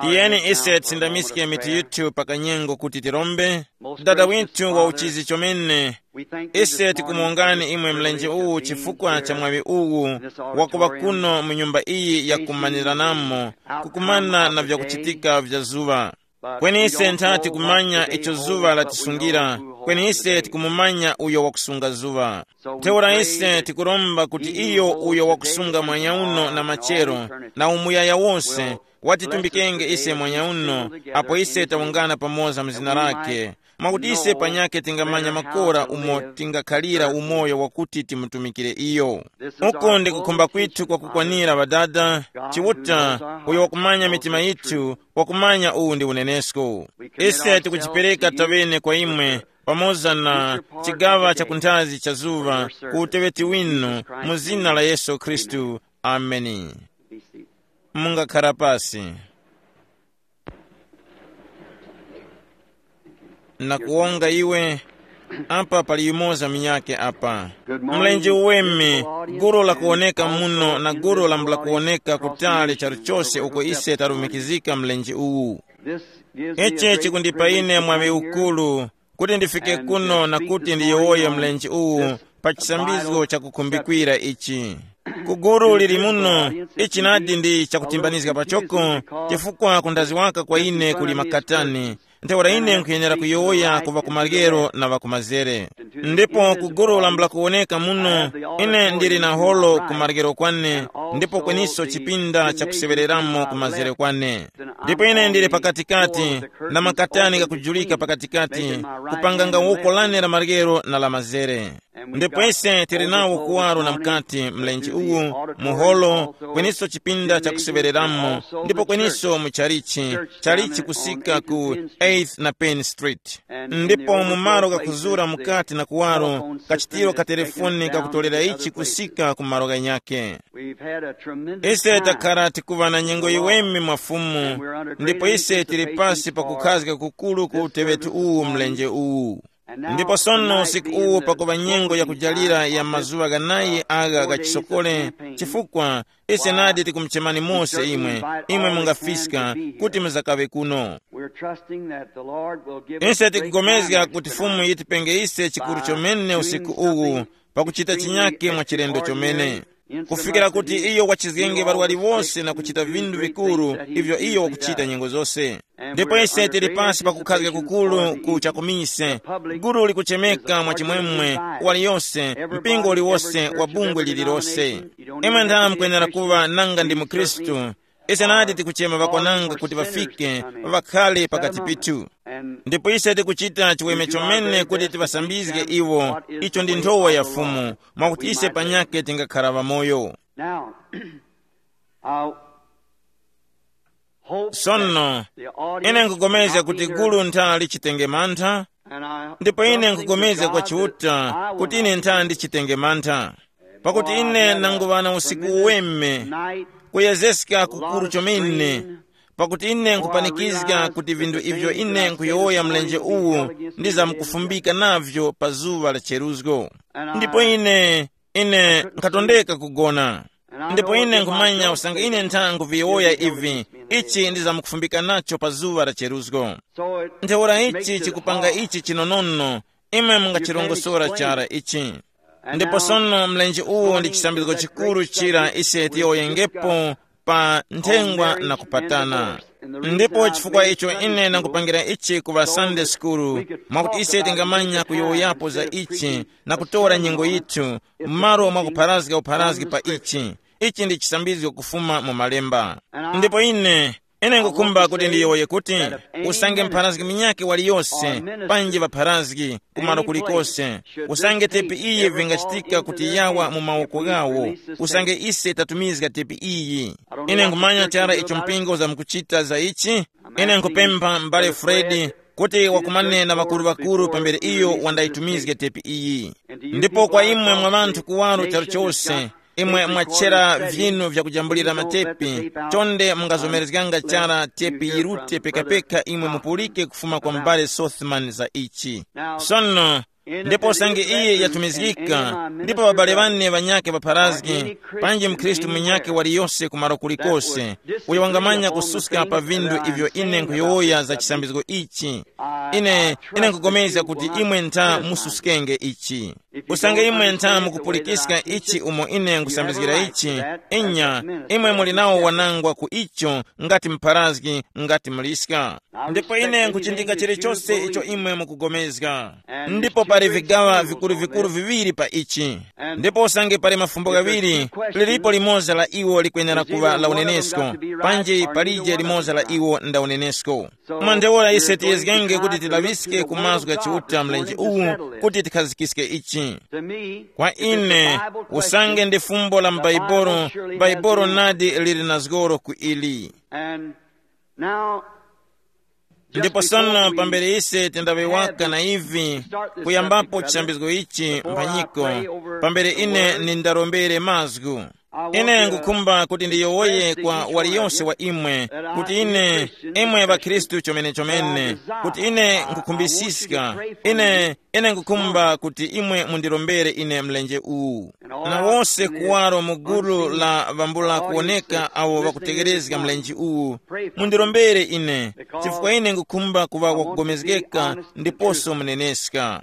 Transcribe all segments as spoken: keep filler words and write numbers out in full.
Tiyeni ise tisindamiske mitu yithu pa kanyengo kuti tirombe. Dada withu wa uchizi chomene, ise tikumongani imwe mlenje uwu chifukwa cha mwaŵi uwu wakuŵa kuno mu nyumba iyi yakumaniranamo, kukumana na vyakuchitika vya zuŵa. Kweni ise nthati kumanya icho zuŵa latisungira, kweni ise tikumumanya uyo wakusunga zuŵa. Ntheura ise tikuromba kuti iyo uyo wakusunga mwanyauno na machero na umuyaya wose watitumbikenge ise mwanyauno, apo ise tawungana pamoza mu zina lake, mwakuti ise panyakhe tingamanya makora umo tingakhalira umoyo wakuti timutumikire iyo. Uku ndi kukhumba kwithu kwakukwanira, Ŵadada. Chiuta, uyo wakumanya mitima yithu, wakumanya uwu ndi unenesko. Ise tikujipereka tawene kwa imwe, pamoza na chigaŵa cha kunthazi cha zuŵa, ku uteŵeti winu, mu zina la Yesu Khristu. Ameni. Mungakhara pasi. Nakuwonga iwe. Apa pali yumoza munyakhe apa. Mlenje uweme, guru lakuwoneka muno na guru lambula kuwoneka kutali charu chose uko ise tarumikizika mlenje uwu. Ichi chikundipa ine mwaŵi ukuru kuti ndifike kuno na kuti ndiyowoye mlenje uwu pa chisambizgo chakukhumbikira ichi. Ku guru lili muno, ichi nadi ndi chakutimbanizga pachoko, chifukwa kundazi waka kwa ine kuli makatani. Ntheura ine nkhuyenera kuyowoya ku ŵakumaryero na ŵakumazere. Ndipo ku guru lambula kuwoneka muno, ine ndili na holo ku maryero kwane, ndipo kweniso chipinda chakuseŵereramo ku mazere kwane. Ndipo ine ndili pakatikati, na makatani ghakujulika pakatikati, kupanganga woko lane la maryero na la mazere. Ndipo ise tili nawo kuwaro na mukati mlenje uwu, muholo, kweniso chipinda chakuseŵereramo, ndipo kweniso mu chalichi, chalichi kusika ku eighth na Penn Street. Ndipo mu malo ghakuzura mukati na kuwaro, kachitiro ka telefoni kakutolera ichi kusika ku malo ghanyakhe. Ise takhala tikuŵa na nyengo yiweme mwa Fumu, ndipo ise tili pasi pa kukhazga kukuru ku uteŵeti uwu mlenje uwu. Ndipo sono usiku uwu pakuŵa nyengo yakujalira ya mazuŵa ghanayi agha gha chisokole, chifukwa ise nadi tikumuchemani mose imwe, imwe mungafiska kuti muzakaŵe kuno. Ise tikugomezga kuti Fumu yitipenge ise chikuru chomene usiku uwu, pakuchita chinyake mwa chilendo chomene, kufikira kuti iyo wachizgenge ŵarwari wose na kuchita vinthu vikuru ivyo iyo wakuchita nyengo zose. Ndipo ise tili pasi pa kukhazga kukuru ku chakumise, guru likuchemeka mwa chimwemwe, waliyose, mpingo uliwose wa bungwe lililose. Imwe ntha mukwenera kuŵa nanga ndi mukhristu. Ise nadi tikuchema ŵakwananga kuti ŵafike, ŵakhale pakati pithu. Ndipo ise tikuchita chiweme chomene kuti tiŵasambizge iwo. Icho ndi nthowa ya Fumu, mwakuti ise panyakhe tingakhara ŵamoyo. Now, I hope sono, that the audience ine nkupulikana kuti gulu ntha lichitenge mantha. Ndipo ine nkupulikana kwa Chiuta kuti ine ntha ndichitenge mantha, pakuti ine nanguŵa na usiku uweme, kuyezeska kukuru chomene, pakuti ine nkupanikizga kuti vinthu ivyo ine nkuyowoya mlenje uwu ndizamkufumbika navyo pa zuŵa la cheruzgo. Ndipo ine, ine nkhatondeka kugona. Ndipo ine nkhumanya usanga ine ntha nkuviyowoya ivi, ichi ndizamkufumbika nacho pa zuŵa la cheruzgo. Ntheura ichi chikupanga ichi chinonono, imwe mungachirongosora chara ichi. Ndipo sono mlenje uwu ndi chisambizgo chikuru chira ise tiyowoyengepo pa nthengwa na kupatana. Ndipo chifukwa icho ine nangupangira ichi ku ŵa Sunday School, mwakuti ise tingamanya kuyowoyapo za ichi na kutora nyengo yithu, m'malo mwa kupharazga upharazgi pa ichi. Ichi ndi chisambizgo kufuma mu Malemba. Ndipo ine, ine ngukhumba kuti ndiyowoye kuti usange mpharazgi munyakhe waliyose, panji ŵapharazgi, kumalo kulikose, usange tepi iyi vingachitika kuti yawa mu mawoko ghawo, usange ise tatumizga tepi iyi. Ine nkhumanya chara icho mpingo uzamkuchita za ichi. Ine nkhupempha m'bale Fredi kuti wakumane na ŵakuru-ŵakuru pambere iyo wandayitumizge tepi iyi. Ndipo kwa imwe mwa ŵanthu kuwaro charu chose, imwe mwachera vyinu vyakujambulira matepi, chonde mungazomerezganga chara tepi yirute pekapeka imwe mupulike kufuma kwa m'bale Sothman za ichi. Sono, Ndipo usange iye yatumizgika, ndipo ŵabale ŵane ŵanyakhe ŵapharazgi, panji mkhristu munyakhe waliyose kumalo kulikose, uyo wangamanya kususka pa vindu ivyo ine nkhuyowoya za chisambizgo ichi, ine ine nkugomezga kuti imwe ntha mususkenge ichi. Usange imwe ntha mukupulikiska ichi umo ine nkusambizgira ichi, inya, imwe muli nawo wanangwa ku icho, ngati mpharazgi, ngati muliska. Ndipo ine nkuchindika chilichose icho imwe mukugomezga. Ndipo pali vigaŵa vikuru-vikuru viŵiri pa ichi. Ndipo usange pali mafumbo ghaŵiri, lilipo limoza la iwo likwenera kuŵa la unenesko, panji palije limoza la iwo nda unenesko. Mwa ntheura ise tiyezgenge kuti tilaŵiske ku mazgu gha Chiuta mlenje uwu, kuti tikhazikiske ichi. Kwa ine, usange ndi fumbo la m'Baibolo, Baibolo nadi lili na zgoro ku ili. And now, ndipo sono pambere ise tindaŵewaka na ivi, kuyambapo chisambizgo ichi mphanyiko, pambere ine nindarombere mazgu, ine ngukhumba kuti ndiyowoye kwa waliyonse wa imwe, kuti ine, imwe ŵakhristu chomene-chomene, kuti ine nkukhumbisiska, ine ine ngukhumba kuti imwe mundirombere ine mlenje uwu, na wose kuwaro mu gulu la ŵambula kuwoneka awo ŵakutegherezga mlenje uwu. Mundirombere ine, chifukwa ine ngukhumba kuŵa wakugomezgeka ndiposo muneneska.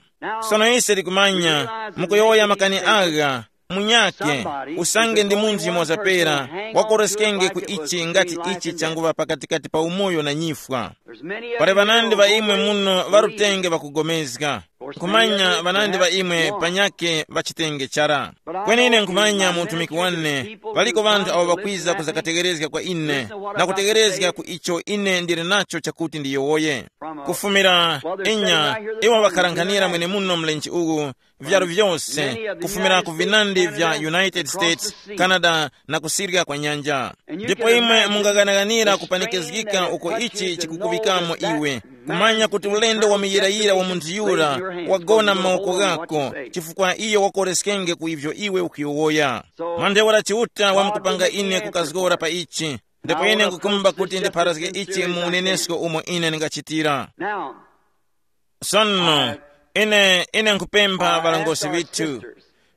Sono ise tikumanya, mukuyowoya makani agha, munyake, usange ndi munthu yumoza pera, wakoreskenge ku ichi ngati ichi changuŵa pakatikati pa umoyo na nyifwa. Pali ŵanandi ŵa imwe muno ŵarutenge ŵakugomezga. Nkhumanya ŵanandi ŵa imwe panyake ŵachitenge chara. Kweni ine nkhumanya mu utumiki wane, ŵaliko ŵanthu awo ŵakwiza kuzakategherezga kwa ine, na kutegherezga ku icho ine ndili nacho chakuti ndiyowoye. Kufumira, inya, iwo ŵakharankhanira mwenemuno mlenje uwu, vyaru vyose, kufumira ku vinandi vya United States, Canada, na kusirya kwa nyanja. Ndipo imwe mungaghanaghanira kupanikizgika uko ichi chikukuŵikamo iwe, kumanya kuti ulendo wa muyirayira wa munthu yura wagona m'mawoko ghako, chifukwa iyo wakoreskenge ku ivyo iwe ukuyowoya. Mwa ntheura Chiuta wamkupanga ine kukazgora pa ichi, ndipo ine nkukhumba kuti ndipharazge ichi mu unenesko umo ine ndingachitira. Sono, ine ine nkhupempha ŵalongosi ŵithu,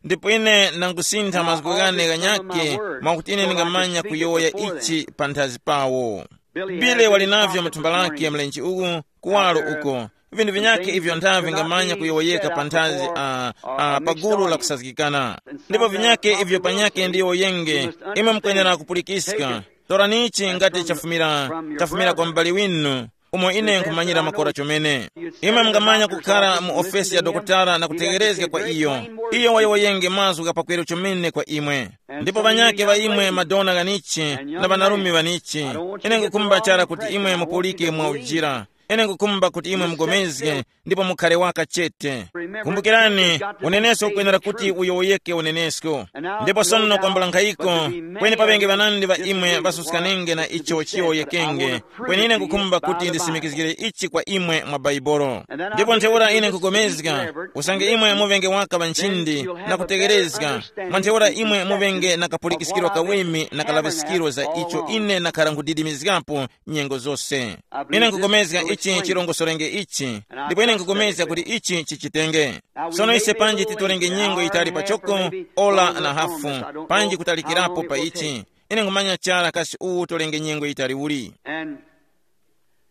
ndipo ine ndangusintha mazgu ghane ghanyakhe, mwakuti ine ndingamanya kuyowoya ichi panthazi pawo. Bile wali navyo mu thumba lake mlenje uwu, kuwalo uko, vinthu vinyakhe ivyo ntha vingamanya kuyowoyeka panthazi a, a pa gulu la kusazgikana. Ndipo vinyakhe ivyo panyakhe ndiyo yenge, imwe mukwenera kupulikiska. Torani ichi ngati chafumira, chafumira kwa m'bale winu, umo ine nkhumanyira makora chomene. Imwe mungamanya kukhala mu ofesi ya dokotala na kutegherezga kwa iyo. Iyo wayowoyenge mazgu gha pakweru chomene kwa imwe. Ndipo ŵanyakhe ŵa imwe madona ghanichi na ŵanarume ŵanichi, ine ngukhumba chara kuti imwe mupulike mwa ujira. Ine ngukhumba kuti imwe mugomezge ndipo mukhale waka chete. Kumbukirani, unenesko ukwenera kuti uyowoyeke unenesko. Ndipo sono kwambula nkhayiko, kweni paŵenge ŵanandi ŵa imwe ŵasuskane na icho chiyowoyekenge, kweni ine ngukhumba kuti ndisimikizgire ichi kwa imwe mwa Baibolo. Ndipo ntheura ine nkugomezga, usange imwe muŵenge waka ŵa nchindi na kutegherezga, mwa ntheura imwe muŵenge na kapulikiskiro kaweme na kalaŵiskiro za icho ine nakhara nkhudidimizgapo nyengo zose. Ine nkugomezga ichi chirongosorenge ichi, ndipo ine nkugomezga kuti ichi chichitenge. Sono ise panji titorenge nyengo yitali pachoko, ora na hafu, panji kutalikirapo pa ichi. Ine nkhumanya chara kasi uwu torenge nyengo yitali uli. And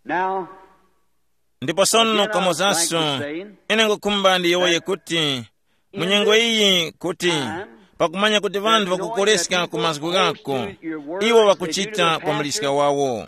now, ndipo sono kamozaso, ine ngukhumba ndiyowoye kuti, mu nyengo iyi kuti, pakumanya kuti ŵanthu ŵakukoleska ku mazgu ghako, iwo ŵakuchita kwa muliska wawo.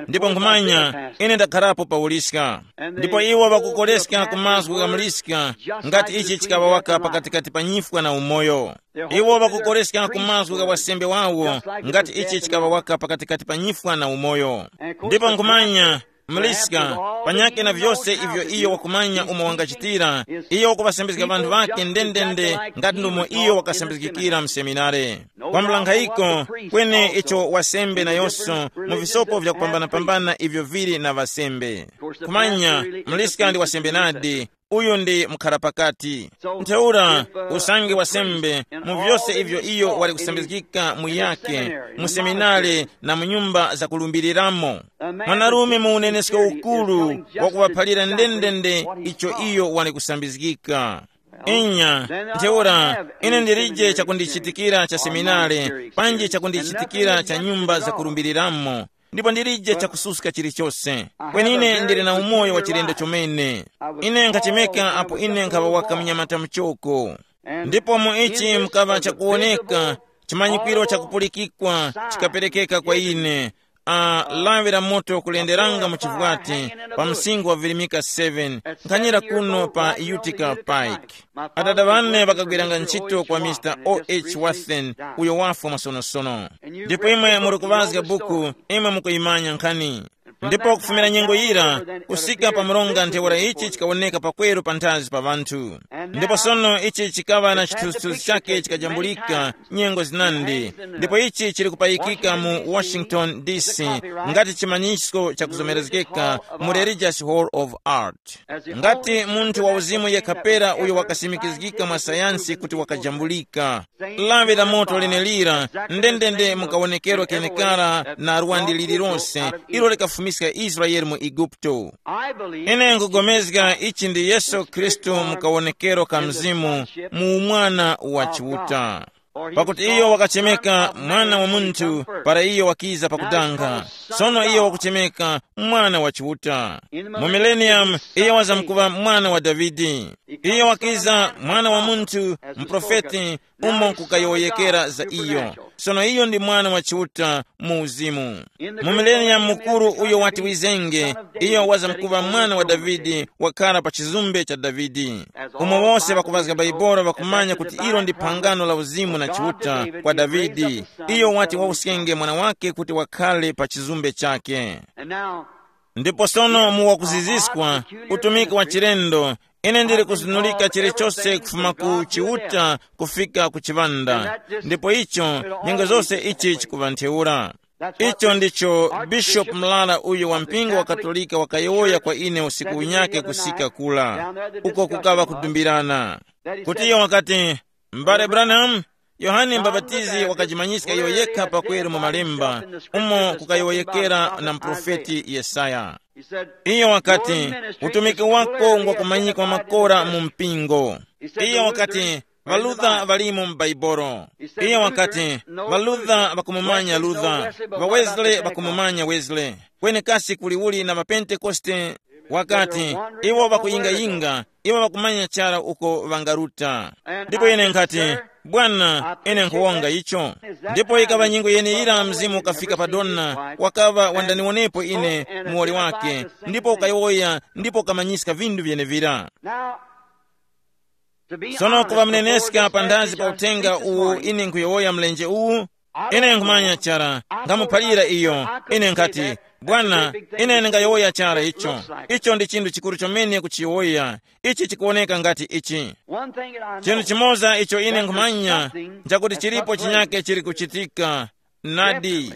Ndipo nkhumanya, ine ndakharapo pa uliska. Ndipo iwo ŵakukoleska ku mazgu gha muliska, ngati ichi chikaŵa waka pakatikati pa nyifwa na umoyo. Iwo ŵakukoleska ku mazgu gha wasembe wawo, ngati ichi chikaŵa waka pakatikati pa nyifwa na umoyo. Ndipo nkhumanya, muliska, panyakhe na vyose ivyo iyo wakumanya umo wangachitira, iyo wakuŵasambizga ŵanthu ŵakhe ndendende ngati ndomo iyo wakasambizgikira mu seminare. Kwambula nkhayiko, kweni icho wasembe nayonso mu visopo vyakupambana-pambana ivyo vili na ŵasembe. Kumanya, muliska ndi wasembe nadi, uyu ndi mukharapakati. Ntheura, usange wasembe mu vyose ivyo iyo wali kusambizgika mu yake, mu seminare na mu nyumba zakulumbiriramo, mwanarume mu unenesko ukuru wakuŵaphalira ndendende icho iyo wali kusambizgika. Inya, ntheura ine ndilije chakundichitikira cha seminare, panji chakundichitikira cha nyumba zakulumbiriramo, ndipo ndilije chakususka chilichose. Kweni ine ndili na umoyo wa chilendo chomene. Ine nkhachemeka apo ine nkhaŵa waka mnyamata muchoko. Ndipo mu ichi mukaŵa chakuwoneka, chimanyikwiro chakupulikikwa chikaperekeka kwa ine. A, lawi la moto kulenderanga mu chivwati pa msingo wa Virimika seven, nkhanyira kuno pa Utica Pike. Adada ŵane ŵakagwiranga ntchito kwa Mr O H Wathen, uyo wafwa masonosono. Ndipo imwe muri kuŵazga buku, imwe mukuyimanya nkhani. Ndipo kufumira nyengo yira, kusika pa mronga ntheura ichi chikawoneka pakweru panthazi pa ŵanthu. Ndipo sono ichi chikaŵa na chithunzithunzi chake chikajambulika nyengo zinandi. Ndipo ichi chili kupayikika mu Washington D C ngati chimanyisko chakuzomerezgeka mu Religious Hall of Art. Ngati munthu wa uzimu yekha pera uyo wakasimikizgika mwa sayansi kuti wakajambulika. Lawi la moto lenelira ndendende mukawonekero kenekara na lwandi lililonse ilo likafumiska Israeli mu Igupto. Ine nkugomezga ichi ndi Yesu Khristu mukawonekero ka Mzimu mu umwana wa Chiuta. Pakuti iyo wakachemeka mwana wa munthu para iyo wakiza pakudanga. Sono iyo wakuchemeka mwana wa Chiuta. Mu millennium iyo wazamkuŵa mwana wa Davide. Iyo wakiza mwana wa munthu, muprofeti, umo nkukayowoyekera za iyo. Sono iyo ndi mwana wa Chiuta mu uzimu. Mu millennium mukuru uyo wati wizenge, iyo wazamkuŵa mwana wa Davide, wakhala pa chizumbe cha Davide. Umo wose ŵakuŵazga Baibolo ŵakumanya kuti ilo ndi phangano la uzimu na Chiuta kwa Davide, iyo wati wawuskenge mwana wake kuti wakhale pa chizumbe chake. Ndipo sono mu wakuziziswa, utumiki wa chilendo, ine ndili kuzunulika chilichose kufuma ku Chiuta kufika ku chiŵanda. Ndipo icho nyengo zose ichi chikuŵa ntheura. Icho ndicho Bishop Mlala uyu wa mpingo wa Katolika wakayowoya kwa ine usiku unyake kusika kula, uko kukaŵa kudumbirana, kuti iyo wakati, M'bale Branham, Yohane Mbapatizi wakajimanyiska iyo yekha pakweru mu malemba, umo kukayowoyekera na muprofeti Yesaya. Iyo wakati, utumiki wako ngwakumanyikwa makora mu mpingo. Iyo wakati, ŵaLuther ŵalimo mu Baibolo. Iyo wakati, ŵaLuther ŵakumumanya Luther, ŵaWesley ŵakumumanya Wesley, kweni kasi kuli uli na ŵaPentekoste? Wakati, iwo ŵakuyingayinga, iwo ŵakumanya chara uko ŵangaruta. Ndipo ine nkhati, bwana, ine nkhuwonga icho. Ndipo ikaŵa nyengo yeneyira Mzimu ukafika pa Donna, wakaŵa wandaniwonepo ine muwoli wake, ndipo ukayowoya ndipo ukamanyiska vinthu vyenevira. Sono kuŵa muneneska panthazi pa uthenga uwu ine nkhuyowoya mlenje uwu, ine nkhumanya chara, nkhamuphalira iyo. Ine nkhati, bwana, ine ndingayowoya chara icho. Icho ndi chinthu chikuru chomene kuchiyowoya. Ichi chikuwoneka ngati ichi. Chinthu chimoza icho ine nkhumanya nchakuti chilipo chinyake chili kuchitika. Nadi,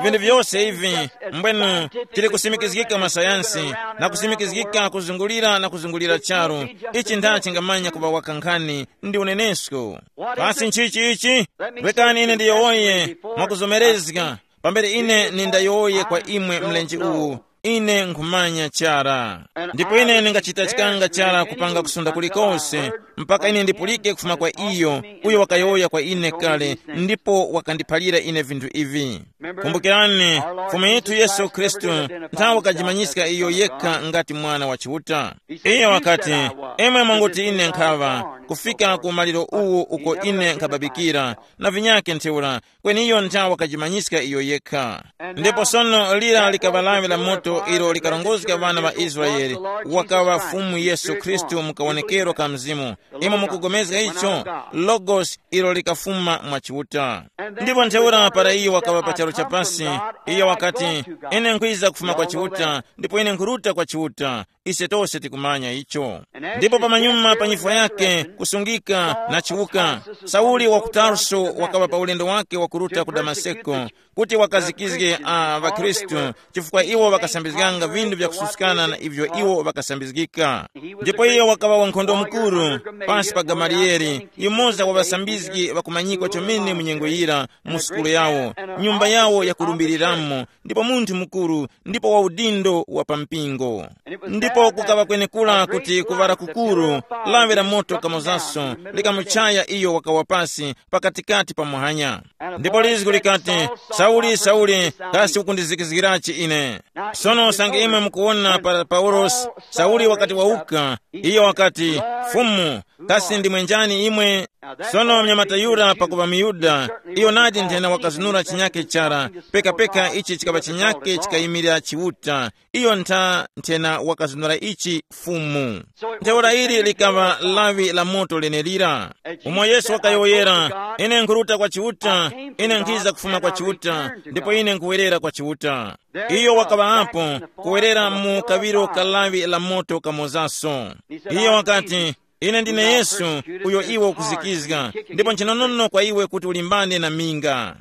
vinthu vyose ivi mbwenu tili kusimikizgika mwa sayansi, na kusimikizgika kuzungulira na kuzungulira charu. Ichi ntha chingamanya kuŵa waka nkhani ndi unenesko. Kasi nchichi ichi? Rekani ine ndiyowoye mwakuzomerezga, pambere ine nindayowoye kwa imwe mlenje uwu. Ine nkhumanya chara, ndipo ine ndingachita chikanga chara kupanga kusunda kulikose, mpaka ine ndipulike kufuma kwa iyo uyo wakayowoya kwa ine kale, ndipo wakandiphalira ine vinthu ivi. Kumbukirani, Fumu yithu Yesu Khristu nthawi wakajimanyiska iyo yekha ngati Mwana wa Chiuta. Iye wakati, imwe mwanguti ine nkhaŵa, kufika ku maliro uwu uko ine nkhababikira, na vinyake ntheura, kweni iyo nthawi wakajimanyiska iyo yekha. Ndipo sono lira likaŵa lawi la moto ilo likarongozga ŵana ŵa Israele, wakaŵa Fumu Yesu Khristu mu kawonekero ka Mzimu. Imwe mukugomezga icho? Logos ilo likafuma mwa Chiuta. Ndipo ntheura para iyo wakaŵa pa charu cha pasi, iyo wakati, ine nkhwiza kufuma kwa Chiuta, ndipo ine nkhuruta kwa Chiuta. Ise tose tikumanya icho. Ndipo pamanyuma pa nyifwa yake kusungika na chiwuka, Sauli wa ku Tarso wakaŵa pa ulendo wake wakuruta ku Damaseko, kuti wakazikizge a ŵakhristu, chifukwa iwo ŵakasambizganga vinthu vyakususkana na ivyo iwo ŵakasambizgika. Ndipo iyo wakaŵa wankhondo mukuru. Pasi pa Gamaliyeli, yumoza wa ŵasambizgi ŵakumanyikwa chomene mu nyengo yira, mu sukulu yawo, nyumba yawo yakulumbiriramu, ndipo munthu mukuru, ndipo wa udindo wa pa mpingo. Ndipo kukaŵa kwenekura kuti kuŵala kukuru, lawi la moto kamozanso likamuchaya iyo wakawa pasi pakatikati pa muhanya. Ndipo lizgu likati, "Sauli, Sauli, kasi ukundizikizgirachi ine?" Sono usange imwe mukuwona pa Paulosi, Sauli wakati wawuka, iyo wakati, "Fumu, kasi ndimwe njani imwe?" Sono mnyamata yura pakuŵa muYuda, iyo nadi nthena wakazunura chinyake chara, pekapeka ichi chikaŵa chinyake chikayimirira Chiuta, iyo ntha nthena wakazunura ichi Fumu. Ntheura ili likaŵa lawi la moto lenelira. Umo Yesu wakayowoyera, "Ine nkhuruta kwa Chiuta, ine nkhiza kufuma kwa Chiuta, ndipo ine nkhuwerera kwa Chiuta." Iyo wakaŵa apo, kuwerera mu kawiro ka lawi la moto kamozaso. Iyo wakati, "Ine ndine Yesu, uyo iwe ukuzikizga, ndipo nchinonono kwa iwe kuti ulimbane na minga."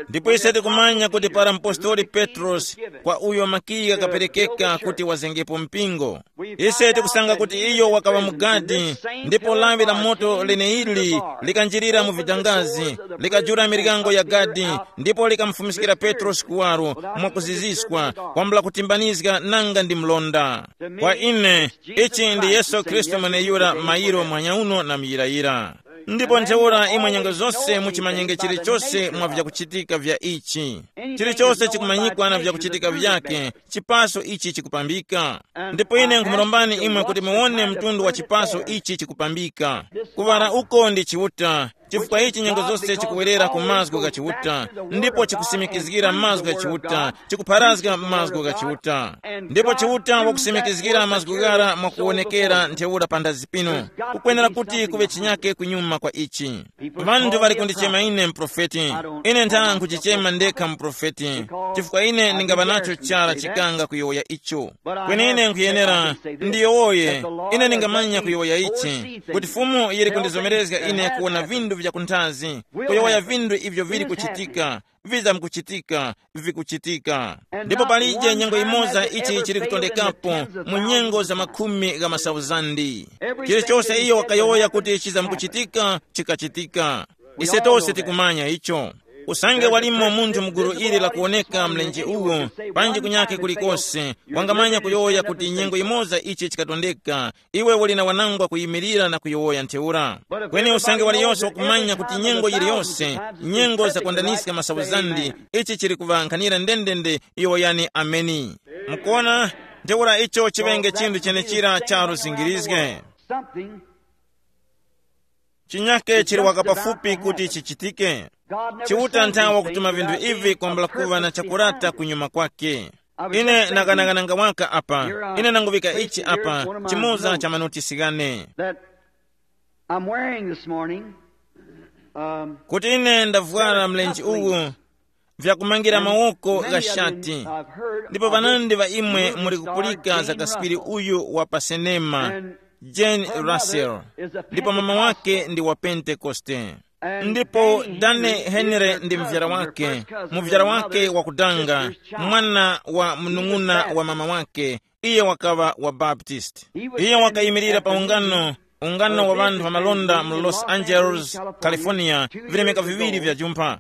Ndipo ise tikumanya kuti para mpostoli Petrosi, kwa uyo makiyi ghakaperekeka kuti wazengepo mpingo, ise tikusanga kuti iyo wakaŵa mugadi, ndipo lawi la moto leneili likanjirira mu vidangazi, likajula miryango ya gadi, ndipo likamufumiskira Petrosi kuwaro, mwakuziziswa, kwambula kutimbanizga nanga ndi mlonda. Kwa ine, ichi ndi Yesu Khristu mweneyura mayiro mwanyauno na muyirayira. Ndipo ntheura imwe nyengo zose muchimanyenge chilichose mwa vyakuchitika vya ichi. Chilichose chikumanyikwa na vyakuchitika vyake, chipaso ichi chikupambika. Ndipo ine nkhumurombani imwe kuti muwone mtundu wa chipaso ichi chikupambika. Kuŵala uko ndi Chiuta, chifukwa ichi nyengo zose chikuwerera ku mazgu gha Chiuta, ndipo chikusimikizgira mazgu gha Chiuta, chikupharazga mazgu gha Chiuta. Ndipo Chiuta wakusimikizgira mazgu ghara mwakuwonekera ntheura panthazi pino. Kukwenera kuti kuŵe chinyake kunyuma kwa ichi. Vanthu ŵali kundichema ine muprofeti. Ine nthana nkhuchichema ndekha muprofeti, chifukwa ine ndingaŵa nacho chara chikanga kuyowoya icho. Kweni ine nkhuyenera ndiyowoye, ine ndingamanya kuyowoya ichi, kuti Fumu yili kundizomerezga ine kuwona vinthu vya kunthazi, kuyowoya vinthu ivyo vili kuchitika, vizamkuchitika, vikuchitika. Ndipo palije nyengo imoza ichi chili kutondekapo mu nyengo za makhumi gha masauzandi. Chilichose iyo wakayowoya kuti chizamkuchitika, chikachitika. Ise tose tikumanya icho. Usange walimo munthu mu gulu ili lakuwoneka mlenje uwu, panji kunyake kulikose, wangamanya kuyowoya kuti nyengo imoza ichi chikatondeka, iwe uli na wanangwa kuyimirira na kuyowoya ntheura. Kweni usange waliyose wakumanya kuti nyengo yiliyose, nyengo zakwandaniska masauzandi, ichi chili kuŵankhanira ndendende, yowoyani ameni. Mukuona, ntheura icho chiŵenge chinthu chenechira cha luzingirizge. Something Chinyake chili waka pafupi kuti chichitike. Chiuta nthawa kutuma vinthu ivi kwambula kuŵa na chakurata kunyuma kwake. Ine nakanakananga waka apa, ine nanguŵika ichi apa, chimoza cha manotisi ghane. That I'm wearing this morning. Um, kuti ine ndavwara mlenje uwu, vyakumangira mawoko gha shati. Ndipo ŵanandi ŵa imwe muli kupulika za kaspiri uyu wa pa senema, Jane Russell, ndipo mama wake ndi wa Pentekoste. Ndipo Danny Henry ndi muvyara wake, muvyara wake wakudanga, mwana wa munung'una wa mama wake, iye wakaŵa wa Baptist. Iye wakayimirira pa ungano, ungano wa ŵanthu ŵamalonda mu Los Angeles, California, vilemeka viŵiri vya jumpha.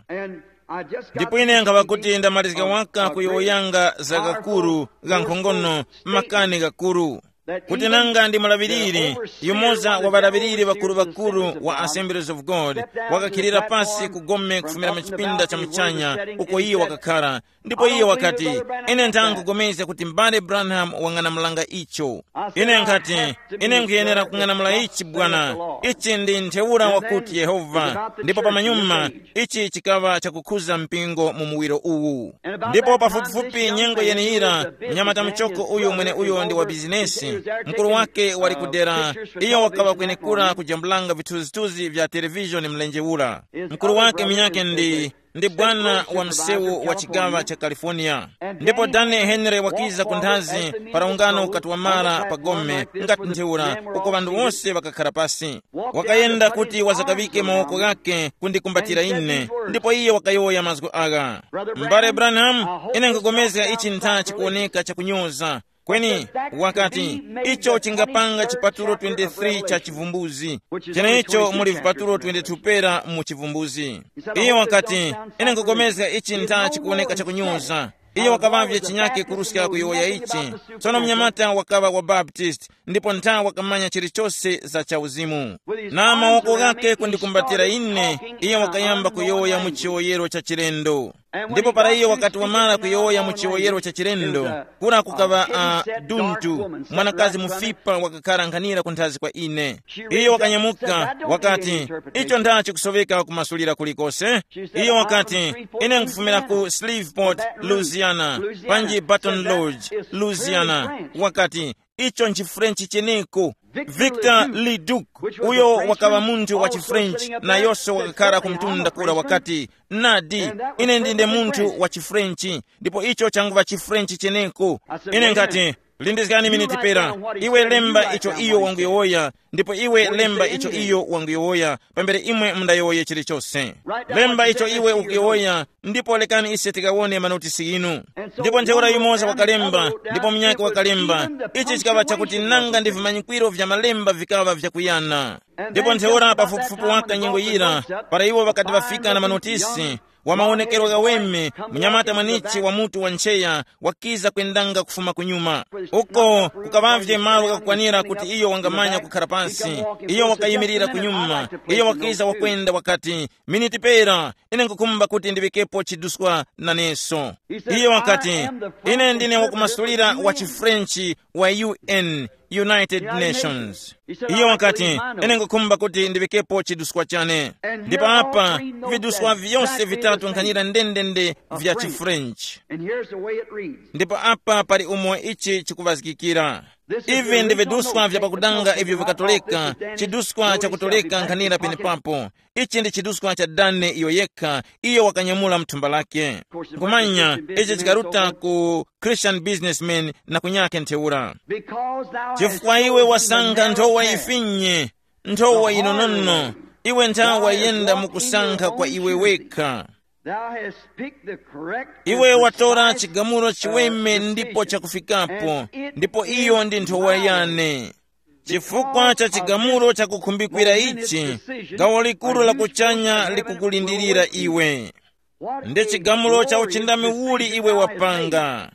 Ndipo ine nkhaŵa kuti ndamalizika waka kuyowoyanga za gakuru gha nkhongono, makani gakuru, kuti nanga ndi mulaŵiriri, yumoza wa ŵalaŵiriri ŵakuru-ŵakuru wa Assemblies of God, wakakhilira pasi ku gome kufumira mu chipinda cha muchanya uko iye wakakhara. Ndipo iye wakati, ine nthangugomezga kuti m'bale Branham wang'anamulanga icho. Ine nkhati, ine nkhuyenera kung'anamula ichi bwana. Ichi ndi ntheura wakuti Yehova. Ndipo pamanyuma, ichi chikaŵa chakukhuza mpingo mu muwiro uwu. Ndipo pafupifupi nyengo yeneyira, mnyamata muchoko uyu mwene uyo ndi wa bizinesi, mkuru wake wali kudera, iyo wakaŵa kwenekura kujambulanga vithunzithunzi vya televishoni mlenje ura. Mkuru wake munyakhe ndi, ndi bwana wa msewu wa chigaŵa cha California. Ndipo Danny Henry wakiza kunthazi para ungano ukati wamara pa gome, ngati ntheura, uko ŵanthu wose ŵakakhara pasi. Wakayenda kuti wazakaŵike mawoko ghake kundikumbatira ine, ndipo iye wakayowoya mazgu agha. M'bale Branham, ine nkhupulikana ichi ntha chikuwoneka chakunyoza, Kweni wakati, icho chingapanga chipatulo twenty-three cha chivumbuzi, cheneicho muli vipatulo twenty-two pera mu chivumbuzi. Iyo wakati, ine nkupulikana ichi ntha chikuwoneka chakunyoza. Iyo wakaŵavye chinyake kuruska kuyowoya ichi. Tsono mnyamata wakaŵa wa Baptist, ndipo ntha wakamanya chilichose za chauzimu. Na mawoko ghake kundikumbatira ine, iyo wakayamba kuyowoya mu chiwoyero cha chilendo. Ndipo para iyo wakati wamara kuyowoya mu chiwoyero cha chilendo, kura kukaŵa a duntu, mwanakazi mufipa wakakhara nkhanira kunthazi kwa ine. Iyo wakanyamuka, wakati, icho nda chikusoveka kumasulira kulikose? Iyo wakati, ine nkufumira ku Shreveport, Louisiana, panji Baton Rouge, Louisiana. Wakati, icho nchi French cheneko. Victor Leduc, uyo wakaŵa munthu wa chiFrench, nayonso wakakhara ku mtunda kura wakati, nadi, ine ndine munthu wa chiFrench, ndipo icho changuŵa chiFrench cheneko. Ine nkati, lindizgani miniti pera, iwe lemba icho iyo wanguyowoya, ndipo iwe lemba icho iyo wanguyowoya, pambere imwe mundayowoye chilichose. Lemba icho iwe ukuyowoya, ndipo lekani ise tikawone manotisi inu. Ndipo ntheura yumoza wakalemba, ndipo munyakhe wakalemba. Ichi chikaŵa chakuti nanga ndi vimanyikwiro vya malemba vikaŵa vyakuyana. Ndipo ntheura pafupifupi waka nyengo yira, para iwo ŵakati ŵafika na manotisi, wa mawonekero ghaweme, munyamata mwenichi wa mutu wa ncheya, wakiza kwendanga kufuma kunyuma. Uko kukaŵavye malo ghakukwanira kuti iyo wangamanya kukhara pansi. Iyo wakayimirira kunyuma. Iyo wakiza wakwenda wakati, miniti pera, ine nkukhumba kuti ndiŵikepo chiduswa naneso. Iyo wakati, ine ndine wakumasulira wa chiFrench wa U N, United Nations. Iyo wakati, ine nkukhumba kuti ndiŵikepo chiduswa chane. Ndipo apa, viduswa vyose vitatu nkhanira ndendende vya chiFrench. Ndipo apa pali umo ichi chikuŵazgikira. Ivi ndi viduswa vya pakudanga ivyo vikatoleka, chiduswa chakutoleka nkhanira penepapo. Ichi ndi chiduskwa cha Dane iyo yekha, iyo wakanyamula mthumba lake. Nkhumanya, ichi chikaruta ku Christian businessman na kunyakhe ntheura. Chifukwa iwe wasankha nthowa ifinye, nthowa inonono, iwe nthawa yenda mukusankha kwa iwe wekha. Iwe watora chigamulo chiweme ndipo chakufikapo, ndipo iyo ndi nthowa yane. Chifukwa cha chigamulo chakukhumbikira ichi, gawo likuru la kuchanya likukulindirira iwe. Ndi chigamulo cha uchindami uli iwe wapanga?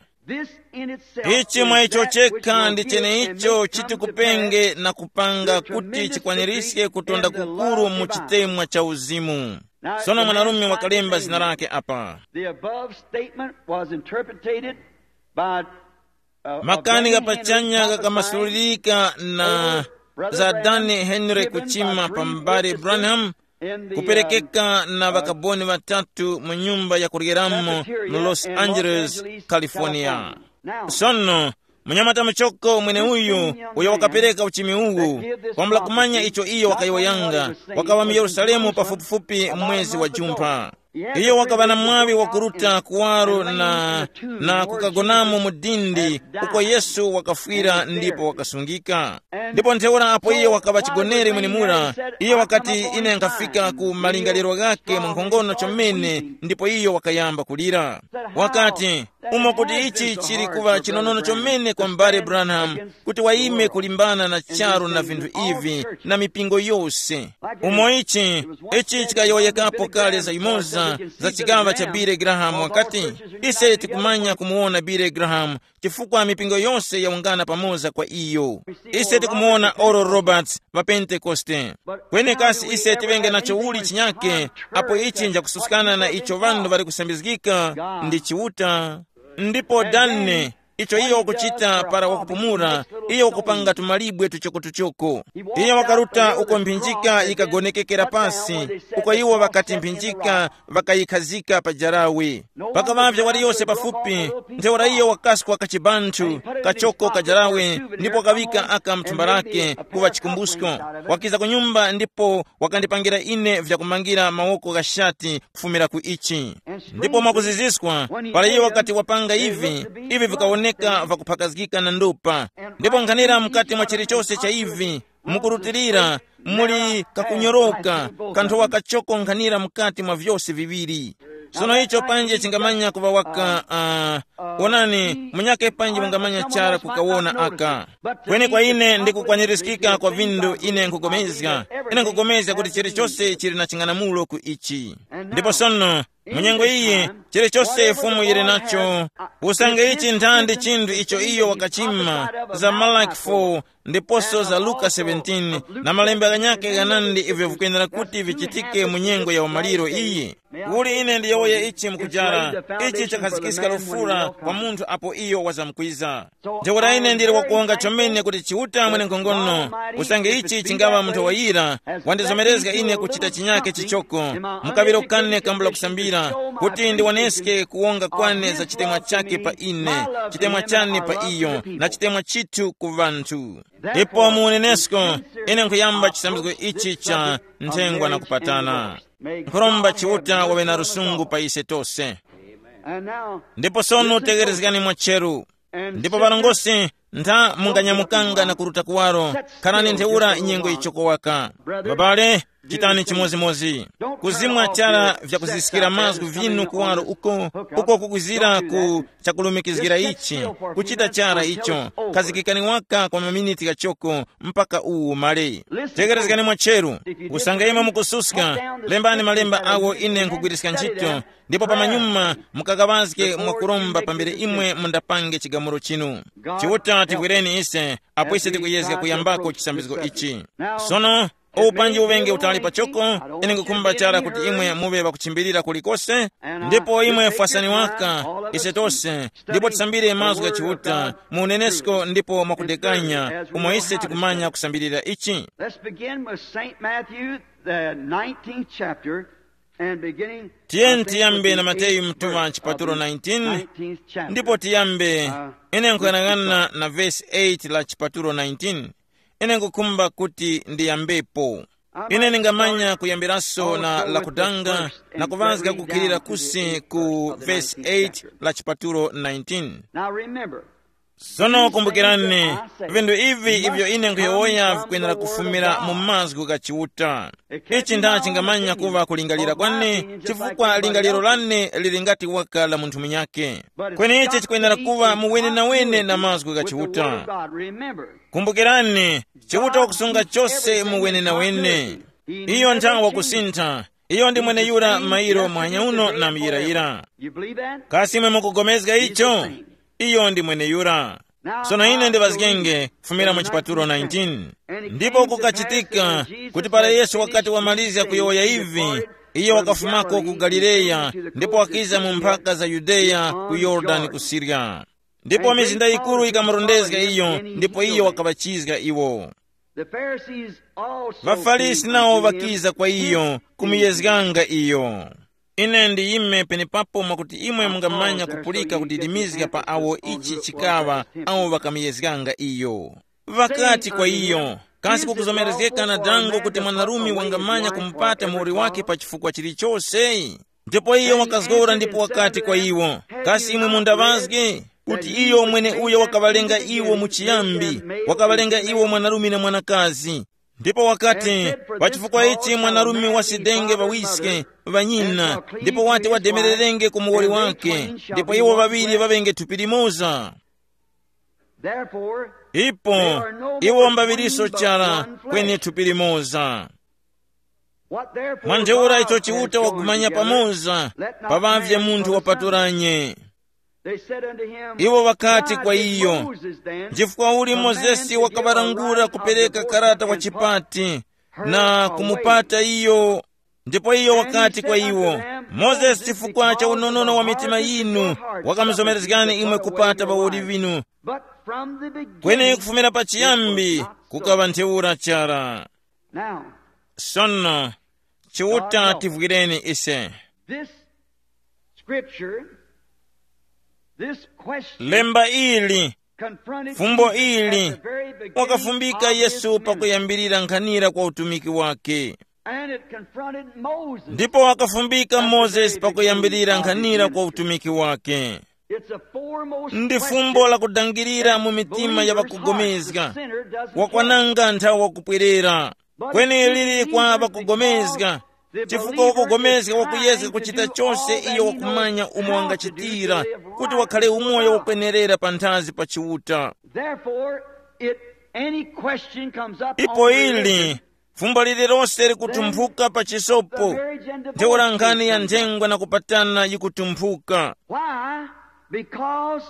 Ichi mwa icho chekha ndi cheneicho chitikupenge na kupanga kuti chikwanirise kutonda kukuru mu chitemwa cha uzimu. Sono mwanarume wakalemba zina lake apa. The above statement was interpreted by Makani gha pachanya ghakamasulirika na za Dani Henry Kuchima pa m'bale Branham, kuperekeka na ŵakaboni ŵatatu mu nyumba ya kuryeramo mu Los Angeles, California. Sono, munyamata muchoko mweneuyu uyo wakapereka uchimi uwu, kwambula kumanya icho iyo wakayowoyanga, wakaŵa mu Yerusalemu pafupifupi mwezi wa Jumpha. Iyo wakaŵa na mwaŵi wakuruta kuwaro na, na kukagonamo mu dindi uko Yesu wakafwira ndipo wakasungika. Ndipo ntheura apo iyo wakaŵa chigonere mwenemura, iyo wakati, ine nkhafika ku malingaliro ghake mwankhongono chomene, ndipo iyo wakayamba kulira. Wakati, umo kuti ichi chili kuŵa chinonono chomene kwa m'bale Branham, kuti wayime kulimbana na charu na vinthu ivi na mipingo yose. Umo ichi, ichi chikayowoyekapo kale za yumoza za chigaŵa cha Billy Graham wakati, ise tikumanya kumuwona Billy Graham chifukwa mipingo yose yawungana pamoza kwa iyo. Ise tikumuwona Oral Roberts pa Pentekoste. Kweni kasi ise tiŵenge nacho uli chinyake apo ichi njakususkana na icho ŵanthu ŵali kusambizgika ndi Chiuta? Ndipo Dane, icho iyo wakuchita para wakupumula, iyo wakupanga tumalibwe tuchokotuchoko. Iyo wakaruta uko mphinjika yikagonekekera pasi, uko iwo ŵakati mphinjika ŵakayikhazika pa jarawe. Pakaŵavye waliyose pafupi, ntheura iyo wakaskwa kachibanthu kachoko ka jarawe, ndipo wakaŵika aka mthumba lake kuŵa chikumbusko. Wakiza ku nyumba ndipo wakandipangira ine vyakumangira mawoko gha shati kufumira ku ichi. Ndipo mwakuziziswa, para iyo wakati wapanga ivi, ivi vikawoneka vakuphakazgika na ndopa. Ndipo nkhanira mukati mwa chilichose cha ivi, mukurutilira, muli kakunyoroka, kanthowa kachoko nkhanira mukati mwa vyose viŵiri. Sono icho panji chingamanya kuŵa waka, uh, onani, munyake panji mungamanya chara kukawona aka. Kweni kwa ine ndikukwanirizikika kwa vindu ine nkupulikana, ine nkupulikana kuti chilichonse chili na ching'anamulo ku ichi. Ndipo sono, mu nyengo iyi, chilichonse Fumu yili nacho, usange ichi nthandi chinthu icho iyo wakachima, za Malaki four, ndiposo za Luka seventeen, na malemba ghanyakhe ghanandi ivyo vikwenera kuti vichitike mu nyengo ya umaliro iyi. Uli ine ndiyowoye ichi mukujara, ichi chakhazikiska lufura kwa munthu apo iyo wazamkwiza. Ntheura ine ndili wakuwonga chomene kuti Chiuta mwenenkhongono, usange ichi chingaŵa munthu wayira, wandizomerezga ine kuchita chinyake chichoko, mukaŵiro kane kambula kusambira, kuti ndiwoneske kuwonga kwane za chitemwa chake pa ine, chitemwa chane pa iyo, na chitemwa chithu ku ŵanthu. Ipo mu unenesko, ine nkhuyamba chisambizgo ichi cha nthengwa na kupatana. Nkhuromba Chiuta waŵe na lusungu pa ise tose. Ndipo sono tegerezgani mwacheru. Ndipo ŵalongosi, ntha munganyamukanga na kuruta kuwaro, kharani ntheura nyengo ichoko waka. Babale, chitani chimodzimodzi. Kuzimwa chara vyakuziskira mazgu vinu kuwaro uko, uko kukwizira ku chakulumikizgira ichi, kuchita chara icho, khazikikani waka kwa maminiti ghachoko mpaka uwu umale. Tegerezgani mwacheru, usange imwe mukususka, lembani malemba agho ine nkhugwiriska ntchito, ndipo pamanyuma mukakaŵazge mwakuromba pambere imwe mundapange chigamulo chinu. Chiuta tigwireni ise, apo ise tikuyezga kuyambako chisambizgo ichi. Sono, uwu panji uŵenge utali pachoko, ine nkukhumba chara kuti imwe muŵe ŵakuchimbilira kulikose, ndipo imwe fwasani waka, ise tose, ndipo tisambire mazgu gha Chiuta, mu unenesko ndipo mwakudekanya, umo ise tikumanya kusambirira ichi. Let's begin with Saint Matthew, the nineteenth chapter, and beginning Tiyeni tiyambe na Mateyu mtuŵa chipatulo nineteen, ndipo tiyambe, ine nkuyang'ana na vesi eight la chipatulo nineteen. Ine nkukhumba kuti ndiyambepo. Ine ningamanya kuyambiraso na lakudanga na kuŵazga kukhilira kusi ku vesi eight la chipatulo nineteen. Now remember, Sono kumbukirani, vinthu ivi ivyo ine nkhuyowoya vikwenera kufumira mu mazgu gha Chiuta. Ichi nda chingamanya kuŵa kulingalira kwane, chifukwa lingaliro lane lili ngati waka la munthu munyakhe. Kweni ichi chikwenera kuŵa mu wenenawene na mazgu gha Chiuta. Kumbukirani, Chiuta wakusunga chose mu wenenawene. Iyo nthawe wakusintha. Iyo ndi mweneyura mairo mwanya uno na muyirayira. Kasi imwe mukugomezga icho? Iyo ndi mweneyura. Sono ine ndiŵazgenge kufumira mu chipatulo nineteen. Ndipo kukachitika kuti para Yesu wakati wamalizga kuyowoya ivi, iyo wakafumako ku Galileya, ndipo wakiza mu mphaka za Yudeya ku Yorodani ku Siriya. Ndipo mizinda yikuru yikamurondezga iyo, ndipo iyo wakaŵachizga iwo. The Pharisees also ВaFarisi came nawo unto him ŵakiza kwa iyo, kumuyezganga iyo. Ine ndiyime penepapo mwakuti imwe mungamanya kupulika kudidimizga pa awo ichi chikaŵa awo ŵakamuyezganga iyo. Ŵakati kwa iyo, kasi kukuzomerezgeka na dango kuti mwanarume wangamanya kumupata muwoli wake pa chifukwa chilichose? Ndipo iyo wakazgora ndipo wakati kwa iwo, kasi imwe mundaŵazge kuti iyo mwene uyo wakaŵalenga iwo mu chiyambi, wakaŵalenga iwo mwanarume na mwanakazi? Ndipo wakati, pa chifukwa ichi mwanarume wasidenge ŵawiske, ŵanyina, ndipo wati wademererenge ku muwoli wake, ndipo iwo ŵaŵiri ŵaŵenge thupi limoza. Ipo iwo mbaŵiriso chara, kweni thupi limoza. Mwa ntheura icho Chiuta wakumanya pamoza, paŵavye munthu wapaturanye. Iwo ŵakati kwa iyo, nchifukwa uli Mozesi wakaŵalangula kupereka karata wa chipati na kumupata iyo? Ndipo iyo wakati kwa iwo, Mozesi chifukwa cha unonono wa mitima yinu wakamuzomerezgani imwe kupata ŵawoli ŵinu, kweni kufumira pachiyambi kukaŵa ntheura chara. Now, sono, Chiuta tivwireni ise. This scripture, this question, lemba ili, confronted fumbo Jesus ili, at the very beginning wakafumbika of his Yesu ministry. Pakuyambirira nkhanira kwa utumiki wake. And it confronted Moses. Ndipo wakafumbika Mozesi pakuyambirira nkhanira kwa utumiki wake. It's a foremost ndi fumbo question la kudangirira mu mitima ya believers' hearts, the vakugomezga sinner doesn't wakwananga nthawi wakupwerera. Kweni lili kwa vakugomezga, Chifukwa wakugomezga wakuyezga kuchita chose iyo wakumanya umo wangachitira, kuti wakhale umoyo wokwenerera panthazi pa Chiuta. Therefore, it, any question comes up on Ipo religion, ili fumbo lililonse likutumphuka pa chisopo, ntheura nkhani ya nthengwa na kupatana yikutumphuka. Why? Because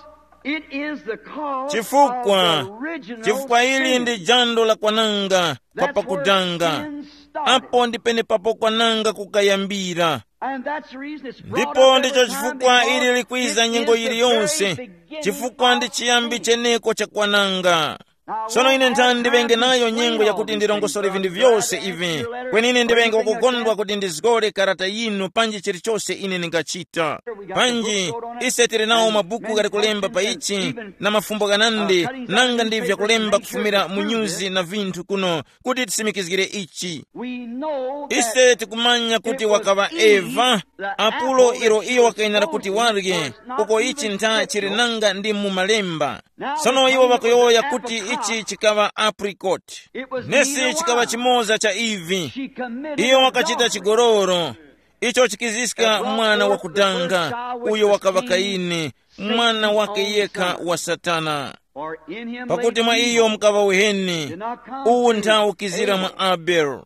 it is the cause Chifukwa, of the original chifukwa ili sin. Ndi jando la kwananga kwa That's where pakudanga. Sin started. Apo ndi penepapo kwananga kukayambira. And that's the reason it's brought Ndipo up ndicho every time chifukwa because ili likwiza it nyengo is the iliyonse, very beginning chifukwa ndi of chiyambi sin. Cheneko cha kwananga. Sono ine nthani ndiŵenge nayo nyengo yakuti ndirongosole vinthu vyose ivi. Kweni ine ndiŵenge wakukondwa kuti ndizgore karata yinu panji chilichose ine ndingachita. Panji ise tili nawo mabuku ghali kulemba pa ichi, na mafumbo ghanandi, nanga ndi vyakulemba kufumira mu nyuzi na vinthu kuno, kuti tisimikizgire ichi. Ise tikumanya kuti wakaŵa Eva, apulo ilo iyo wakayenera kuti warye, uko ichi ntha chili nanga ndi mu malemba. Sono iwo ŵakuyowoya kuti ichi chikaŵa apricot. Nesi chikaŵa chimoza cha ivi. Iyo wakachita chigololo, icho chikiziska mwana wakudanga, uyo wakaŵa Kaini, mwana wake yekha wa Satana. Pakuti mwa iyo mukaŵa uheni, uwu nthawu ukizira mwa Abele.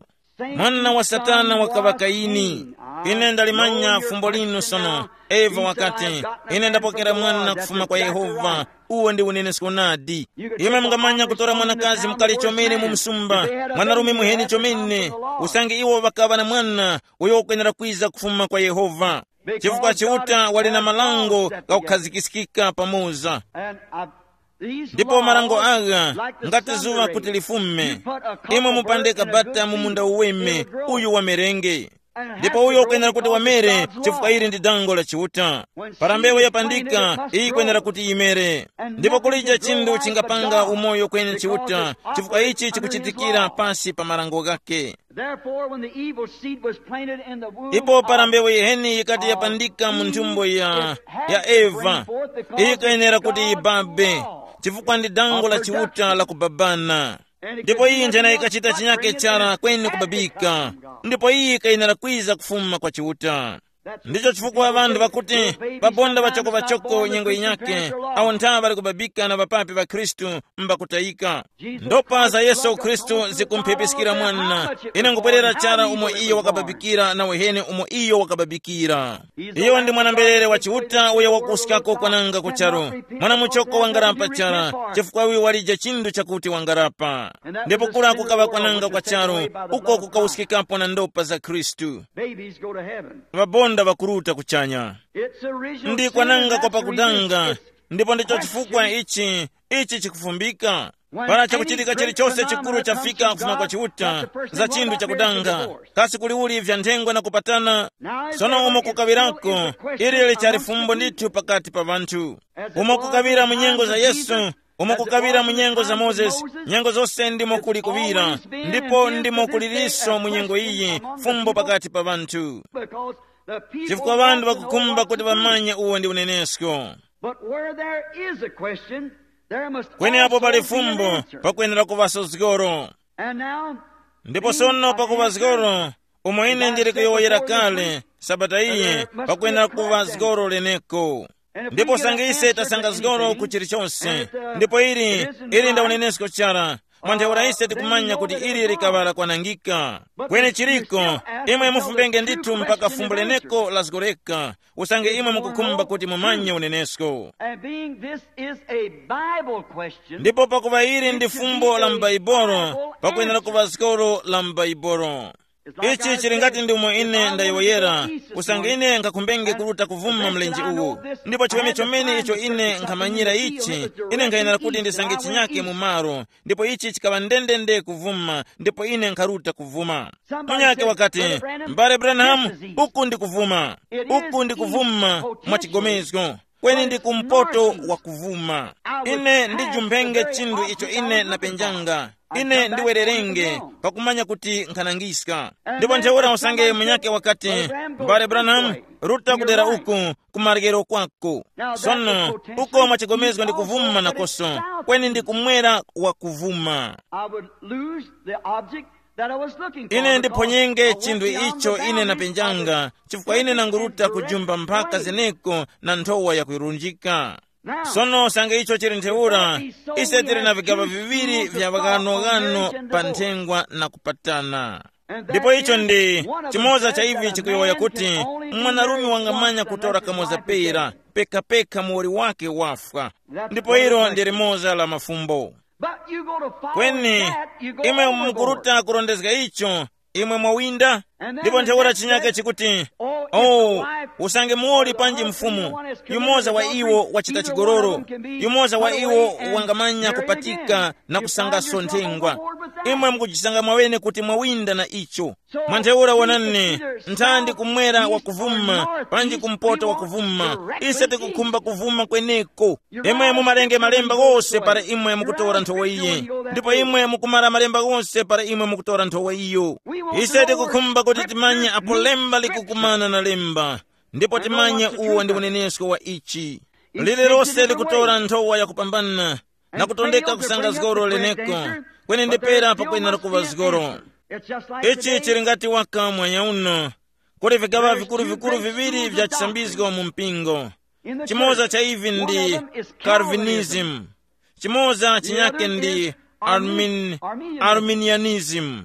Mwana wa Satana wakaŵa Kaini. Ine ndalimanya fumbo linu sono. Eva wakati, ine ndapokera mwana kufuma kwa Yehova. Uwo ndi unenesko nadi. Imwe mungamanya kutora mwanakazi mukali chomene mu msumba, mwanarume muheni chomene, usange iwo ŵakaŵa na mwana uyo ukwenera kwiza kufuma kwa Yehova. Chifukwa Chiuta wali na malango ghakukhazikikika pamoza. Ndipo marango agha ngati zuŵa kuti lifume, imwe mupande kabata mu munda uweme uyu wa merenge. Ndipo uyo ukwenera kuti wamere, chifukwa ili ndi dango la Chiuta. Para mbewu yapandika, iyi ikwenera kuti yimere. Ndipo kulija chinthu chingapanga umoyo kweni Chiuta, chifukwa ichi chikuchitikira pasi pa marango ghake. Therefore, when the evil seed was planted in the womb Ipo para of mbewu yiheni yikati yapandika mu nthumbo ya, ya Eva, iyi ikayenera kuti yibabe, chifukwa ndi dango la Chiuta la kubabana. Ndipo iyi njena ikachita chinyake chara kweni kubabika. Ndipo iyi ikayenera kwiza kufuma kwa Chiuta. Ndicho chifukwa ŵanthu ŵakuti, pabonda ŵachoko ŵachoko nyengo yinyakhe, awo nthawe ŵali kubabika na ŵapapi ŵa Khristu mbakutayika. Ndopa za Yesu Khristu zikumphepiskira mwana. Ine nkupwerera chara umo iyo wakababikira na uhene umo iyo wakababikira. Iyo ndi mwana-mberere wa Chiuta uyo wakuwuskako kwananga ku charu. Mwana muchoko wangarapa chara, chifukwa uyu walije chinthu chakuti wangarapa. Ndipo kura kukaŵa kwananga kwa charu, uko kukawuskikapo na ndopa za Khristu. Babies go to heaven. Ŵabonda ŵakuruta kuchanya. It's original Ndi sin, kwananga and kwa that's the reason pakudanga, it's ndipo ndicho chifukwa ichi, ichi chikufumbika. Para chakuchitika chilichonse chikuru chafika kufuma kwa Chiuta, za chinthu chakudanga, kasi kuli uli vya nthengwa na kupatana? Sono umo kukawirako, ili lichali fumbo ndithu pakati pa ŵanthu. Umo kukawira mu nyengo za Yesu, umo kukawira mu nyengo za Mozesi, nyengo zose ndimo kuli kuwira, ndipo ndimo kuliriso mu nyengo iyi, fumbo pakati pa ŵanthu. Chifukwa ŵanthu ŵakukhumba kuti ŵamanye uwo ndi unenesko. But where there is a question, there must Kweni apo also pali be an fumbo, answer. Pakwenera kuŵaso zgoro. And now, ndipo sono pakuŵa zgoro, umo ine ndili kuyowoyera kale, sabata iyi, pakwenera kuŵa zgoro leneko. Ndipo sanga ise tasanga zgoro ku chilichonse, ndipo ili, ili nda unenesko chara, mwa ntheura ise tikumanya kuti ili likaŵala kwanangika. Kweni chiliko, imwe mufumbenge ndithu mpaka fumbo leneko lazgoreka, usange imwe mukukhumba kuti mumanye unenesko. And being this is a Bible question, ndipo pakuva ili ndi fumbo la m'Baibolo, pakwenera kuva zikolo la m'Baibolo. Ichi chili ngati ndi umo ine ndayowoyera, usange ine nkakhumbenge kuruta kuvuma mlenje uwu, ndipo chiweme chomene icho ine nkhamanyira ichi, ine nkhayenera kuti ndisange chinyake mu malo, ndipo ichi chikaŵa ndendende kuvuma, ndipo ine nkharuta kuvuma. Munyake wakati, "M'bale Branham, uku ndi kuvuma, uku ndi kuvuma mwa chigomezgo, kweni ndi kumpoto wa kuvuma. Ine ndijumphenge chinthu icho ine napenjanga. Ine ndiwererenge pakumanya kuti nkhanangiska." Ndipo ntheura usange munyake wakati, "M'bale Branham, ruta kudera uku, kumaryero kwako." Sono, uko mwa chigomezgo ndi kuvuma nakoso, kweni ndi kumwera wa kuvuma. I would lose the object that I was looking for. Ine ndiphonyenge chinthu icho ine napenjanga, chifukwa ine nanguruta kujumba mphaka zeneko na nthowa yakuyurunjika. Sono usange icho chili ntheura, ise tili na vigaŵa viŵiri vya ghanoghano pa nthengwa na kupatana. Ndipo icho ndi chimoza cha ivi chikuyowoya kuti mwanarume wangamanya kutora kamoza pera, pekapeka muwoli wake wafwa. Ndipo ilo ndi limoza la mafumbo. Kweni imwe mukuruta kurondezga icho, imwe mwawinda. Ndipo ntheura chinyake chikuti, oh, usange muwoli panji mfumu, yumoza wa iwo wachita chigololo, yumoza wa iwo wangamanya kupatika na kusangaso nthengwa. Imwe mukujisanga mwawene kuti mwawinda na icho. Mwa ntheura wonani, nthandi kumwera wakuvuma, panji kumpoto wakuvuma. Ise tikukhumba kuvuma kweneko. Imwe mumarenge malemba ghose para imwe mukutora nthowa iyi, ndipo imwe mukumara malemba ghose para imwe mukutora nthowa iyo. Ise tikukhumba kuti timanye apo lemba likukumana na lemba, ndipo timanye uwo ndi unenesko wa ichi. Lililose likutora nthowa yakupambana na kutondeka kusanga zgoro leneko, kweni ndipera pakwenera kuŵa zgoro. Ichi chili ngati waka mwanya uno, kuli vigaŵa vikuru-vikuru viŵiri vya chisambizgo mu mpingo. Chimoza cha ivi ndi Calvinism, chimoza chinyake ndi Armin, Arminianism.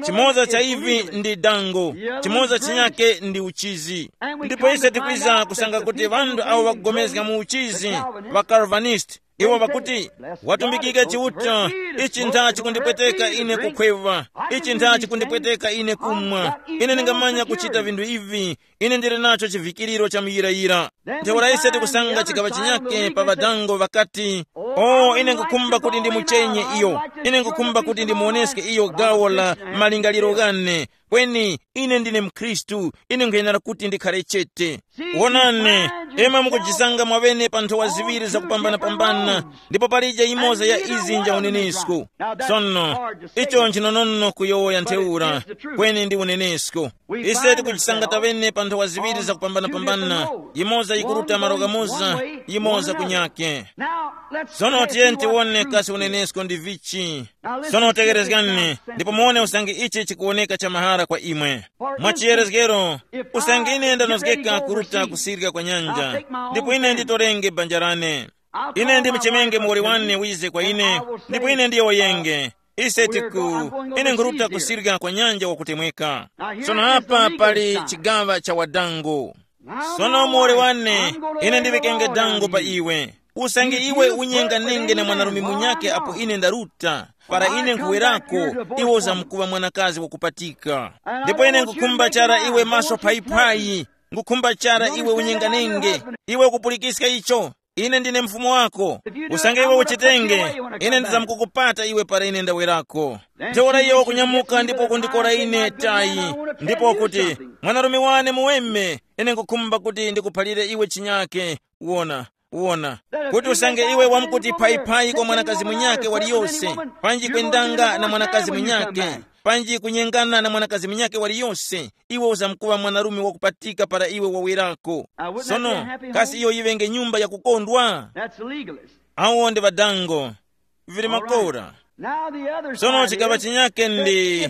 Chimoza cha ivi ndi dango, chimoza chinyake ndi uchizi. Ndipo ise tikwiza kusanga kuti ŵanthu awo ŵakugomezga mu uchizi, ŵa Calvinist, iwo ŵakuti, watumbikike Chiuta, ichi ntha chikundipweteka ine kukhwewa, ichi ntha chikundipweteka ine kumwa. Ine ndingamanya kuchita vinthu ivi, ine ndili nacho chivikiriro cha muyirayira. Ntheura ise tikusanga chikaŵa chinyake pa ŵadango ŵakati, o, ine nkukhumba kuti ndimuchenye iyo, ine nkukhumba kuti ndimuoneske iyo gawo la malingaliro ghane. Kweni ine ndine mkhristu, ine nkhayenera kuti ndikhale chete. Wonani, imwe mukujisanga mwaŵene pa nthowa ziŵiri zakupambanapambana, ndipo palije imoza ya izi nja unenesko. Sono, icho nchinonono kuyowoya ntheura, kweni ndi unenesko. Ise tikujisanga taŵene pa nthowa ziŵiri zakupambanapambana, yimoza yikuruta malo ghamoza, yimoza kunyake. Sono tiyeni tiwone kasi unenesko ndi vichi. Sono tekerezgani, ndipo muwone usange ichi chikuwoneka cha mahara kwa imwe. Mwa chiyerezgero, usange ine ndanozgeka kuruta kusirika kwa nyanja, ndipo ine nditorenge banja lane. Ine ndimuchemenge muwoli wane wize kwa ine, ndipo ine ndiyowoyenge. Ise tiku, ine nkhuruta kusirika kwa nyanja wakutemweka. Sono apa pali chigaŵa cha wadango. Sono muwoli wane, ine ndiŵikenge dango pa iwe. Usange iwe unyenganenge na mwanarume munyake apo ine ndaruta, para ine nkhuwerako, iwe uzamkuŵa mwanakazi wakupatika. Ndipo ine nkhukhumba chara iwe maso phayiphayi, nkhukhumba chara iwe unyenganenge. Iwe ukupulikiska icho? Ine ndine mfumu wako. Usange iwe uchitenge, ine ndizamkukupata iwe para ine ndawerako. Ntheura iyo wakunyamuka ndipo kundikora ine tayi, ndipo kuti, mwanarume wane muweme, ine nkukhumba kuti ndikuphalire iwe chinyake. Wona, wona, kuti usange iwe wamkuti phayiphayi kwa mwanakazi munyake waliyose, panji kwendanga na mwanakazi munyake, panji kunyengana na mwanakazi munyake waliyose, iwe uzamkuŵa mwanarume wakupatika para iwe wawerako. Sono, kasi iyo yiŵenge nyumba yakukondwa? That's the legalist. Awo ndi ŵadango. Vili makora. Now the other sono side chikaŵa is chinyake ndi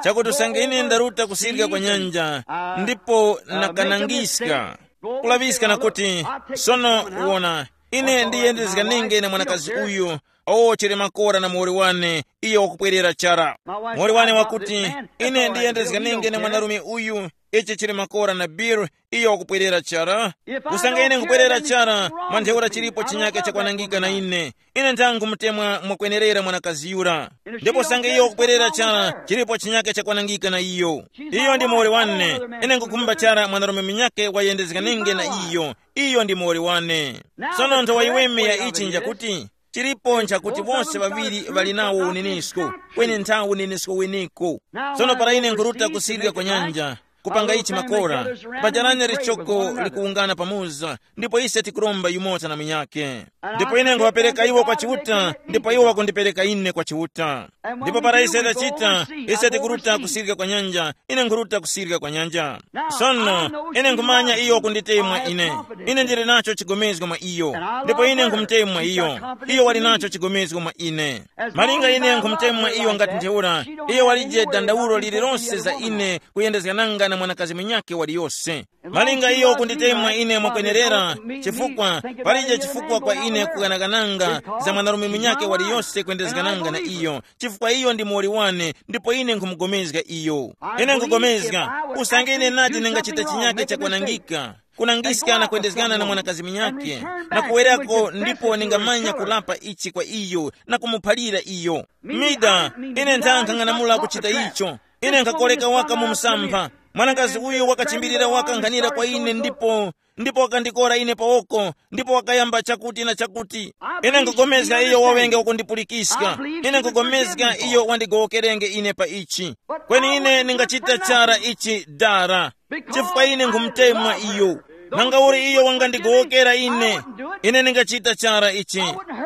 chakuti usange ine ndaruta kusirika kwa nyanja, ndipo nakanangiska, kulaŵiska na kuti, sono wona, ine ndiyendezganenge na mwanakazi uyu. O, chili makora na muwoli wane, iyo wakupwerera chara. Muwoli wane wakuti, ine ndiyendezganenge na mwanarume uyu. Ichi chili makora na Bill, iyo wakupwerera chara. Usange ine nkupwerera chara, mwa ntheura chilipo chinyake chakwanangika na ine. Ine nthangu mutemwa mwakwenerera mwanakazi yura. Ndipo usange iyo wakupwerera chara, chilipo chinyake chakwanangika na iyo. Iyo ndi muwoli wane. Ine nkukhumba chara mwanarume munyake wayendezganenge na iyo. Iyo ndi muwoli wane. Sono nthowa yiweme ya ichi njakuti, chilipo nchakuti wose ŵaŵiri ŵali nawo unenesko, kweni nthawi unenesko weneko. Sono para ine nkuruta kusirika kwa nyanja, kupanga ichi makora, pajaranya lichoko likuwungana pamoza, ndipo ise tikuromba yumoza na munyake. Ndipo ine nkhuŵapereka iwo kwa Chiuta, ndipo iwo wakundipereka ine kwa Chiuta. Ndipo para ise tachita, ise tikuruta kusirika kwa nyanja, ine nkhuruta kusirika kwa nyanja. Sono, ine nkhumanya iyo wakunditemwa ine. Ine ndili nacho chigomezgo mwa iyo, ndipo ine nkhumutemwa iyo. Iyo wali nacho chigomezgo mwa ine. Malinga ine nkhumutemwa iyo ngati ntheura, iyo walije dandaulo lililonse za ine kuyendezgananga na mwanakazi munyakhe waliyose. Malinga iyo kunditemwa ine mwakwenerera, chifukwa palije chifukwa kwa ine kuganagananga za mwanarume munyakhe waliyose kwendezegananga na iyo, chifukwa iyo ndi muwoli wane, ndipo ine nkhumugomezga iyo. Ine nkugomezga, usange ine nati ningachita chinyake chakwanangika, kunangiska na kwendezgana na mwanakazi munyakhe, na kuwerako ndipo ningamanya kulapa ichi kwa iyo na kumuphalira iyo. Mida, ine nthankha ng'anamula kuchita icho. Ine nkhakoleka waka mu msampha. Mwanakazi uyu wakachimbirira waka nkhanira kwa ine ndipo ndipo wakandikora ine pawoko, ndipo wakayamba chakuti na chakuti. Ine nkugomezga iyo wawenge wakundipulikiska. Ine nkugomezga iyo wandigowokerenge ine pa ichi. Kweni ine ningachita chara ichi dara, chifukwa ine nkhumutemwa iyo. Nanga uli iyo wangandigowokera ine, ine ningachita chara ichi.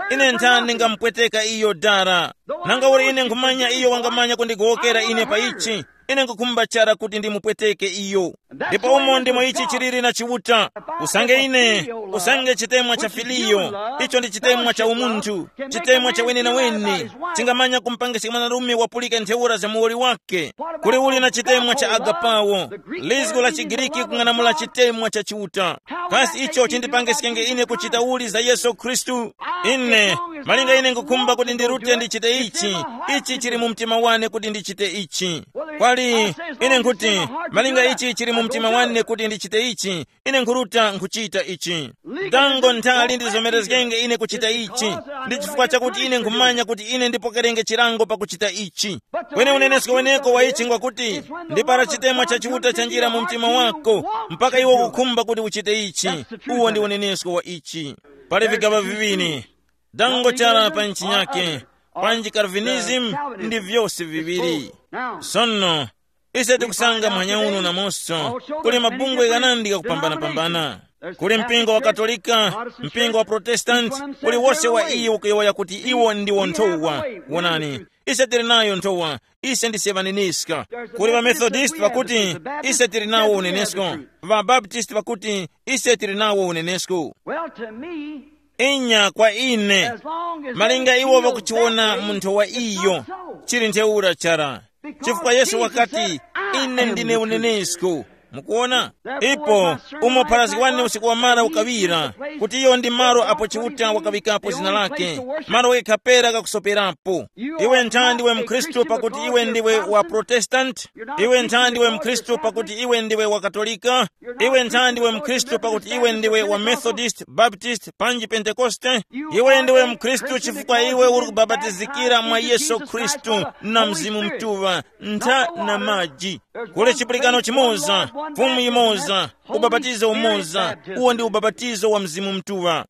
Ine nthani ndingamupweteka iyo dara. Nanga uli ine nkhumanya iyo wangamanya kundigowokera ine pa ichi, ine nkukhumba chara kuti ndimupweteke iyo. Ndipo umo ndimo ichi chiliri na Chiuta. Usange ine, usange chitemwa cha filiyo, icho ndi chitemwa cha umunthu, chitemwa cha wenenawene, chingamanya kumpangiska mwanarume wapulika ntheura za muwoli wake. Kuli uli na chitemwa cha agapawo, lizgu la Chigiriki kung'anamula chitemwa cha Chiuta. Kasi icho chindipangiskenge ine kuchita uli za Yesu Khristu? Ine, malinga ine nkukhumba kuti ndirute ndichite ichi, ichi chili mu mtima wane kuti ndichite ichi. Kwali, ine nkuti, malinga ichi chili mu mtima wane kuti ndichite ichi, ine nkhuruta nkhuchita ichi. Dango nthali ndizomerezgenge ine kuchita ichi, ndi chifukwa chakuti ine nkhumanya kuti ine ndipokerenge chilango pakuchita ichi. Kweni unenesko weneko wa ichi ngwakuti, ndi para chitemwa cha Chiuta chanjira mu mtima wako, mpaka iwe ukukhumba kuti uchite ichi. Uwo ndi unenesko wa ichi. Pali vigaŵa viŵiri, dango chara pa nchi yake, panji Calvinism, ndi vyose viŵiri. Sono, ise tikusanga mphanya uno namonso kuli mabungwe ghanandi ghakupambanapambana. Kuli mpingo wa Katolika, mpingo wa Protestant, kuli wose wa iyo ukuyowoya kuti iwo ndiwo nthowa. Wonani, ise tili nayo nthowa, ise ndise ŵaneniska. Kuli ŵaMethodist ŵakuti, ise tili nawo unenesko. ВaBaptist ŵakuti, ise tili nawo unenesko. Well, to me, inya kwa ine, as long as malinga they iwo feel vakuchiwona that way, munthu wa it's iyo not so. Chili ntheura chara. Chifukwa Yesu wakati, ine ndine unenesko. Mukuona? Ipo, umo pharazgi wane usiku wamara ukawira, kuti iyo ndi malo apo Chiuta wakawikapo zina lake, malo ghekha pera kakusoperapo. Iwe ntha ndiwe mkhristu pakuti iwe ndiwe wa Protestant? Iwe ntha ndiwe mkhristu pakuti iwe ndiwe wa Katolika? Iwe ntha ndiwe mkhristu pakuti iwe ndiwe wa Methodist, Baptist, panji Pentekoste? Iwe ndiwe mkhristu chifukwa iwe uri kubabatizikira mwa Yesu Khristu na Mzimu Mtuŵa, ntha na maji. Kuli chipulikano chimoza, Fumu yimoza, ubapatizo umoza, uwo ndi ubapatizo wa Mzimu Mtuŵa.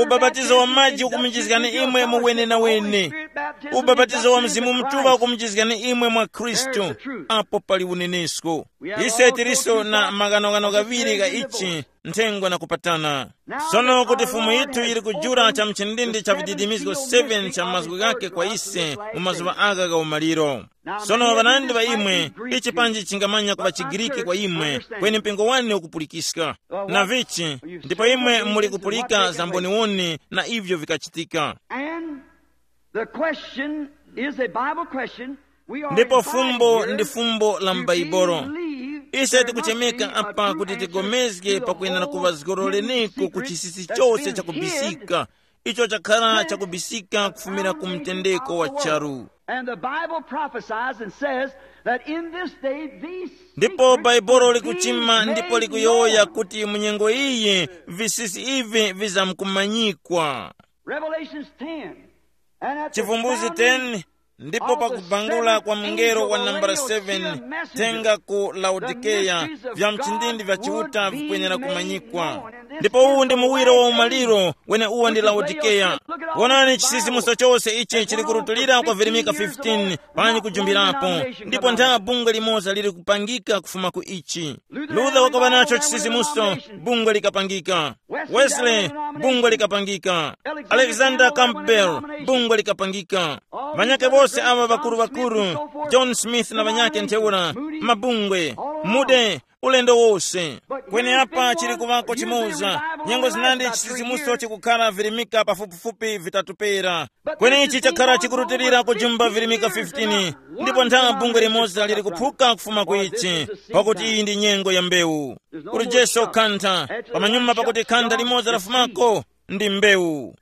Ubapatizo wa maji ukumunjizgani imwe mu wenenawene. Ubapatizo wa Mzimu Mtuŵa ukumunjizgani imwe mwa Khristu. Apo pali unenesko. Ise tiliso na maghanoghano ghaŵiri gha ichi, nthengwa na kupatana. Sono kuti Fumu yithu yili kujula cha mchindindi cha vididimizgo seven cha mazgu ghake kwa ise mu mazuŵa agha gha umaliro. Sono ŵanandi ŵa imwe, ichi panji chingamanya kuŵa Chigiriki kwa imwe, kweni mpingo wane ukupulikiska. Na vichi, ndipo imwe muli kupulika za mboniwoni na ivyo vikachitika. And the question is a Bible question. We are ndipo invited fumbo here ndi fumbo la to m'Baibolo. Believe ise there must tikuchemeka be a apa true kuti answer tigomezge to the pakuyenda na whole kuŵazgoroleniko ku chisisi chose chakubisika, icho chakhala chakubisika kufumira ku mtendeko wa charu. And the Bible prophesies and says that in this day these ndipo secrets baibulo will be likuchima ndipo made likuyowoya known. Kuti mu nyengo iyi visisi ivi vizamkumanyikwa. Revelations ten. And at the chivumbuzi sounding ten, ndipo pakubangula kwa mngelo wa nambala seven, tenga ku Laodikeya, vya mchindindi vya Chiuta vikwenera kumanyikwa. Ndipo uwu ndi muwiro wa umaliro, wene uwo ndi Laodikeya. Wonani, chisisimuso chose ichi chili kurutulira kwa virimika fifteen panyi kujumbirapo, ndipo ntha bungwe limoza lili kupangika kufuma ku ichi. Luther wakaŵa nacho chisisimuso, bungwe likapangika. Wesley, bungwe likapangika. Alexander Campbell, bungwe likapangika. Ŵanyake bose aŵa ŵakuru-ŵakuru, John Smith na ŵanyake ntheura, mabungwe, mude, ulendo wose. Kweni apa chili kuŵako chimoza, nyengo zinandi chisisimuso chikukhala virimika pafupifupi vitatu pera. Kweni ichi chakhala chikurutilira kujumba virimika fifteen, ndipo nthawa bungwe limoza lili kuphuka kufuma ku ichi, pakuti iyi ndi nyengo ya mbewu. Kuli Jesu khantha, pamanyuma pakuti khantha limoza lafumako, ndi mbewu.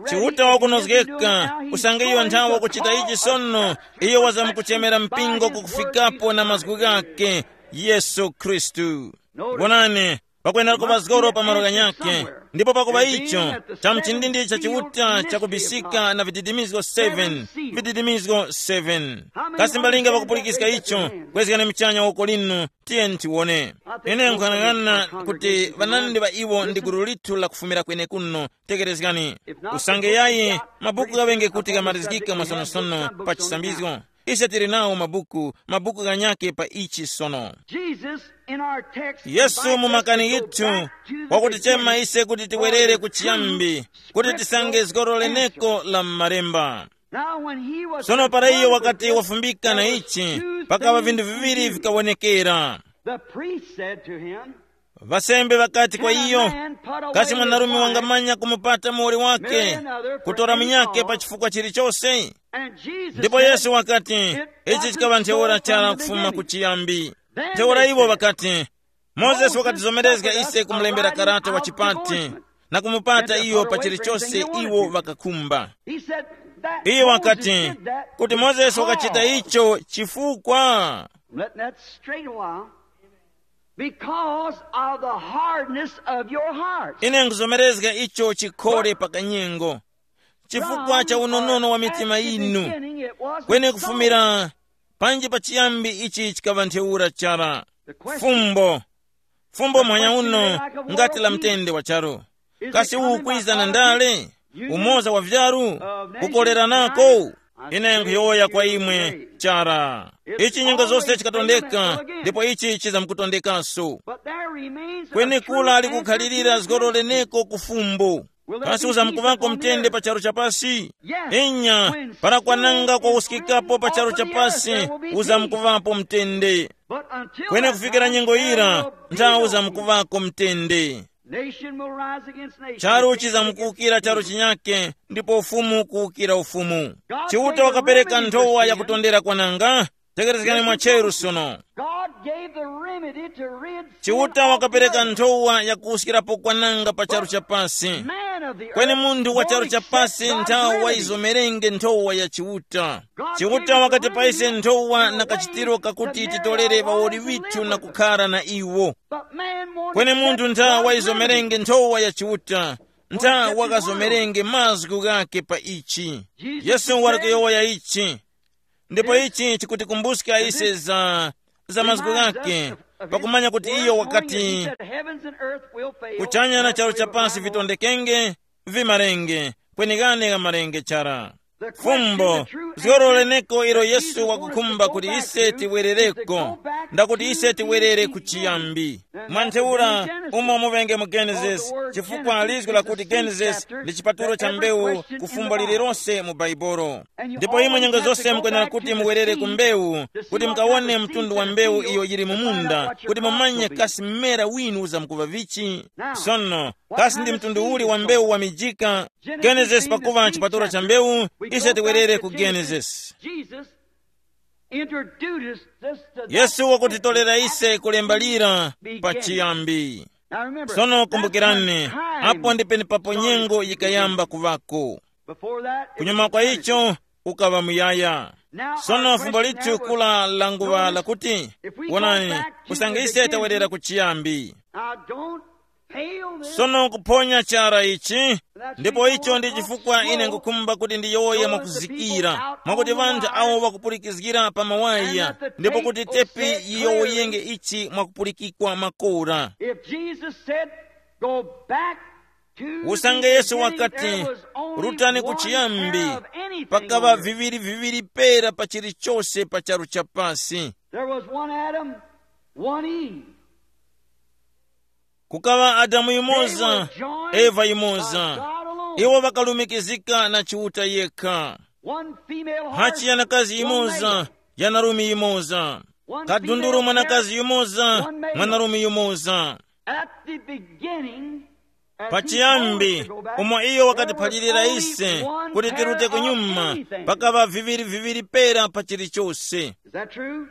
Chiuta wakunozgeka, usange iyo nthawi wakuchita ichi sono, iyo wazamkuchemera mpingo kukufikapo na mazgu ghake, Yesu Khristu. Wonani, pakwenera kuŵa zgoro pa malo ghanyakhe, ndipo pakuŵa icho, cha mchindindi cha Chiuta chakubisika na vididimizgo seven, vididimizgo seven. Kasi mbalinga pakupulikiska icho, kwezgani mchanya woko linu, tiye ntiwone. Ine nkhanang'ana kuti ŵanandi ŵa iwo ndi gulu lithu lakufumira kwenekuno. Tekerezgani, usange yayi, mabuku ghaŵenge kuti ghamalizgika mwasonosono pa chisambizgo. Ise tili nawo mabuku, mabuku ghanyakhe pa ichi sono. Jesus in our text Yesu invites mu us makani to go yithu back to the wakutichema beginning ise kuti for tiwerere the ku chiyambi, true kuti tisange scriptural zgoro leneko answer. La m'malemba. Now, when he was Sono para iyo confronted wakati with this, wafumbika na there was ichi, two pakaŵa things vinthu viŵiri seen. Vikawonekera. The priest said to him, Vasembe ŵakati kwa iyo, "Kasi mwanarume wangamanya kumupata muwoli wake, kutora munyakhe pa chifukwa chilichose?" Ndipo Yesu wakati, "Ichi chikaŵa ntheura chara kufuma ku chiyambi." Ntheura iwo ŵakati, "Mozesi wakatizomerezga ise kumulembera karata wa chipati na kumupata iyo pa chilichose iwo ŵakakhumba." Iye wakati, "Kuti Mozesi wakachita icho chifukwa." Let that straight a while. Because of the hardness of your heart. Ine nkuzomerezga icho chikhole pa kanyengo, chifukwa cha unonono wa mitima yinu. Kweni kufumira panji pachiyambi ichi chikaŵa ntheura chara. Fumbo, fumbo mwanya uno ngati la mtende wa charu. Kasi uwu kwiza na ndale? Umoza wa vyaru? Kukoleranako? Ine nkhuyowoya kwa imwe chara. Ichi nyengo zose chikatondeka, ndipo ichi chizamkutondekanso. Kweni kula likukhalirira zgoro leneko ku fumbo. Kasi uzamkuvako mtende pa charu chapasi? Inya, para kwananga kwawuskikapo pa charu chapasi, uzamkuvapo mtende. Kweni kufikira nyengo yira, nthawi uzamkuvako mtende. Nation will rise against nation. Charu chizamkuwukira charu chinyake, ndipo ufumu kuwukira ufumu. Chiuta wakapereka nthowa yakutondera kwananga. Tekerezgani mwacheru sono. God gave the remedy to rid sin. Chiuta wakapereka nthowa yakuwuskirapo kwananga pa charu cha pasi. Man of the earth, kweni munthu wa charu cha pasi nthawi wayizomerenge nthowa ya Chiuta. Chiuta wakati paise nthowa na kachitiro kakuti titolere ŵawoli ŵithu na kukhara na iwo. Kweni munthu ntha wayizomerenge nthowa ya Chiuta, ntha wakazomerenge mazgu ghakhe pa ichi. Yesu wali kuyowoya ichi. Ndipo ichi chikutikumbuska ise za, za mazgu ghakhe, pakumanya kuti iyo wakati, kuchanya na charu cha pasi vitondekenge, vimarenge, kweni ghane ghamarenge chara. Fumbo, zgoro leneko ilo Yesu wakukhumba kuti ise tiwerereko, ndakuti ise tiwerere ku chiyambi. Mwa ntheura, umo muvenge mu Genesis, chifukwa lizgu lakuti Genesis ndi chipatulo cha mbewu ku fumbo lililonse mu Baibolo. Ndipo imwe nyengo zose mukwenera kuti muwerere ku mbewu, kuti mukawone mtundu wa mbewu iyo yili mu munda, kuti mumanye kasi mmera winu uzamkuŵa vichi. Sono, kasi ndi mtundu uli wa mbewu wamijika? Genesis pakuva chipatulo cha mbewu, ise tiwerere ku Genesis. Jesus introduced us to that. Yesu wakutitolera ise kulemba lira pa chiyambi. Now remember, sono kumbukirani, apo ndi penepapo nyengo yikayamba kuvako. Before that, it kunyuma was kwa eternity. Icho, ukaŵa muyaya. Sono fumbo lithu kula la nguŵa lakuti, wonani, usange ise tawerera ku chiyambi. Now don't Sono kuphonya chara ichi, ndipo icho ndi chifukwa ine ngukhumba kuti ndiyowoye mwakuzikira, mwakuti ŵanthu awo ŵakupulikizgira pa mawaya, ndipo kuti tepi yiyowoyenge ichi mwakupulikikwa makora. If Jesus said, Go back to the Usange Yesu beginning, wakati, there was only "Rutani ku one chiyambi, pair of anything pakaŵa on earth." Viŵiri viŵiri pera pa chilichonse pa charu cha pasi. There was one Adam, one Eve. Kukaŵa Adamu yumoza, Eva yumoza. Iwo ŵakalumikizika na Chiuta yekha. One female heart, hachi yanakazi one yimoza, male. Yanarumi yimoza. One kadunduru female mwanakazi parent, yumoza, one male. Mwanarume yumoza. At the beginning, as he told us to go back, pachiyambi, umo iyo wakatiphalirira ise kuti tirute kunyuma, pakaŵa viŵiri viŵiri pera pa chilichonse. Is that true?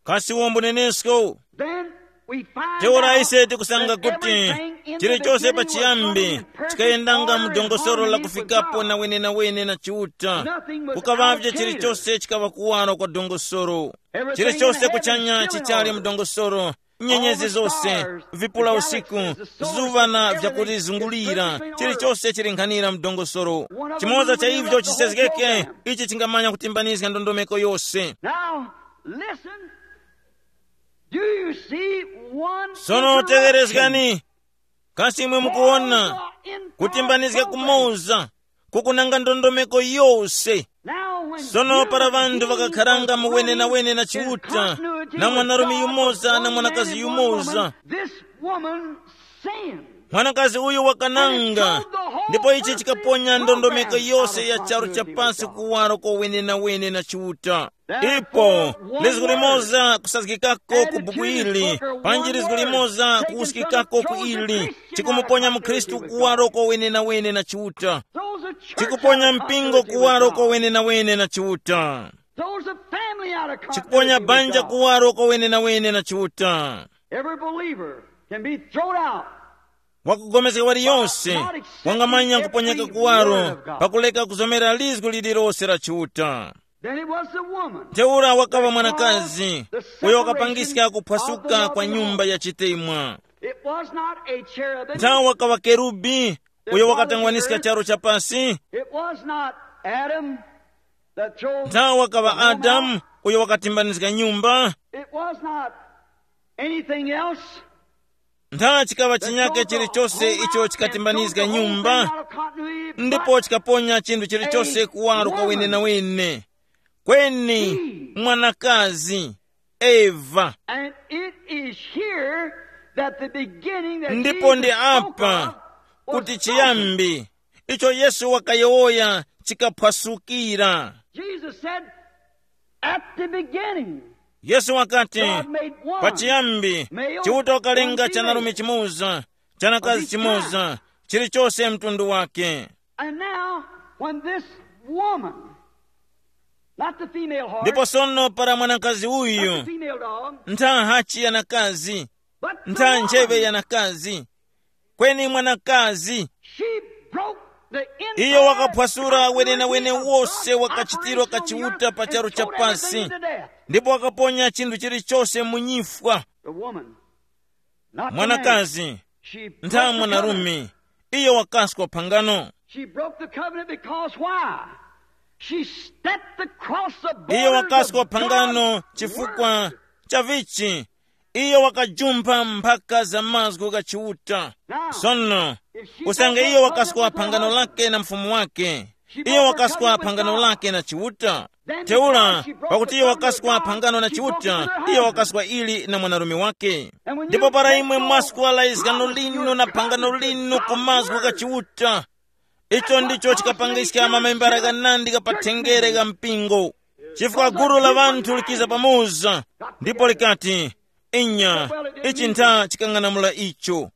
Kasi uwo mbunenesko? Then we find teora out ise tikusanga that kuti everything in the chilichonse beginning was pachiyambi coming in perfect chikayendanga order mu and dongosolo la harmony with kufikapo God. Na wenenawene na Chiuta. Nothing was out of kukaŵavye care. Chilichonse chikaŵa kuwaro kwa dongosolo. Everything chilichonse in heaven kuchanya still in chichali order. Mu dongosolo. Nyenyezi zose, vipula usiku, zuŵa na vyakulizungulira, chilichonse chili nkhanira mdongosolo. Chimoza cha ivyo chisezgeke, ichi chingamanya kutimbanizga ndondomeko yose. Now, listen. Do you see one sono interruption? Tegerezgani. Kasi imwe mukuwona kutimbanizga kumoza kukunanga ndondomeko yose. Sono para ŵanthu ŵakakharanga mu wenenawene na Chiuta, na mwanarume yumoza na mwanakazi yumoza, mwanakazi uyu wakananga, ndipo ichi chikaponya ndondomeko yose ya charu cha pasi kuwaro kwa wenenawene na Chiuta. Ipo lizgu limoza kusazgikako ku buku ili, panji lizgu limoza kuwuskikako ku ili, chikumuponya mukhristu kuwaro kwa wenenawene na Chiuta. Chikuponya mpingo kuwaro kwa wenenawene na Chiuta. Chikuponya banja kuwaro kwa wenenawene na Chiuta. Every believer can be thrown out. Wakugomezga waliyonse wangamanya kuponyeka kuwaro pakuleka kuzomera lizgu lililose la Chiuta. Then it was the woman. Ntheura wakaŵa mwanakazi uyo wakapangiska kuphwasuka kwa nyumba ya chitemwa. It was not a cherubim. Nthawe wakaŵa kerubi uyo wakatangwaniska charo cha pasi. It was not Adam that throws the home out. Nthawe wakaŵa Adamu uyo wakatimbanizga nyumba. It was not anything else. Ntha chikaŵa chinyake chilichose icho chikatimbanizga nyumba, ndipo chikaponya chinthu chilichose kuwaro kwa wenenawene. Kweni mwanakazi, Eva. And it is here that the beginning that ndipo ndi Jesus spoke apa of kuti was spoken. Chiyambi icho Yesu wakayowoya chikaphwasukira. Jesus said, at the beginning, Yesu wakati, God made one. Pachiyambi, Male, Chiuta wakalenga one female. Chanarume chimoza, chanakazi chimoza, chilichose mtundu wake. And now, when this woman, not the female heart, ndipo sono para mwanakazi not uyu, the female dog, ntha hachi yanakazi, but the ntha ncheve woman, yanakazi, kweni mwanakazi, she broke the entire iyo wakaphwasula wenewene wose wa kachitiro ka Chiuta pa charu cha pasi, ndipo wakaponya chinthu chilichose mu nyifwa. The woman, not the man. Mwanakazi, she broke the covenant. Ntha mwanarume, iyo wakaskwa phangano. She broke the covenant because why? She stepped across the border. Iyo wakaskwa phangano chifukwa cha vichi, iyo wakajumpha mphaka za mazgu gha Chiuta. Sono, usange iyo wakaskwa phangano lake na mfumu wake, iyo wakaskwa phangano lake na Chiuta. Ntheura, pakuti iyo wakaskwa phangano na Chiuta, iyo wakaskwa ili na mwanarume wake. Ndipo para imwe mwaskwa la izgano linu na phangano linu ku mazgu gha Chiuta, icho ndicho chikapangiska mamembara ghanandi gha pathenjere gha mpingo. Chifukwa gulu la ŵanthu likiza pamoza, ndipo likati, inya, ichi ntha chikang'anamula icho.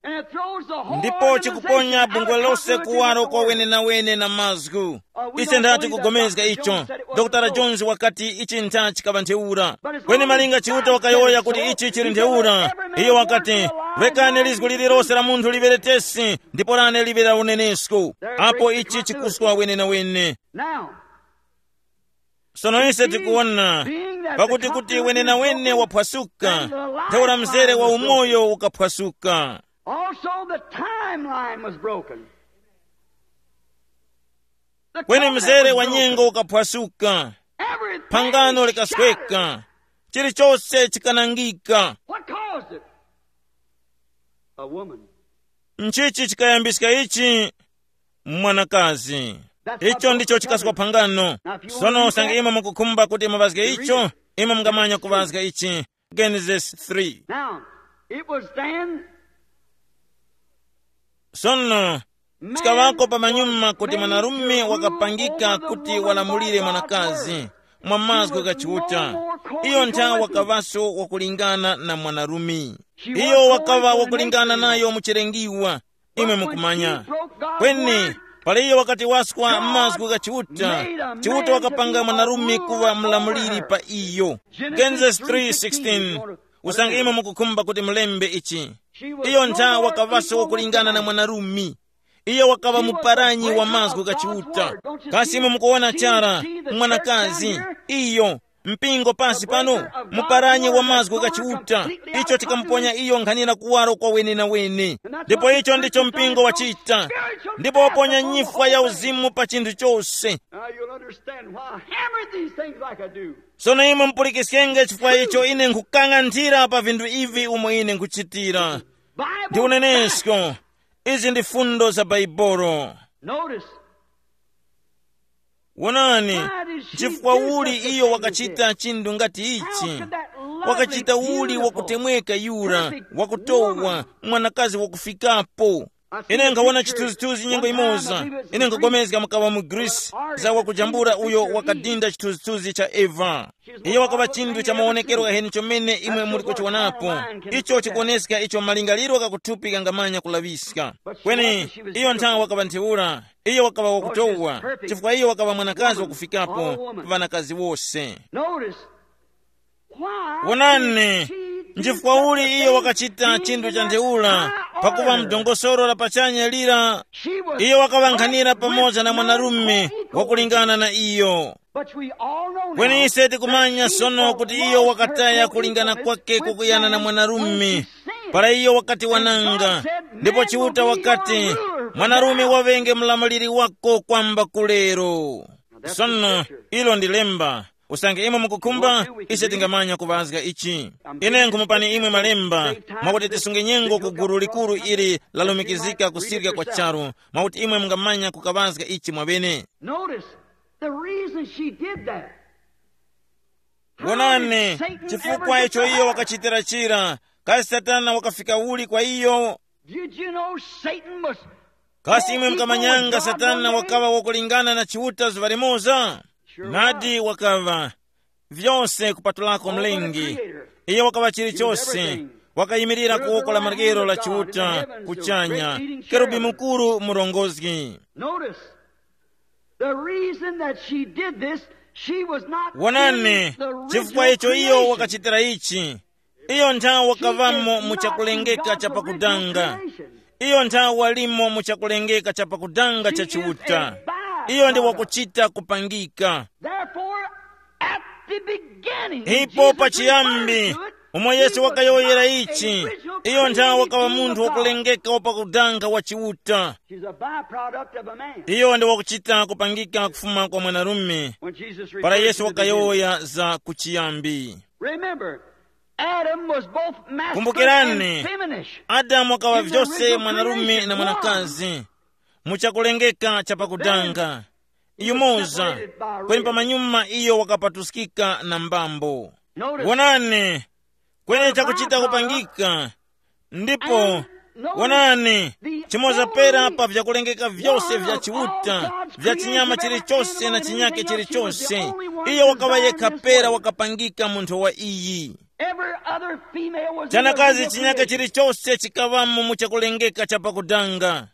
Ndipo chikuponya bungwe lose kuwaro kwa wenenawene na mazgu. Ise ntha tikugomezga icho. Dr Jones wakati ichi ntha chikaŵa ntheura. Kweni malinga Chiuta wakayowoya kuti ichi chili ntheura, iyo wakati, rekani lizgu lililose la munthu liŵere tesi, ndipo lane liŵe la unenesko. Apo ichi chikuswa wenenawene. Now, sono ise tikuwona, pakuti kuti wenenawene waphwasuka, ntheura mzere wa umoyo ukaphwasuka. Also, the timeline was broken. The kweni covenant mzere was wa broken. Nyengo ukaphwasuka. Everything phangano shattered. Likasweka. Chilichose chikanangika. What caused it? A woman. Nchichi chikayambiska ichi? Mwanakazi. Icho ndicho chikasopa phangano. Sono usange imwe mukukhumba kuti muŵazge icho, imwe mungamanya kuŵazga ichi. Genesis three. Now, it was then. Sono, chikaŵako pamanyuma kuti mwanarume wakapangika kuti walamulire mwanakazi mwa mazgu gha Chiuta. Iyo nthawi wakaŵaso wakulingana na mwanarume. Iyo wakaŵa wakulingana nayo mu chilengiwa. Imwe mukumanya. Kweni, pala iyo wakati waskwa mazgu gha Chiuta, Chiuta wakapanga mwanarume kuŵa mlamuliri pa iyo. Genesis three sixteen. Usange imwe mukukhumba kuti mulembe ichi. Iyo ntha wakaŵaso wakulingana na mwanarume. Iyo wakaŵa muparanyi wa mazgu gha Chiuta. Kasi imwe mukuwona chara, mwanakazi, iyo, mpingo pasi pano, muparanyi wa mazgu gha Chiuta. Icho chikamuponya iyo nkhanira kuwaro kwa wenenawene. Ndipo icho ndicho mpingo wachita. Ndipo waponya nyifwa ya uzimu pa chinthu chose. Now you'll understand why I hammered these things like I do. Sono imwe mupulikiskenge chifukwa icho ine nkukang'anthira pa vinthu ivi umo ine nkuchitira. Ndi unenesko. Izi ndi fundo za Baibolo. Notice. Wonani, chifukwa uli iyo wakachita chinthu ngati ichi? Wakachita uli wakutemweka yura, wakutowa, mwanakazi wakufikapo. Ine nkawona chithunzithunzi nyengo imoza. Ine nkagomezga mukaŵa mu Greece, za wakujambula uyo wakadinda chithunzithunzi cha Eva. Iyo wakaŵa chinthu cha mawonekero ghaheni chomene imwe muli kuchiwonapo. Icho chikuwoneska icho malingaliro ghakuthupi ghangamanya kulaŵiska. Kweni, iyo nthawi wakaŵa ntheura. Iyo wakaŵa wakutowa, chifukwa iyo wakaŵa mwanakazi wakufikapo pa ŵanakazi wose. Notice. Wonani, nchifukwa uli iyo wakachita chinthu cha ntheura, pakuva mdongosolo la pachanya lira, iyo wakaŵankhanira pamoza na mwanarume wakulingana na iyo. Kweni ise tikumanya sono kuti iyo wakataya kulingana kwake kukuyana na mwanarume, para iyo wakati wananga. Ndipo Chiuta wakati, mwanarume waŵenge mlamuliri wako kwamba kulero. Sono, ilo ndi lemba. Usange imwe mukukhumba, ise tingamanya kuŵazga ichi. Ine nkhumupani imwe malemba, mwakuti tisunge nyengo ku gulu likuru ili lalumikizika kusirika kwa charu, mwakuti imwe mungamanya kukaŵazga ichi mwabene. Notice, the reason she did that. Wonani, chifukwa icho iyo wakachitira chira, kasi Satana wakafika uli kwa iyo? Did you know Satan was Kasi imwe mukamanyanga Satana wakaŵa wakulingana na Chiuta zuŵa limoza? Nadi wakaŵa. Vyose kupatulako mlengi. Iye wakaŵa chilichose. Wakayimirira ku woko la maryero la Chiuta, kuchanya, kerubi mukuru murongozgi. Notice, the reason that she did this, she was not Wonani, in the chifukwa original icho iyo creation. Wakachitira ichi. Iyo nthawi wakaŵamo mu chakulengeka cha pakudanga. Iyo nthawi walimo mu chakulengeka cha pakudanga cha Chiuta. Iyo ndi wakuchita kupangika. Therefore, at the beginning, ipo Jesus pachiyambi, referred to it, umo Yesu wakayowoyera ichi, iyo nthawi wakaŵa munthu wakulengeka wa pakudanga wa Chiuta. She's a byproduct of a man. Iyo ndi wakuchita kupangika kufuma kwa mwanarume. When Jesus para referred Yesu to the beginning. Wakayowoya za kuchiyambi. Remember, Adam was both masculine Kumbukirani, and feminish. Adamu wakawa vyose mwanarume na mwanakazi, mu chakulengeka cha pakudanga. Yumoza, kweni pamanyuma iyo wakapatuskika na mbambo. Wonani, kweni chakuchita kupangika. Ndipo, wonani, chimoza pera pa vyakulengeka vyose vya Chiuta, vya chinyama chilichose na chinyake chilichose, iyo wakaŵa yekha pera wakapangika munthu wa iyi. Every other female was in a chanakazi chinyaka reproduction. Chilichose chikaŵamo mu chakulengeka cha pakudanga.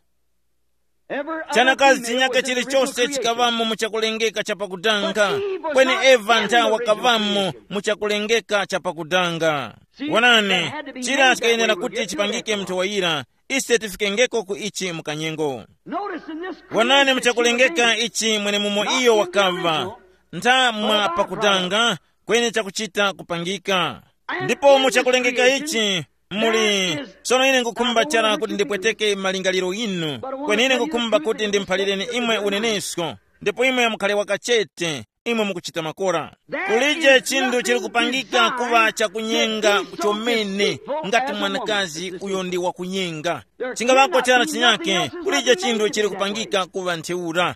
Every other chanakazi female chinyaka was in a chilichose reproduction. Chikaŵamo mu chakulengeka cha pakudanga. But Eve was kweni not eva in the nthawi original wakaŵamo creation. Mu chakulengeka cha pakudanga. See, wonani, that had to be chira made that chikayenera way. Kuti chipangike mnthu wayira. Ise tifikengeko ku ichi mukanyengo. Notice in this wonani creation mu chakulengeka she was in. Ichi mwene mumo iyo wakaŵa. Ntha mwa pakudanga, kweni chakuchita kupangika. Ndipo mu chakulengeka ichi muli sono ine ngukhumba chara kuti ndipweteke malingaliro inu, kweni ine ngukhumba kuti ndimphalireni imwe unenesko, ndipo imwe mukhale wakachete. Imwe mukuchita makora. Kulije chinthu chili kupangika kuŵa chakunyenga chomene ngati mwanakazi uyo ndi wakunyenga. Chingaŵako chara chinyake, kulije chinthu chili kupangika kuŵa ntheura.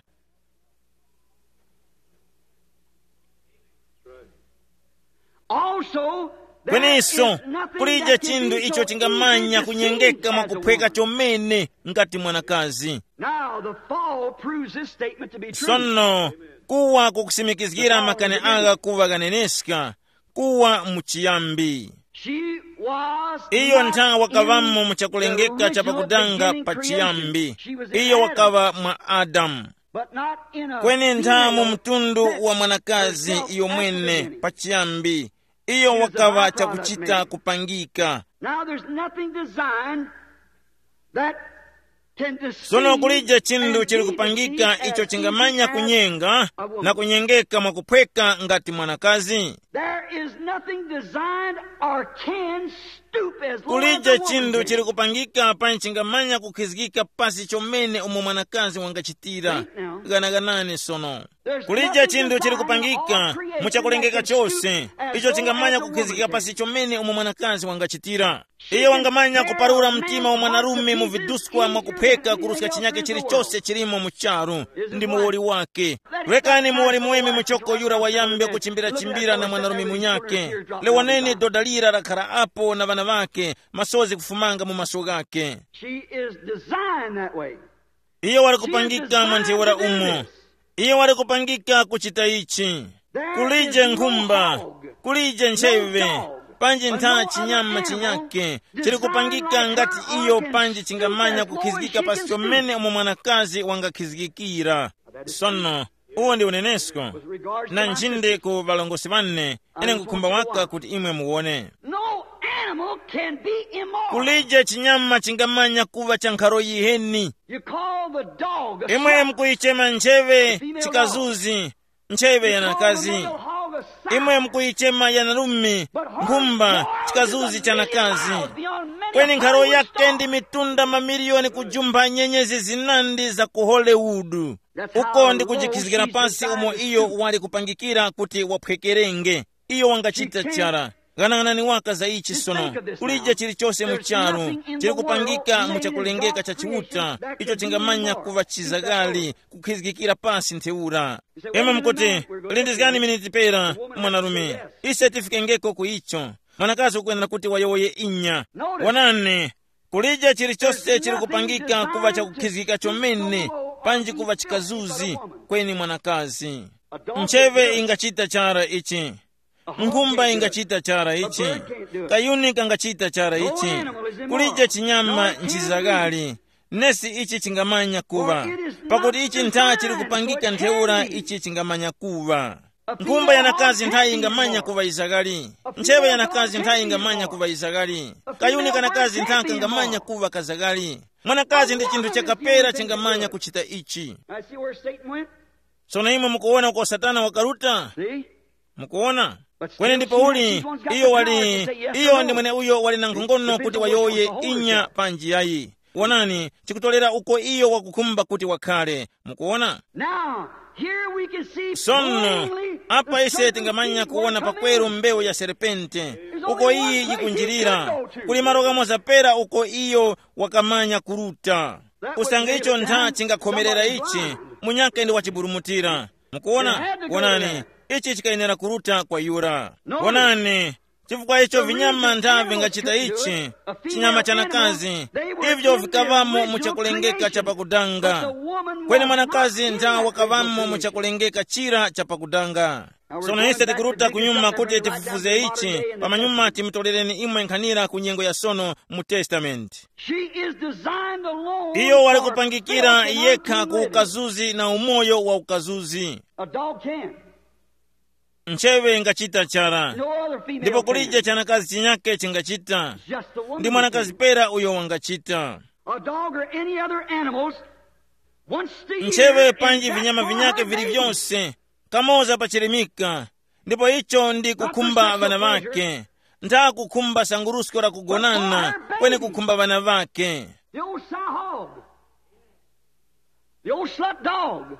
Also, there kweninso is nothing kulije that can chinthu be icho so chingamanya easy to kunyengeka see mwa as a kuphweka woman. Chomene ngati mwanakazi. Now, the fall proves this statement to be true. Sono, kuwa kukusimikizgira makani agha kuŵa ghaneneska, kuwa muchiyambi. She was iyo not ntha wakavamo in mu chakulengeka cha pakudanga pa chiyambi. Iyo wakaŵa mwa Adamu. Kweni ntha mu mtundu wa mwanakazi iyo mwene pachiyambi, iyo wakaŵa chakuchita kupangika. Now there's nothing designed that can deceive. Sono kulije chinthu chili kupangika icho chingamanya kunyenga na kunyengeka mwakuphweka ngati mwanakazi. There is nothing designed or can stoop as low as kulije a woman chinthu can. Chili kupangika panji chingamanya kukhizgika pasi chomene umo mwanakazi wangachitira. Think now. Ganaganani sono. Kulije chinthu chili kupangika mu chakulengeka chose icho chingamanya kukhizgika pasi chomene umo mwanakazi wangachitira. Iye wangamanya kuparura mtima wa mwanarume mu viduskwa mwakuphweka kuruska chinyake chilichose chilimo mu charu. Ndi muwoli wake. Rekani muwoli muweme muchoko yura wayambe kuchimbira-chimbira na mwanarume munyake. Lewaneni doda lira lakhara apo na ŵana ŵake, masozi kufumanga mu maso ghake. She is designed that way. Iyo wali kupangika mwa ntheura umo. Iyo wali kupangika kuchita ichi. Kulije nkhumba, kulije ncheve, panji ntha chinyama chinyake chili kupangika ngati iyo panji chingamanya kukhizgika pasi chomene umo mwanakazi wangakhizgikira. Sono, uwo ndi unenesko. Na nchinde ku ŵalongosi ŵane, ine ngukhumba waka kuti imwe muwone. No animal can be immortal. Kulije chinyama chingamanya kuva cha nkharo yiheni. You call the dog a imwe slut. Mukuyichema ncheve chikazuzi, ncheve yanakazi. Imwe mukuyichema yanarume nkhumba, chikazuzi chanakazi. Kweni nkharo yake ndi mitunda mamiliyoni kujumpha nyenyezi zinandi za ku Hollywood. Uko ndi kujikhizgira pasi umo iyo wali kupangikira kuti waphwekerenge. Iyo wangachita chara. Ghanaghanani waka za ichi sono. Kulije chilichose mu charu chili kupangika mu chakulengeka cha Chiuta icho chingamanya kuŵa chizagali kukhizgikira pasi ntheura. Imwe mukuti, lindizgani miniti pera, mwanarume. Ise tifikengeko ku icho. Mwanakazi ukwenera kuti wayowoye inya. Wonani, kulije chilichose chili kupangika kuŵa chakukhizgika chomene, panji kuŵa chikazuzi kweni mwanakazi. Ncheve ingachita chara ichi. Nkhumba ingachita chara ichi. Kayuni kangachita chara ichi. Kulije chinyama nchizagali. Nesi ichi chingamanya kuŵa. Pakuti ichi ntha chili kupangika ntheura ichi chingamanya kuŵa. Nkhumba yanakazi nthayi ingamanya kuŵa izagali. Ncheve yanakazi nthayi ingamanya kuŵa izagali. Kayuni kanakazi ntha kangamanya kuŵa kazagali. Mwanakazi ndi chinthu chakapera chingamanya kuchita ichi. Now, see where Satan went? Sono imwe mukuwona uko Satana wakaruta? See? Mukuwona? Kweni ndipo uli, iyo wali, iyo ndi mwene uyo wali na nkhongono kuti wayowoye inya panji yayi. Wonani, chikutolera uko iyo wakukhumba kuti wakhale. Mukuwona? Now, here we can see sono plainly apa the ise serpent tingamanya seed kuwona working pakweru in. Mbewu ya serpente. Uko iyi yikunjirira. Kuli malo kamoza pera uko iyo wakamanya kuruta. Usange icho ntha chingakhomerera ichi, munyake ndi wachiburumutira. Mukuwona? Wonani, ichi chikayenera kuruta kwa yura. Wonani, chifukwa icho vinyama ntha vingachita ichi, chinyama chanakazi, ivyo vikaŵamo mu chakulengeka cha pakudanga. Kweni mwanakazi ntha wakaŵamo mu chakulengeka chira cha pakudanga. Sono ise tikuruta kunyuma kuti tifufuze ichi, pamanyuma timutorereni imwe nkhanira ku nyengo ya sono mu Testament. She is designed alone. Iyo wali for kupangikira fellowship and yekha ku freedom. Ukazuzi na umoyo wa ukazuzi. A dog can. Ncheve ingachita chara. No other female ndipo kulije can. Chanakazi chinyake chingachita. Just the woman ndi mwanakazi can. Pera uyo wangachita. A dog or any other animals, once the ncheve year panji is that vinyama for vinyake her vili baby. Vyonse kamoza pachirimika, ndipo icho ndi kukhumba ŵana ŵake. Ntha kukhumba sangurusko la kugonana, kweni kukhumba ŵana ŵake. The old sow hog, the old slut dog,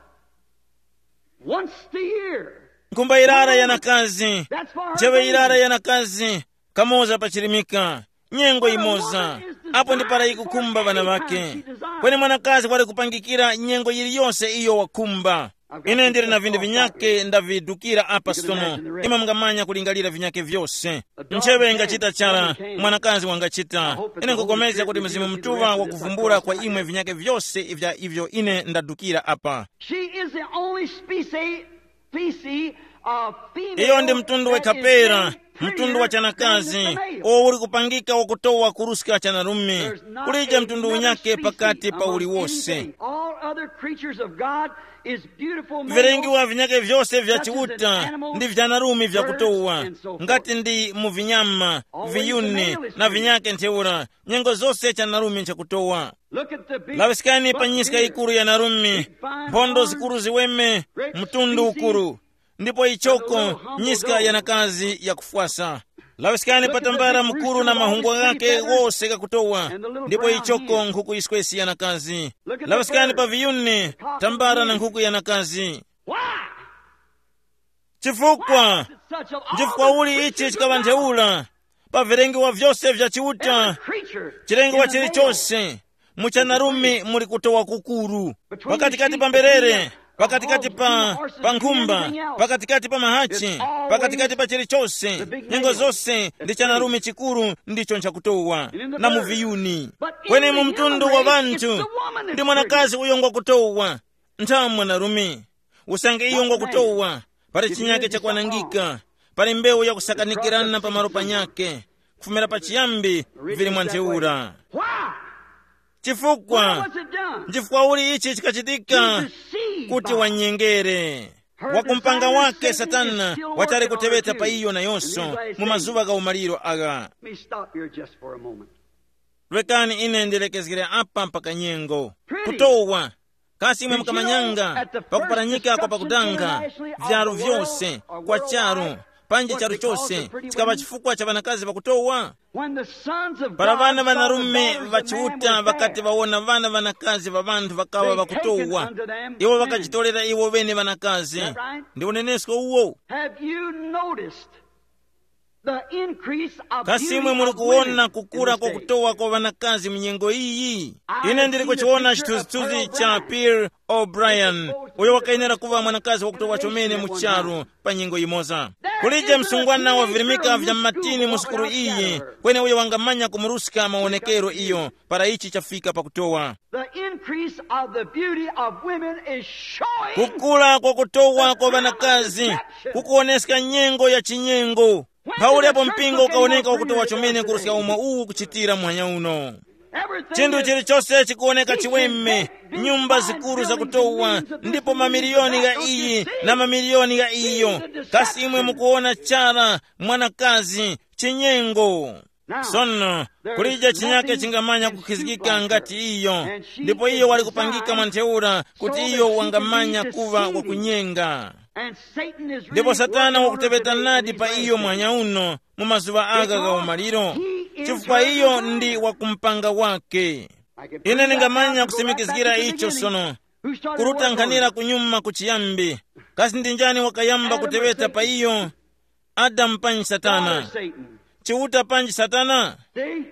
once a year. Nkhumba yirara yanakazi, ncheŵe yirara yanakazi, kamoza pachirimika, nyengo imoza, apo ndi para yikukhumba ŵana ŵake. Kweni mwanakazi wali kupangikira nyengo yiliyose iyo wakhumba. Ine ndili na vinthu vinyake ndavidukira apa sono. Imwe mungamanya kulingalira vinyake vyose. Ncheŵe ingachita chara, mwanakazi wangachita. Ine nkukomezga kuti Mzimu Mutuŵa wakuvumbula kwa imwe vinyake vyose vya ivyo ine ndadukira apa. She is the only species, species of female. Iyo ndi mtundu that is wekha pera, mtundu wa chanakazi, uwo uli kupangika wakutowa kuruska chanarume. Kulije mtundu unyake pakati pa uliwose. All other creatures of God is beautiful males. Vilengiwa vinyake vyose vya Chiuta ndi vyanarume vyakutowa, ngati ndi mu vinyama, viyuni na vinyake ntheura, nyengo zose chanarume nchakutowa. Laŵiskani pa nyiska yikuru ya narume, mphondo zikuru ziweme, mtundu ukuru, ndipo ichoko nyiska yanakazi yakufwasa. Laŵiskani pa tambala mukuru na mahungwa ghake ghose ghakutowa, ndipo ichoko nkhuku yiswesi yanakazi. Laŵiskani pa viyuni, tambala na nkhuku yanakazi. Chifukwa, njifukwa uli ichi chikaŵa ntheura pa vilengiwa vyose vya Chiuta, chilengiwa chilichose, muchanarume muli kutowa kukuru, pakatikati pa mberere, pakatikati pa, pa nkhumba, pakatikati pa mahachi, pakatikati pa chilichose, nyengo zose ndi chanarume chikuru ndicho nchakutowa, na mu viyuni. Kweni mu mtundu wa ŵanthu, ndi mwanakazi uyo ngwakutowa, ntha mwanarume. Usange iyo ngwakutowa, pali chinyake chakwanangika, pali mbewu yakusakanikirana pamalo panyake, kufumira pachiyambi vili mwa ntheura. Why? Chifukwa, What was it done? Nchifukwa uli ichi chikachitika? Deceived kuti by wanyengere. Her wakumpanga desire wake Satan is Satana still wachali working on her kuteweta pa too. Iyo nayonso In these last mu days. Mazuŵa gha umaliro agha. Let me stop here just for a moment. Lekani ine ndilekezgere apa mpaka nyengo. Pretty. Kutowa. Kasi imwe mukamanyanga pakuparanyika kwa pakudanga vyaru vyose kwa charu, panji charu chose chikaŵa chifukwa cha ŵanakazi pakutowa? Para ŵana ŵanarume ŵa Chiuta ŵakati ŵawona ŵana ŵanakazi ŵa ŵanthu ŵakaŵa ŵakutowa, iwo ŵakachitorera iwo ŵene ŵanakazi. Ndi unenesko uwo. Have you noticed the increase of kasi imwe muli kuwona kukura kwa kutowa kwa ŵanakazi mu nyengo iyi? Ine ndili kuchiwona chithunzithunzi cha Pearl O'Brien, uyo wakayenera kuŵa mwanakazi wakutowa chomene mu charu pa nyengo yimoza. Kulije msungwana wavirimika vya mmatini mu sukulu iyi, kweni uyo wangamanya kumuruska mawonekero iyo para ichi chafika pakutowa. The increase of the beauty of women is showing kukula kwa kutowa kwa ŵanakazi kukuwoneska nyengo ya chinyengo. Mphauli apo mpingo ukawoneka wakutowa chomene kuruska umo uwu kuchitira muhanya uno. Chinthu chilichose chikuwoneka chiweme, nyumba zikuru zakutowa, ndipo mamiliyoni gha iyi na mamiliyoni gha iyo. Kasi imwe mukuwona chara mwanakazi chinyengo? Sono, kulije chinyake chingamanya kukhizikika ngati iyo, ndipo iyo wali kupangika mwa ntheura kuti iyo wangamanya kuŵa wakunyenga. Ndipo Satana wakuteŵeta nadi pa iyo mwanya uno mu mazuŵa agha gha umaliro, chifukwa iyo ndi wakumpanga wake. Ine ndingamanya kusimikizgira icho sono, kuruta nkhanira kunyuma kuchiyambi. Kasi ndi njani wakayamba kuteŵeta pa iyo? Adamu panji Satana? Chiuta panji Satana?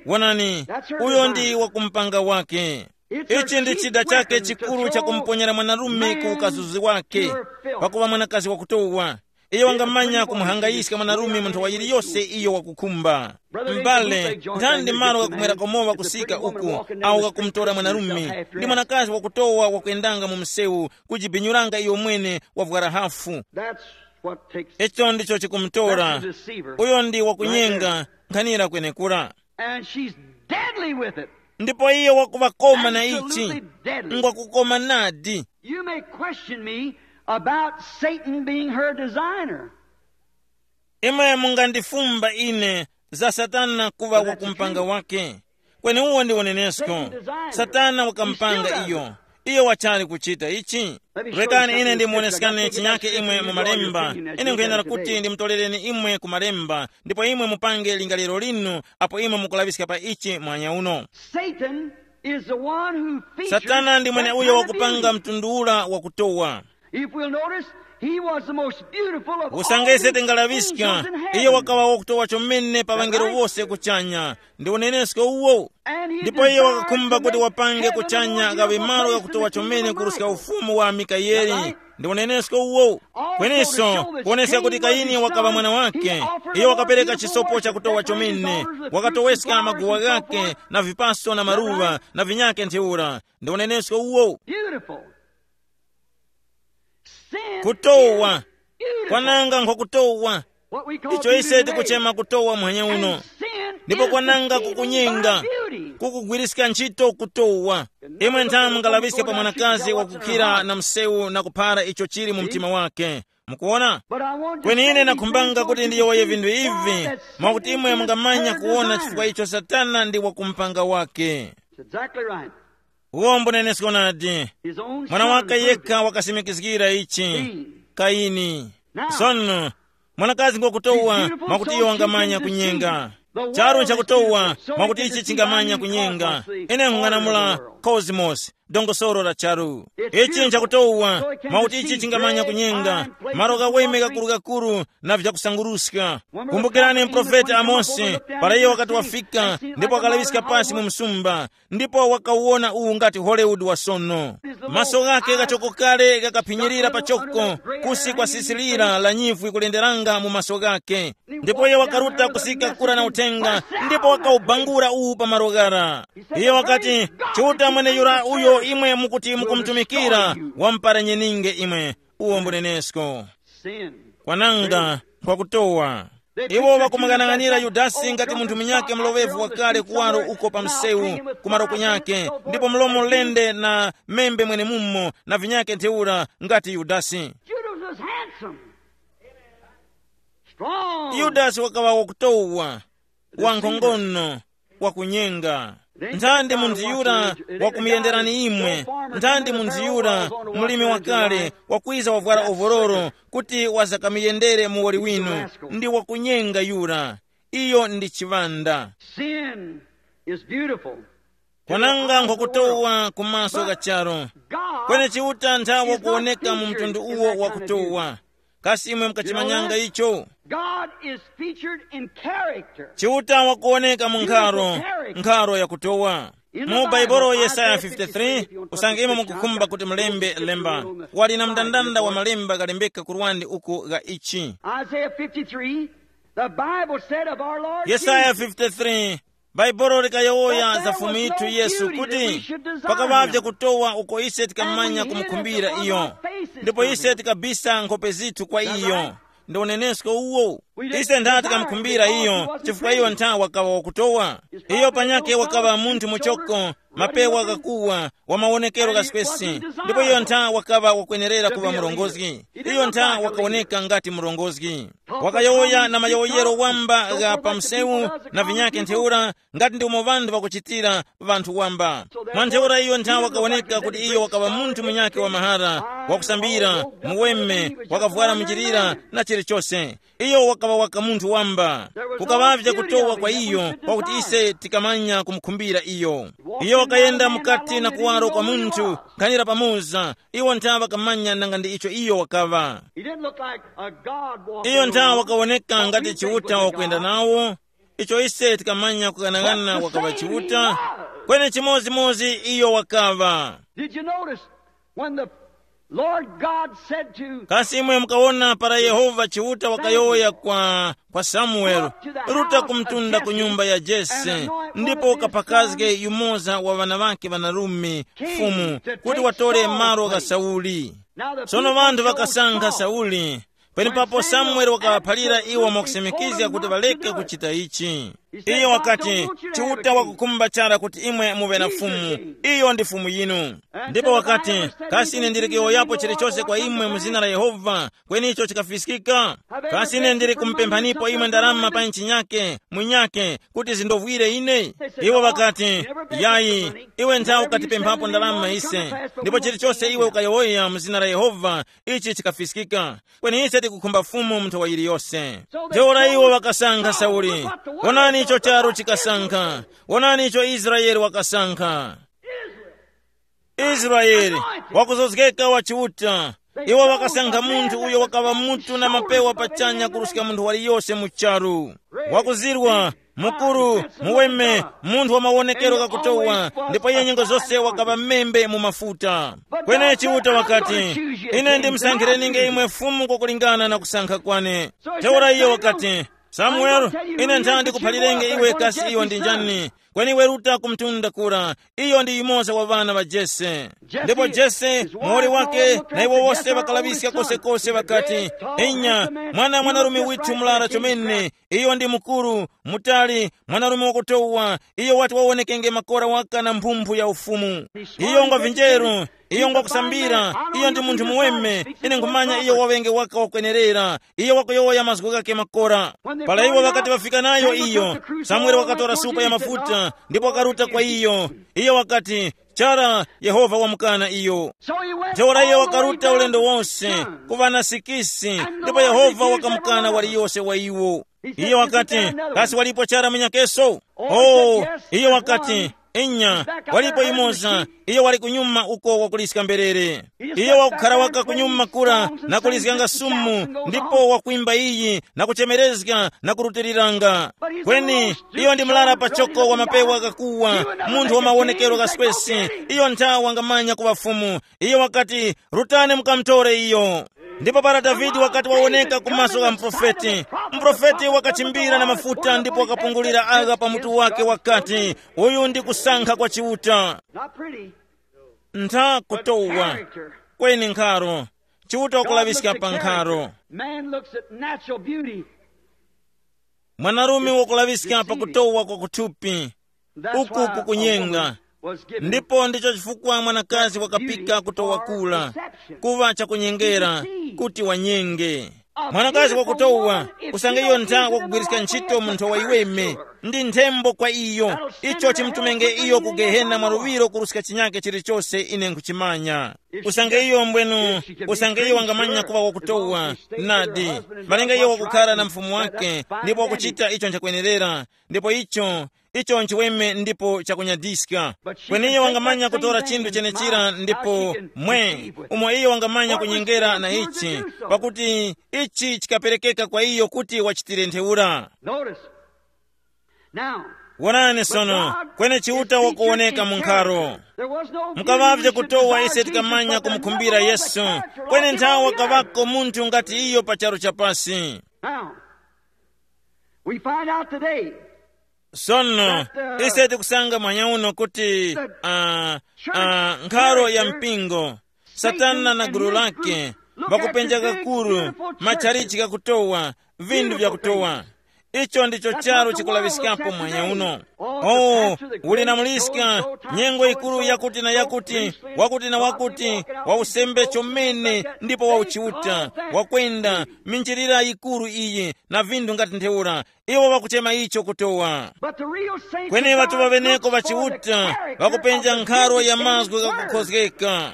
Wonani, uyo ndi wakumpanga wake. Ichi ndi chida chake chikuru chakumponyera mwanarume ku ukazuzi wake, pakuŵa mwanakazi wakutowa. Iyo wangamanya kumuhangayiska mwanarume mu nthawa yiliyose iyo wakukhumba. M'bale, ndani ndi malo ghakumwera komowa kusika uku, awo ghakumtora mwanarume ndi mwanakazi wakutowa wakuyendanga mu msewu, kujibinyuranga iyo mwene wavwara hafu? That's what takes. Icho ndicho chikumtora. That's the deceiver. Uyo ndi wakunyenga, nkhanira kwenekura. And she's deadly with it. Ndipo iyo wakuŵakoma na ichi. Absolutely deadly. Ngwakukoma nadi. You may question me about Satan being her designer. Imwe mungandifumba ine za Satana kuŵa wakumpanga wake. Kweni uwo ndi unenesko. Satana wakampanga iyo. Iyo wachali kuchita ichi. Rekani ine ndimuoneskane chinyake imwe mu malemba. Ine nkuyendera kuti ndimutorereni imwe ku malemba, ndipo imwe mupange lingaliro linu apo imwe mukulaŵiska pa ichi mwanya uno. Satan is the one who features Satana ndi mwene that uyo kind of wakupanga beauty. Mtundu ula wakutowa. If we'll notice, he was the most beautiful of all the angels in heaven. Usangese tingalaŵiska, iye wakaŵa wakutowa chomene pa ŵangelo wose kuchanya. Ndi unenesko uwo. And he ndipo iye desired wakakhumba to kuti make wapange heaven the kuchanya more beautiful gawe malo place than gakutowa the kingdom chomene of kuruska Michael. Ufumu wa Mikayeli. Ndi unenesko uwo. Kweninso kuoneska kuti Kaini wakaŵa mwana wake, iye wakapereka chisopo chakutowa chomene, wakatoweska maguwa ghake na vipaso na maruŵa na vinyake ntheura. Ndi unenesko uwo. Beautiful. Sin Kutowa. Is beautiful. Kwananga nkwakutowa. What we call icho beauty ise today. Tikuchema kutowa mwenye uno. And sin ndipo is kwananga the beating kukunyenga by beauty. Kukugwiriska ntchito kutowa. Imwe nthamu ngalaŵiske pa mwanakazi wakukhira na msewu na kuphara icho chili mu mtima wake. Mukuona? But I want to kweni ine say these nakhumbanga things kuti so ndiyowoye you vinthu can ivi, see why that mwakuti Satan imwe is mungamanya her kuona designer. Chifukwa icho satana ndi wakumpanga wake. That's exactly right. Uwo mbunenesko nadi. His own mwana son wake proved yekha it. Wakasimikizgira ichi. Cain. Kaini. Now, sono mwanakazi ngokutowa she's beautiful, mwakuti so iyo she wangamanya can deceive. Kunyenga. The world charu is nchakutowa beautiful, so mwakuti it can ichi deceive. Chingamanya I mean, kunyenga cosmos, the ine order of the nkung'anamula world. Cosmos, dongosolo la charu. It's ichi beautiful, nchakutowa so it can mwakuti ichi deceive chingamanya great kunyenga fine places malo of kaweme luxury. Gakuru-gakuru na vyakusanguruska. Kumbukirani mprofeti Amosi para iye wakati wafika ndipo wakalaŵiska pasi mu msumba ndipo wakawona uwu ngati Hollywood wa sono. Maso ghake ghachoko kale ghakaphinyirira pachoko kusi kwa sisi lira la nyivwi kulenderanga mu maso ghake. Ndipo iye wakaruta kusika kura na uthenga ndipo wakawubangura uwu pa malo ghara. Iye wakati, Chiuta mwene yura uyo imwe mukuti mukumutumikira, wamuparanyeninge imwe. Uwo mbunenesko. Sin. Kwananga nkwakutowa. Iwo wakumuyang'anira Yudasi ngati munthu munyake mloŵevu wakale kuwaro uko pa msewu kumaro kunyake ndipo mlomo lende na membe mwenemumo na vinyake ntheura ngati Yudasi. Judas was handsome, strong. Yudasi wakaŵa wakutowa, wankhongono, wakunyenga. Nthandi munthu yura wakumuyenderani imwe? Nthandi munthu yura mulimi wakale wakwiza wavwara ovororo kuti wazakamuyendere muwoli winu? Ndi wakunyenga yura. Iyo ndi chiŵanda. Sin is beautiful. Kwananga nkhukutowa ku maso gha charu. Kweni Chiuta nthawe kuwoneka mu mtundu uwo wakutowa. Kasi imwe mukachimanyanga icho? God is featured in character. Chiuta wakuwoneka mu nkharo, nkharo yakutowa. Mu Baibulo Yesaya fifty-three, usange imwe mukukhumba kuti mulembe lemba, wali na mndandanda wa malemba galembeka kurwandi uku gha ichi. Isaiah fifty-three, the Bible said of our Lord Yesaya Jesus, fifty-three, Baibulo likayowoya za Fumu yithu Yesu kuti pakaŵavye kutowa uko ise tikamanya kumukhumbira iyo, ndipo ise tikabisa nkhope zithu kwa iyo. Ndi unenesko uwo. Ise ntha tikamukhumbira iyo chifukwa iyo ntha wakaŵa wakutowa. Iyo panyakhe wakaŵa munthu muchoko, mapewa ghakuwa, wa mawonekero ghaswesi, ndipo iyo ntha wakaŵa wakwenerera kuŵa murongozgi. Iyo ntha wakawoneka ngati murongozgi. Wakayowoya na mayowoyero wamba gha pa msewu na vinyakhe ntheura, ngati ndi umo ŵanthu ŵakuchitira ŵanthu wamba. Mwa ntheura iyo nthawe wakawoneka kuti iyo wakaŵa munthu munyakhe wa mahara, wakusambira, muweme, wakavwara muchilira na chilichose. Iyo wakaŵa waka munthu wamba. Kukaŵavye kutowa kwa iyo kwakuti ise tikamanya kumukhumbira iyo. Iyo wakayenda mukati na kuwaro kwa munthu nkhanira pamoza. Iwo nthawe wakamanya nanga ndi icho iyo wakaŵa. He didn't look like a God walking iyo nthawe around, wakawoneka but when ngati he said, chiuta wakwenda nawo. Icho ise tikamanya kughanaghanana wakaŵa chiuta. Kweni chimodzimodzi iyo wakaŵa. Did you notice when the Lord God said to kasi imwe mukawona para yehova chiuta wakayowoya kwa, kwa samueli, ruta kumtunda ku nyumba ya jese ndipo ukapakazge yumoza wa ŵana ŵake ŵanarume, fumu, kuti watore malo gha sauli. Sono ŵanthu ŵakasankha sauli. Penepapo samueli wakaŵaphalira iwo mwakusimikizga kuti ŵaleke kuchita ichi. Iyo wakati, chiuta wakukhumba chara kuti imwe muŵe na fumu. Iyo ndi fumu yinu. Ndipo wakati, kasi ine ndili kuyowoyapo chilichose kwa imwe mu zina la yehova? Kweni icho chikafiskika. Kasi ine ndili kumupemphanipo imwe ndarama pa nchi nyake munyake kuti zindovwire ine? Iwo ŵakati, yayi, iwe ntha ukatipemphapo ndalama ise, ndipo chilichose iwe ukayowoya mu zina la yehova, ichi chikafiskika. Kweni ise tikukhumba Fumu mu nthowa yiliyose. Ntheura iwo ŵakasankha Sauli. Wonani icho charu chikasankha. Wonani icho Israele wakasankha. Israele, wakuzozgeka wa Chiuta, Iwo wakasankha munthu uyo wakaŵa mutu na mapewa pachanya kuruska munthu waliyose mu charu. Wakuzirwa, mukuru, muweme, munthu wa mawonekero ghakutowa, ndipo iye nyengo zose wakaŵa membe mu mafuta. Kweni Chiuta wakati, ine ndimsankhirenge imwe Fumu kwakulingana na kusankha kwane. Ntheura iyo wakati, Samuel, ine nthandi ndikuphalirenge iwe kasi iyo ndi njani. Kweni iwe ruta ku mtunda kura, iyo ndi yumoza wa ŵana ŵa Jese. Ndipo Jese, muwoli wake, na iwo wose ŵakalaŵiska kosekose ŵakati, inya, mwana mwanarume withu murara chomene, iyo ndi mukuru, mutali, mwanarume wakutowa, iyo wati wawonekenge makora waka na mphumphu ya ufumu. Iyo ngwa vinjeru, iyo ngwa kusambira, iyo ndi munthu muweme, ine nkhumanya iyo waŵenge waka wakwenerera, iyo wakuyowoya mazgu ghake makora. Para iwo ŵakati ŵafika nayo iyo, Samuele wakatora supa ya mafuta ndipo wakaruta kwa iyo. Iyo wakati, chara, Yehova wamukana iyo. Ntheura iyo wakaruta ulendo wose, kuŵa na sikisi, ndipo Yehova wakamukana waliyose wa iwo. Iyo wakati, kasi walipo chara munyakeso? Oh, iyo wakati, inya, walipo yumoza, iyo wali kunyuma uko wakuliska mberere. Iyo wakukhara waka kunyuma kura na kulizganga sumu, ndipo wakwimba iyi na kuchemerezga na kurutiriranga. Kweni iyo ndi mlara pachoko wa mapewa ghakuwa, munthu wa mawonekero ghaswesi. Iyo nthawa wangamanya kuŵa Fumu. Iyo wakati, rutani mukamutore iyo. Ndipo para Davide wakati wawoneka ku maso gha muprofeti, muprofeti wakachimbira na mafuta ndipo wakapungulira agha pa mutu wake wakati, uyu ndi kusankha kwa Chiuta. Not pretty. Ntha kutowa. Character. Kweni nkharo. Chiuta wakulaŵiska pa nkharo. Man looks at natural beauty. Mwanarume wakulaŵiska pa kutowa kwa kuthupi. Uku kukunyenga. Ndipo ndicho chifukwa mwanakazi wakapika kutowa kula, kuŵa chakunyengera, kuti wanyenge. Mwanakazi wakutowa, usange iyo ntha wakugwiriska ntchito munthu wa iweme, ndi nthembo kwa iyo. Icho chimtumenge iyo ku gehena mwaluŵiro kuruska chinyake chilichose ine nkhuchimanya. Usange iyo mbwenu, usange iyo wangamanya kuŵa wakutowa, nadi, malinga iyo wakukhara na mfumu wake, ndipo wakuchita icho nchakwenerera, ndipo icho, icho nchiweme ndipo chakunyadiska. Kweni iyo wangamanya kutora chinthu chenechira ndipo mwe, umo iyo wangamanya kunyengera na ichi, pakuti ichi chikaperekeka kwa iyo kuti wachitire ntheura. Notice. Now, wonani sono, kweni Chiuta wakuwoneka mu nkharo. Mukavavye kutowa ise tikamanya kumukhumbira Yesu, kweni nthawe wakavako munthu ngati iyo pa charu chapasi. Now, we find out today. Sono, ise tikusanga mwanya uno kuti uh, uh, nkharo ya mpingo, Satana na gulu lake, vakupenja kakuru, matchalichi kakutowa, vinthu vyakutowa. Icho ndicho charu chikulaŵiskapo mwanya uno. Oh, uli na muliska, nyengo yikuru yakuti na yakuti, wakuti na wakuti, wa usembe chomene ndipo wa uchiuta, wakwenda minjirira yikuru iyi na vinthu ngati ntheura. Iwo ŵakuchema icho kutowa. Kweni ŵatuŵa ŵeneko ŵa Chiuta ŵakupenja nkharo ya mazgu ghakukhozgeka.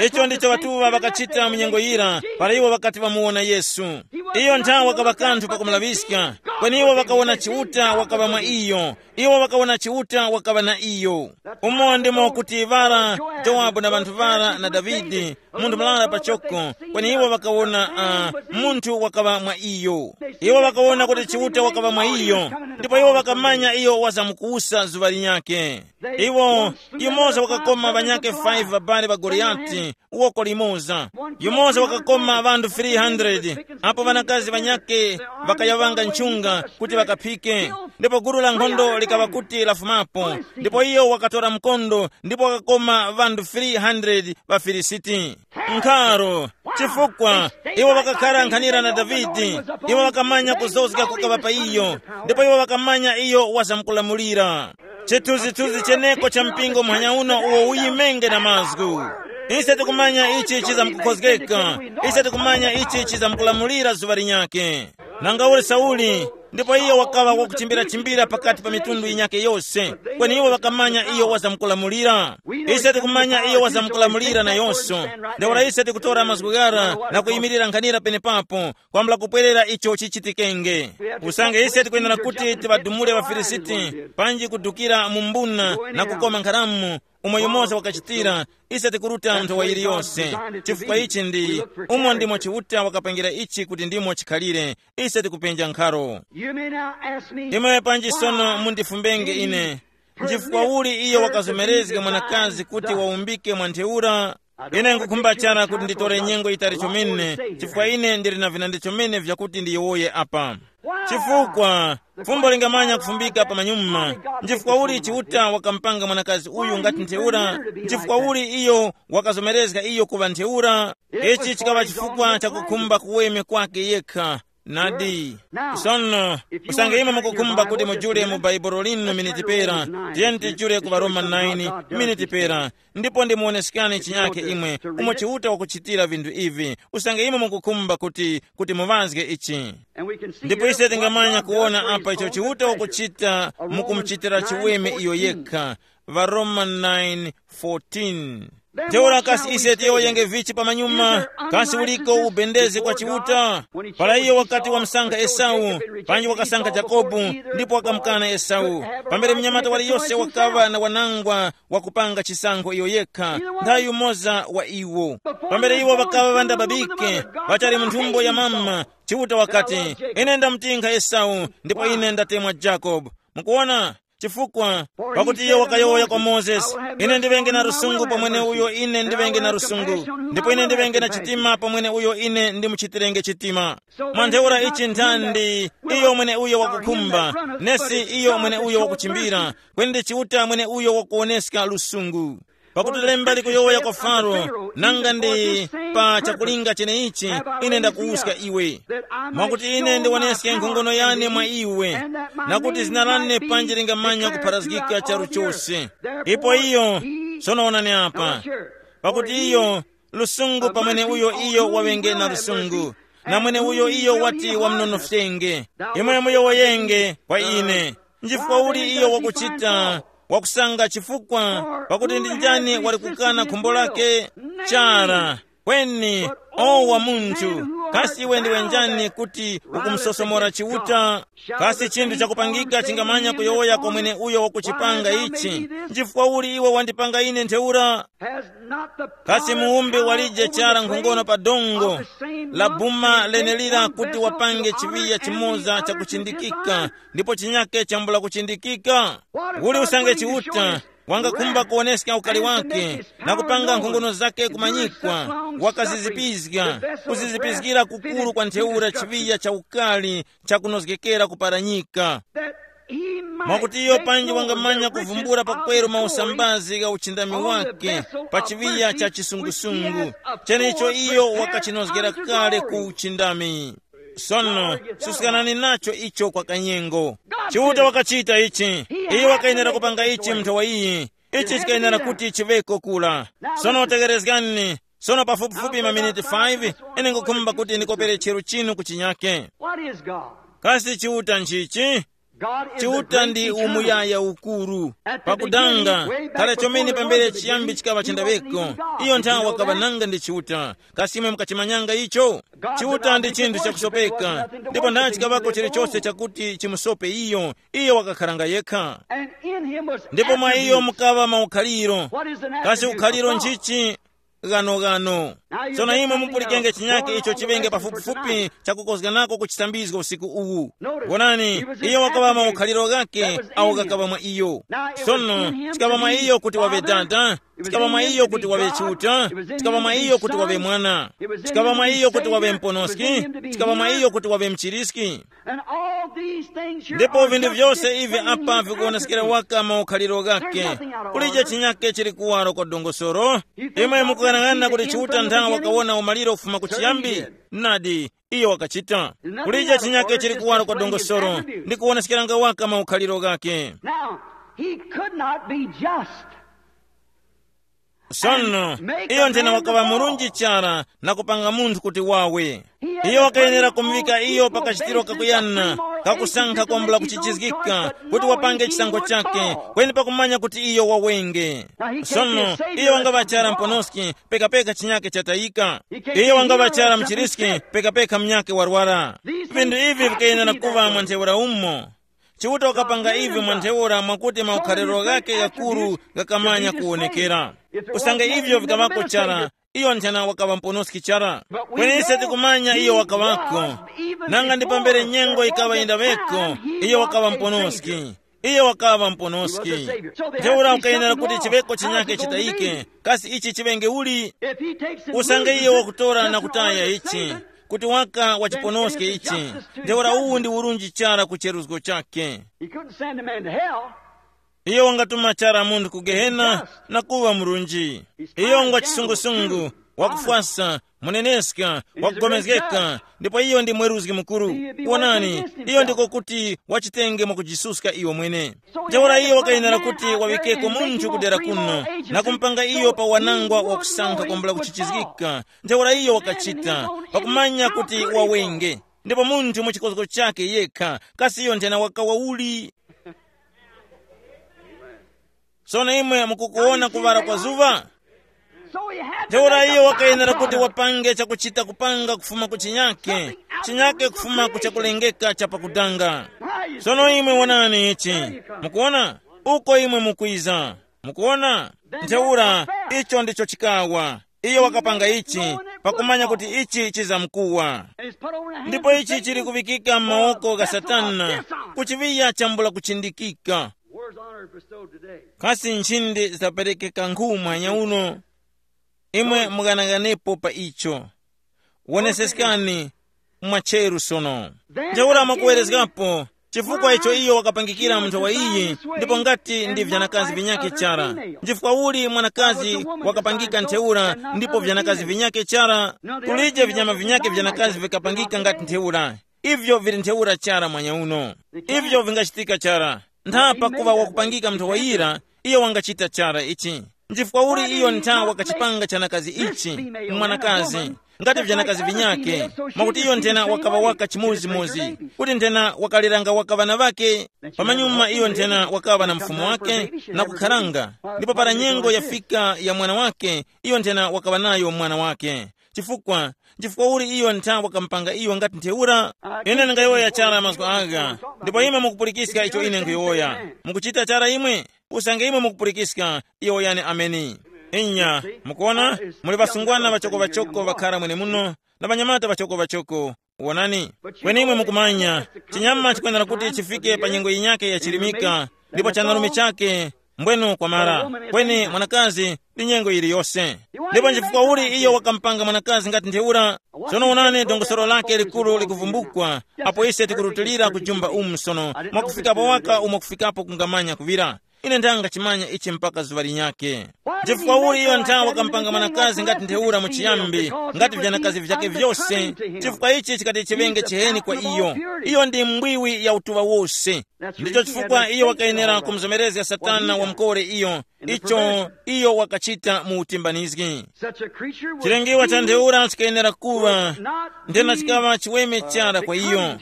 Icho ndicho ŵatuŵa ŵakachita mu nyengo yira, para iwo ŵakati ŵamuwona Yesu. Iyo nthawe wakaŵa kanthu pakumulaŵiska, kweni iwo ŵakawona Chiuta wakaŵa mwa iyo. Iwo ŵakawona Chiuta wakaŵa na iyo. Umo ndimo kuti ŵara, Jowabu na ŵanthu ŵara na Davide, munthu murara pachoko, kweni iwo ŵakawona uh, munthu wakaŵa mwa iyo. Iwo ŵakawona kuti Chiuta wakaŵa mwa iyo, ndipo iwo ŵakamanya iyo wazamkuwusa zuŵa linyakhe. Iwo, yumoza wakakoma ŵanyakhe five ŵabali ŵa Goliyati, woko limoza. Yumoza wakakoma ŵanthu three hundred, apo ŵanakazi ŵanyakhe ŵakayaŵanga nchunga kuti ŵakaphike. Ndipo gulu la nkhondo likaŵa kuti lafumapo, ndipo iyo wakatora mkondo ndipo wakakoma ŵanthu three hundred ŵa Filisiti. Nkharo, chifukwa iwo ŵakakhara nkhanira na Davide, iwo ŵakamanya kuzozga kukaŵa pa iyo, ndipo iwo ŵakamanya iyo wazamkulamulira. Chithunzithunzi cheneko cha mpingo muhanya uno uwo uyimenge na mazgu. Ise tikumanya ichi chizamkukhozgeka, ise tikumanya ichi chizamkulamulira zuŵa linyakhe. Nanga uli Sauli, ndipo iyo wakaŵa wakuchimbira-chimbira pakati pa mitundu yinyakhe yose, kweni iwo ŵakamanya iyo wazamkulamulira. Ise tikumanya iyo wazamkulamulira nayonso. Ntheura ise tikutora mazgu ghara na kuyimirira nkhanira penepapo, kwambula kupwerera icho chichitikenge. Usange ise tikwenera kuti tiŵadumule ŵaFilisiti, panji kudukira mu mbuna na kukoma nkharamu, umo yumoza wakachitira. Ise tikuruta nthowa iliyonse, chifukwa ichi ndi umo ndimo Chiuta wakapangira ichi kuti ndimo chikhalire. Ise tikupenja nkharo. You may now ask me, imwe panji sono mundifumbenge ine, nchifukwa uli iyo wakazomerezga mwanakazi kuti waumbike mwa ntheura? Ine nkukhumba chara kuti nditore nyengo yitali chomene, chifukwa ine ndili na vinandi chomene vyakuti ndiyowoye apa. Chifukwa fumbo lingamanya kufumbika pa manyuma. Nchifukwa uli Chiuta wakampanga mwanakazi uyu ngati ntheura? Nchifukwa uli iyo wakazomerezga iyo kuŵa ntheura? Ichi chikaŵa chifukwa chakukhumba kuweme kwake yekha. Nadi. Sono, usange imwe mukukhumba kuti mujule mu baibulo linu miniti pera, tiyeni tijule ku Baroma nine miniti pera, ndipo ndimuwoneskani chinyakhe imwe umo Chiuta wakuchitira vinthu ivi. Usange imwe mukukhumba kuti kuti muŵazge ichi. Ndipo ise tingamanya kuwona apa icho Chiuta wakuchita mukumuchitira chiweme iyo yekha. Varoma nine fourteen. Ntheura kasi ise tiyowoyenge vichi pamanyuma? Kasi uliko ubendezi kwa Chiuta? Para iyo wakati wamsankha Esau, panji wakasankha Yakobo, ndipo wakamukana Esau. Pambere mnyamata waliyose wakaŵa na wanangwa wakupanga chisankho iyo yekha, nthawi yumoza wa iwo. Pambere iwo ŵakaŵa ŵandababike, ŵachali mu nthumbo ya mama, Chiuta wakati, ine ndamutinkha Esau, ndipo ine ndatemwa Jakobo. Mukuona? Chifukwa, pakuti iyo wakayowoya kwa Mozesi, ine ndiŵenge na lusungu pa mwene uyo ine ndiŵenge na lusungu, ndipo ine ndiŵenge na chitima pa mwene uyo ine ndimuchitirenge chitima. Mwa ntheura ichi nthandi, iyo mwene uyo wakukhumba, nesi iyo mwene uyo wakuchimbira, kweni ndi Chiuta mwene uyo wakuwoneska lusungu. Pakuti lemba likuyowoya kwa Faro, nanga ndi pa chakulinga cheneichi ine ndakuwuska iwe, mwakuti ine ndiwoneske nkhongono yane mwa iwe, na kuti zina lane panji lingamanya kupharazgika charu chose. Ipo iyo, sono wonani apa, pakuti iyo, lusungu pa mwene uyo iyo waŵenge na lusungu, na mwene uyo iyo wati wamnonofyenge. Imwe muyowoyenge kwa ine, nchifukwa uli iyo wakuchita, wakusanga chifukwa, pakuti ndi njani wali kukana khumbo lake? Chara, kweni, o wa munthu, kasi iwe ndiwe njani kuti ukumusosomora Chiuta? Kasi chinthu chakupangika chingamanya kuyowoya kwa mwene uyo wakuchipanga ichi? Nchifukwa uli iwe wandipanga ine ntheura? Kasi muwumbi walije chara nkhongono pa dongo la buma lenelira kuti wapange chiŵiya chimoza chakuchindikika, ndipo chinyake chambula kuchindikika? Uli usange Chiuta wangakhumba kuwoneska ukali wake na kupanga nkhongono zake kumanyikwa, wakazizipizga, kuzizipizgira kukuru kwa ntheura chiŵiya cha ukali chakunozgekera kuparanyika, mwakuti iyo panji wangamanya kuvumbula pakweru mausambazi gha uchindami wake pa chiŵiya cha chisungusungu, chenicho iyo wakachinozgera kale ku uchindami. Sono, susikanani nacho icho kwa kanyengo. Chiuta wakachita ichi. Iye wakayenera kupanga ichi mnthawi iyi. Ichi chikayenera kuti chiŵeko kula. Sono tegerezgani. Sono pafupifupi maminiti five, ine nkukhumba kuti ndikopere chero chinu ku chinyake. What is God? Kasi Chiuta nchichi? God is the Chiuta great ndi eternal. Umuyaya ukuru. Pakudanga, kale chomene pambere chiyambi chikaŵa chendaŵeko, iyo nthawi wakaŵa nanga ndi Chiuta. Kasi imwe mukachimanyanga icho? Chiuta ndi chinthu chakusopeka, ndipo nanga chikaŵako chilichonse chakuti chimusope iyo. Iyo wakakharanga yekha. And in him was ndipo mwa iyo attributes. Mukaŵa maukhaliro. What is an attribute? Kasi ukhaliro nchichi? Ghanoghano. Sono imwe mupulikenge chinyake icho chiŵenge pafupifupi chakukozganako ku chisambizgo usiku uwu. Wonani, iyo wakaŵa maukhaliro ghake awo ghakaŵa mwa iyo. Sono, chikaŵa mwa iyo kuti waŵe Dada, chikaŵa mwa iyo kuti waŵe Chiuta, chikaŵa mwa iyo kuti waŵe Mwana, chikaŵa mwa iyo kuti waŵe Mponoski, chikaŵa mwa iyo kuti waŵe Mchiriski. And all these things here ndipo are vinthu just vyose ivi displaying apa vikuwonesekera waka maukhaliro ghake. Kulije chinyake chili kuwaro kwa dongosolo. Imwe mukuyang'ana kuti Chiuta nthawi wakawona umaliro kufuma ku chiyambi? Nadi, iyo wakachita. Kulije chinyake chili kuwaro kwa dongosolo ndi kuwonesekeranga waka maukhaliro ghake. Now, he could not be just. Sono, iyo nthena wakaŵa murunji chara na kupanga munthu kuti wawe. Iyo wakayenera kumuvika iyo pa kachitiro kakuyana kakusankha kwambula kuchichizgika kuti wapange chisankho chake, kweni pakumanya kuti iyo wawenge. Sono, iyo wangaŵa chara Mponoski, pekapeka chinyake chatayika. Iyo wangaŵa chara Mchiriski, pekapeka mnyake warwara. Vinthu ivi vikayenera kuŵa mwa ntheura umo. Chiuta wakapanga ivyo mwa ntheura mwakuti maukhaliro ghake ghakuru ghakamanya kuwonekera. Usange ivyo vikaŵako chara, iyo nthena wakaŵa mponoski chara. Kweni ise tikumanya iyo wakaŵako. Nanga ndi pambere nyengo yikaŵa yindaŵeko, iyo wakaŵa mponoski. Iyo wakaŵa mponoski. Ntheura ukayenera kuti chiŵeko chinyake chitayike. Kasi ichi chiŵenge uli? Usange iyo wakutora na kutaya ichi, kuti waka wachiponoske ichi, ntheura uwu ndi urunji chara ku cheruzgo chake. He couldn't send a man to hell. Iyo wangatuma chara munthu ku gehena na kuŵa murunji. Iyo ngwa chisungusungu, wakufwasa, muneneska, wakugomezgeka, ndipo iyo ndi mweruzgi mukuru. Wonani, iyo ndiko kuti wachitenge mwakujisuska iwo mwene. Ntheura iyo wakayenera kuti waŵikeko munthu kudera kuno na kumpanga iyo pa wanangwa wakusankha kwambula kuchichizgika. Ntheura iyo wakachita pakumanya kuti wawenge, ndipo munthu mu chikozgo chake yekha, kasi iyo nthena wakawa uli? Sono imwe mukukuwona kuŵala kwa zuŵa. Ntheura iyo wakayenera kuti wapange chakuchita kupanga kufuma ku chinyake, chinyake kufuma ku chakulengeka cha pakudanga. Sono imwe wonani ichi. Mukuona? Uko imwe mukwiza. Mukuona? Ntheura, icho ndicho chikawa. Iyo wakapanga ichi, pakumanya kuti ichi chizamkuwa. Ndipo ichi chili kuŵikika m'mawoko gha Satana, ku chiŵiya chambula kuchindikika. Where's honor bestowed today? Kasi nchindi zaperekeka nkhu mwanya uno? Imwe mughanaghananepo pa icho. Woneseskani mwacheru sono. Ntheura mwakuwerezgapo, chifukwa icho iyo wakapangikira munthu wa iyi, ndipo ngati ndi vyanakazi vinyakhe chara. Nchifukwa uli mwanakazi wakapangika ntheura, ndipo vyanakazi vinyakhe chara? Kulije vinyama vinyakhe vyanakazi vikapangika ngati ntheura. Ivyo vili ntheura chara mwanya uno. Ivyo vingachitika chara. Ntha pakuva wakupangika munthu wayira, iyo wangachita chara ichi. Nchifukwa uli iyo ntha wakachipanga chanakazi ichi, mwanakazi, ngati vyanakazi vinyake, mwakuti iyo nthena wakaŵa waka chimodzimodzi, kuti nthena wakaliranga waka ŵana ŵake. Pamanyuma iyo nthena wakaŵa na mfumu wake na kukharanga, ndipo para nyengo yafika ya mwana wake, iyo nthena wakaŵa nayo mwana wake. Chifukwa, chifukwa uli iyo ntha wakamupanga iyo ngati ntheura? Ine ndingayowoya chara mazgu agha, ndipo imwe mukupulikiska icho ine nkuyowoya. Mukuchita chara imwe? Usange imwe mukupulikiska, yowoyani ameni. Inya, mukuona, muli ŵasungwana ŵachoko-ŵachoko ŵakhara mwenemuno, na ŵanyamata ŵachoko-ŵachoko. Wonani, kweni imwe mukumanya, chinyama chikwenera kuti chifike pa nyengo yinyake yachilimika, ndipo chanarume chake mbwenu kwamara, kweni mwanakazi ndi nyengo yiliyose. Ndipo nchifukwa uli iyo wakamupanga mwanakazi ngati ntheura? Sono wonani dongosolo lake likuru likuvumbukwa, apo ise tikurutilira kujumba umu sono, mwakufika pawaka umo kufikapo kungamanya kuŵira. Ine ndangachimanya ichi mpaka zuŵa linyakhe. Chifukwa uli iyo nthawi wakampanga mwanakazi ngati ntheura mu chiyambi, ngati vyanakazi vyake vyose? Chifukwa ichi chikati chiŵenge chiheni kwa iyo. Iyo ndi mbwiwi ya utuŵa wose. Ndicho chifukwa iyo wakayenera kumuzomerezga Satana wamukore iyo, icho iyo wakachita mu utimbanizgi. Chilengiwa cha ntheura chikayenera kuŵa nthena chikaŵa chiweme chara kwa iyo,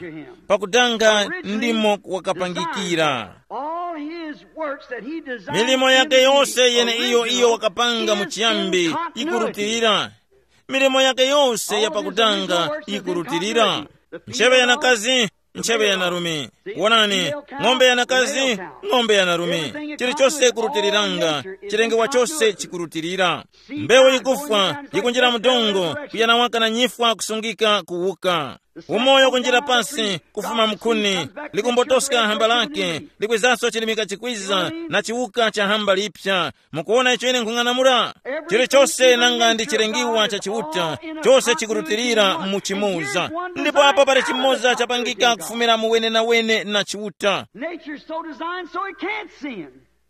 pakudanga ndimo wakapangikira. All his works that he designed milimo yake in the yose beginning yene are iyo iyo working wakapanga mu with chiyambi continuity. Ikurutilira. Milimo yake yose ya pakudanga ikurutilira. Ncheŵe ya nakazi, ncheŵe ya narume. Wonani, ng'ombe ya nakazi, ng'ombe ya narume. Chilichose ikurutiliranga, chilengewa chose chikurutilira. Mbewu yikufwa, yikunjira mu dongo, kuyana waka na nyifwa kusungika kuwuka. Umoyo kunjira pasi kufuma mkhuni, likumbotoska hamba lake, likwizaso chilimika chikwiza na chiwuka cha hamba lipya. Mukuwona icho ine nkhung'anamula? Chilichose nanga ndi chilengiwa cha Chiuta, chose chikurutilira mu chimoza. Ndipo apo pali chimoza chapangika kufumira mu wenenawene na Chiuta. Nature's so designed so it can't sin.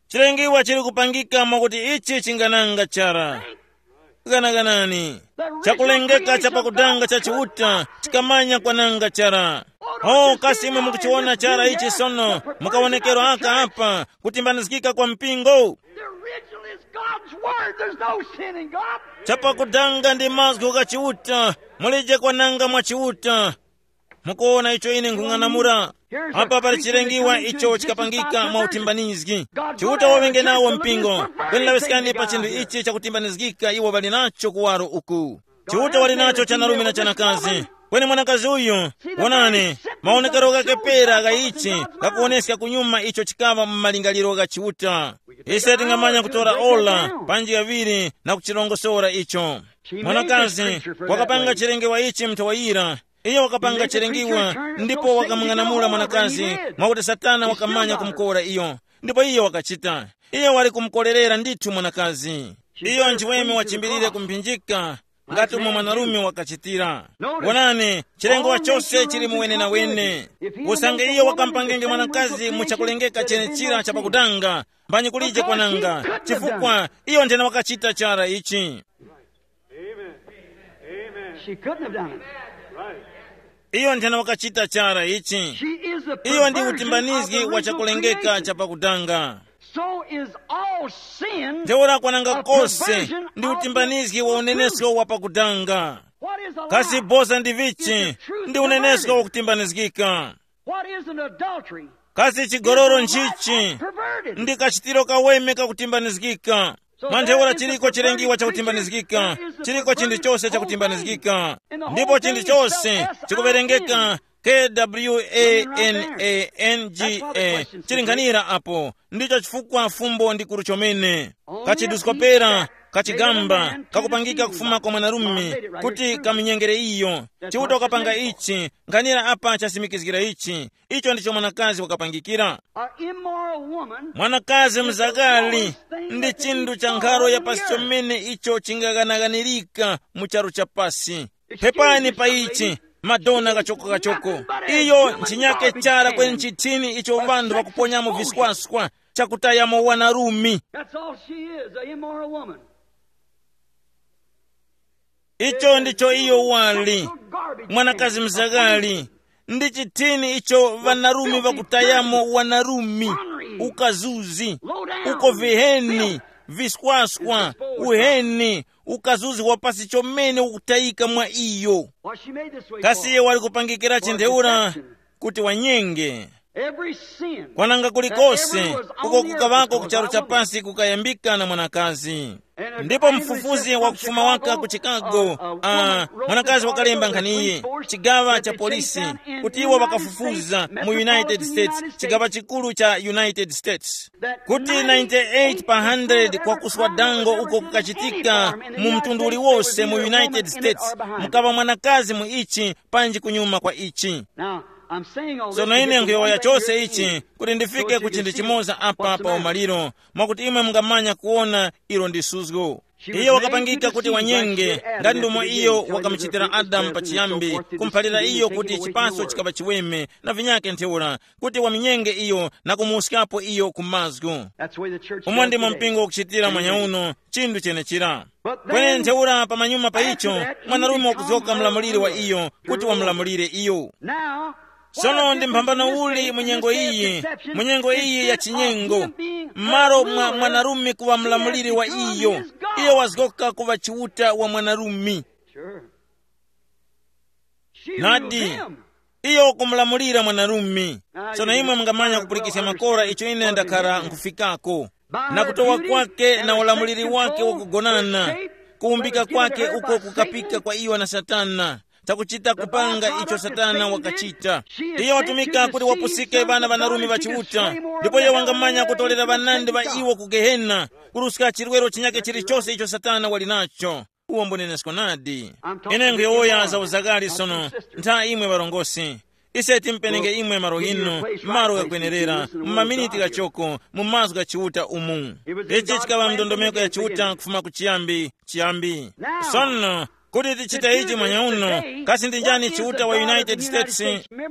Chilengiwa chili kupangika mwakuti ichi chingananga chara. Ganaganani, chakulengeka cha pakutanga cha Chiuta chikamanya kwananga chara. Oh, kasi imwe mukuchiwona chara ichi sono, mukawonekero aka apa, kutimbanizgika kwa mpingo? The original is God's word. There's no sin in God. Chapakutanga ndi mazgu gha Chiuta, mulije kwananga mwa Chiuta. Mukuwona icho ine nkhung'anamula? Apa pali chilengiwa icho chikapangika mwa utimbanizgi. Chiuta waŵenge nawo mpingo. Kweni laŵiskani pa chinthu ichi chakutimbanizgika iwo ŵali nacho kuwaro uku. Chiuta wali nacho chanarume na chanakazi. Kweni mwanakazi uyu, wonani, maonekero ghake pera gha ichi ghakuwoneska kunyuma icho chikaŵa mu malingaliro gha Chiuta. Ise tingamanya kutora ola panji ghaŵiri na kuchirongosora icho. Mwanakazi wakapanga chilengewa ichi mnthawi yira. Iyo wakapanga chilengiwa, ndipo wakamung'anamula mwanakazi, mwakuti Satana wakamanya kumukora iyo. Ndipo iyo wakachita. Iyo wali kumukorerera ndithu mwanakazi. Iyo nchiweme wachimbilire kumphinjika, ngati umo mwanarume wakachitira. Wonani, chilengo chose chili muwenenawene. Usange iyo wakampangenge mwanakazi mu chakulengeka chenechira chapakutanga, mbanyi kulije kwananga, chifukwa iyo nthena wakachita chara ichi. She couldn't have done it. Iyo nthena wakachita chara ichi. She is the Iyo ndi perversion of utimbanizgi the wa original chakulengeka creation. Chapakutanga. So is all sin. Ntheura kwananga A kose perversion ndi of utimbanizgi the wa true unenesko truth. Wapakutanga. What is a Kasi lie? Boza ndi vichi? It's the truth Ndi unenesko perverted. Wakutimbanizgika. What is an adultery? Kasi chigololo It's a life nchichi? perverted. Ndi kachitiro kaweme kakutimbanizgika. Manthaura chiliko chilengiwa chakutimbanizgika, chiliko chinthu chose chakutimbanizgika. Ndipo chinthu chose chikuwerengeka K-W-A-N-A-N-G-A, chili nkhanira apo. Ndicho chifukwa fumbo ndi kuru chomene. Kachiduskopera, kachigamba kakupangika kufuma kwa mwanarume kuti kamunyengere iyo. Chiuta ukapanga ichi, nkhanira apa chasimikizgira ichi. Icho ndicho mwanakazi wakapangikira. An immoral woman. Mwanakazi mzakali ndi chinthu cha nkharo ya pasi chomene icho chingaganaganirika mu charu cha pasi. Pepani pa ichi, madona kachoko kachoko. Iyo nchinyake chara kweni nchithini icho ŵanthu ŵakuponyamo viswaswa, chakutayamo wanarumi. That's all she is, an immoral woman. Icho ndicho iyo wali. Mwanakazi mzakali ndi chithini icho ŵanarumi ŵakutayamo wanarumi, ukazuzi, uko viheni, viswaswa, uheni, ukazuzi wa pasi chomene ukutayika mwa iyo. Why she made this way Kasi for? iye wali kupangikira For chintheura deception. Kuti wanyenge. Every sin Kwananga that kulikose ever was on uko the earth kukavako before ku charu by cha a woman. Pansi kukayambika na mwanakazi. And a Ndipo family mfufuzi research wa from kufuma waka Chicago, ku Chicago, uh, uh, ah, woman wrote mwanakazi an wakalemba article nkhaniyi, that the police chigawa forced cha to chase polisi, down in kuti the iwo United wakafufuza States, metropolitan States, United chigawa States, chikulu cha United States, that kuti ninety-eight percent ninety-eight pa hundred of kwa ever kuswa crime dango that uko was in any kukachitika form in the mu United mtundu States, uliwose there mu was either a United woman in it States, or behind it. mukava mwanakazi mu ichi panji kunyuma kwa ichi. Now, I'm saying all this Sono to ine get to nkuyowoya one thing here chose at the ichi end. Kuti ndifike So that ku you chinthu can see chimoza apa what's the pa matter. Umaliro, mwakuti imwe mungamanya kuona ilo ndi suzgo. She was Iyo made to wakapangika kuti deceive like she wanyenge did Adam ngati after ndomwe the iyo Eve told him wakamuchitira to take this Adamu garden pa and so chiyambi, forth, to kumphalira see iyo him kuti take it away from chipaso the word. Chikapa chiweme na vinyake ntheura, kuti waminyenge iyo na kumuwuskapo iyo ku mazgu. That's the way the church Umo does ndimo today. mpingo ukuchitira Anyways, mwanyauno, chinthu chenechira. But then, kweni ntheura pamanyuma pa icho, that, mwanarume wakuzgoka mlamuliri wa iyo kuti wamlamulire iyo. Now, sono ndi mphambano uli mu nyengo iyi? Mu nyengo iyi ya chinyengo, m'malo mwa mwanarume kuwa mlamuliri wa iyo, iyo wazgoka kuwa chiuta wa mwanarume. Sure. She Nadi, ruled him. Iyo kumulamulira mwanarume. Sono imwe mungamanya kupulikisya makora icho ine ndakhala nkhufikako, na kutowa kwake na ulamuliri wake wakugonana, kuwumbika kwake uko kukapika kwa iyo na Satana, chakuchita kupanga icho Satana wakachita. Iyo watumika kuti wapusike ŵana ŵanarume ŵa Chiuta, ndipo iyo wangamanya kutolera ŵanandi ŵa iwo ku Gehena, kuruska chirwero chinyake chilichose icho Satana wali nacho. Uwo mbunenesko nadi. Ine nkuyowoya za uzakali sono, ntha imwe ŵarongosi. Ise timpenenge imwe malo inu, malo ghakwenerera, mu maminiti ghachoko, mu mazgu gha Chiuta umu. Ichi chikaŵa ndondomeko ya Chiuta kufuma ku chiyambi, chiyambi. Sono, kuti tichite ichi mwanyauno, kasi ndi njani Chiuta wa United States?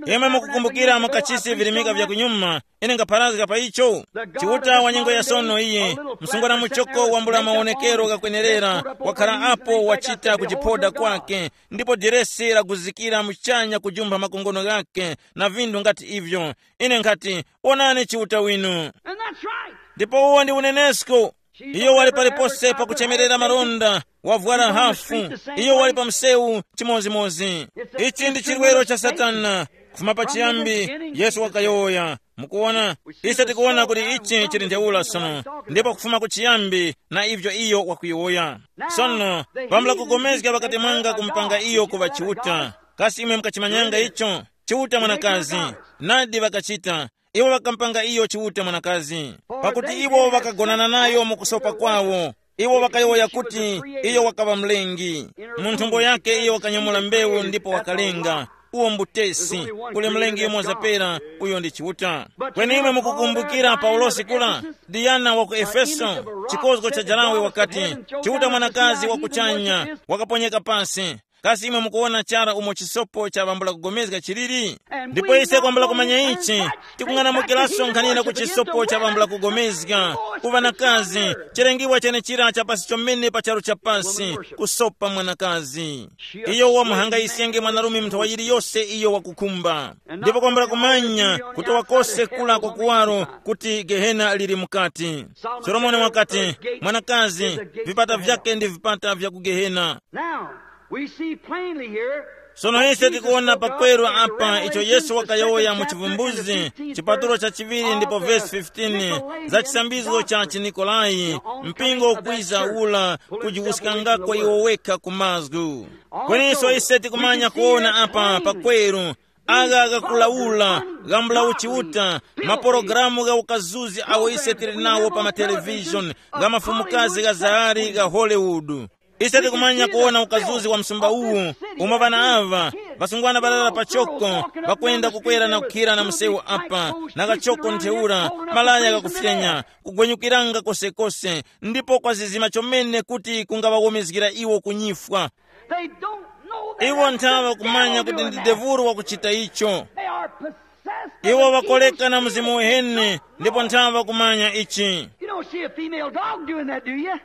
Imwe mukukumbukira mu kachisi virimika vya kunyuma, ine ngapharazga pa icho. Chiuta wa nyengo ya sono iyi, msungwana muchoko wambula mawonekero ghakwenerera, wakhala apo wachita kuchiphoda kwake, ndipo diresi laguzikira muchanya kujumpha makongono ghake na vinthu ngati ivyo. Ine nkhati, wonani Chiuta winu. And that's right. Ndipo uwo ndi unenesko. Iyo wali palipose pakuchemerera malonda, wavwara hafu. Iyo wali pa msewu chimodzimodzi. Ichi ndi chirwero cha Satana. Kufuma pachiyambi, Yesu wakayowoya. Mukuwona, ise tikuwona kuti ichi chili ntheura sono, ndipo kufuma kuchiyambi na ivyo iyo wakuyowoya. Sono, pambula kugomezga pakati mwanga kumpanga iyo kuŵa Chiuta. Kasi imwe mukachimanyanga icho? Chiuta mwanakazi. Nadi ŵakachita. Iwo ŵakampanga iyo Chiuta mwanakazi, pakuti iwo ŵakagonana nayo mu kusopa kwawo. Iwo ŵakayowoya kuti iyo wakaŵa mlengi. Mu nthumbo yake iyo wakanyamula mbewu ndipo wakalenga. Uwo mbutesi. Kuli mlengi yumo zapera, uyo ndi Chiuta. Kweni imwe mukukumbukira Paulosi kula, Diana wa ku Efeso, chikozgo cha jarawe wakati, Chiuta mwanakazi wa kuchanya wakaponyeka pasi. Kasi imwe mukuwona chara umo chisopo cha ŵambula kugomezga chiliri? Ndipo ise kwambula kumanya ichi, tikung'anamukiranso nkhanira ku chisopo cha ŵambula kugomezga, ku ŵanakazi, chilengiwa chenechira cha pasi chomene pa charu cha pasi, kusopa mwanakazi. Iyo wamuhangayisenge mwanarume munthu wa yiliyose iyo wakukhumba. Ndipo kwambula kumanya kutowa kose kula kwa kuwaro kuti Gehena lili mukati. Solomoni wakati, mwanakazi, vipata vyake ndi vipata vya ku Gehena. Now, we see plainly here. Sono ise tikuona pakweru apa icho Yesu wakayowoya mu Chivumbuzi chipatulo cha chiŵiri ndipo vesi fifteen, za chisambizo cha Chinikolai, mpingo ukwiza ula kujiwuskangako iwo wekha ku mazgu. Kweninso ise tikumanya kuona apa pakweru, agha ghakulawula, ghambula uchiuta, mapologalamu gha ukazuzi awo ise tili nawo pa matelevishoni, gha mafumukazi gha zahari gha Hollywood. Ise tikumanya kuwona ukazuzi wa msumba uwu, umo ŵana aŵa, ŵasungwana ŵarara pachoko, ŵakwenda kukwera na kukhira na msewu apa, na kachoko ntheura, malaya ghakufyenya, kugwenyukiranga kosekose, ndipo kwazizima chomene kuti kungaŵawomezgira iwo kunyifwa. They don't know that. Iwo nthawe kumanya kuti ndi devulu wakuchita icho. They are possessed by iwo the vakoleka na evil mzimu spirit. Uheni, ndipo nthawe kumanya ichi. You don't see a female dog doing that, do you?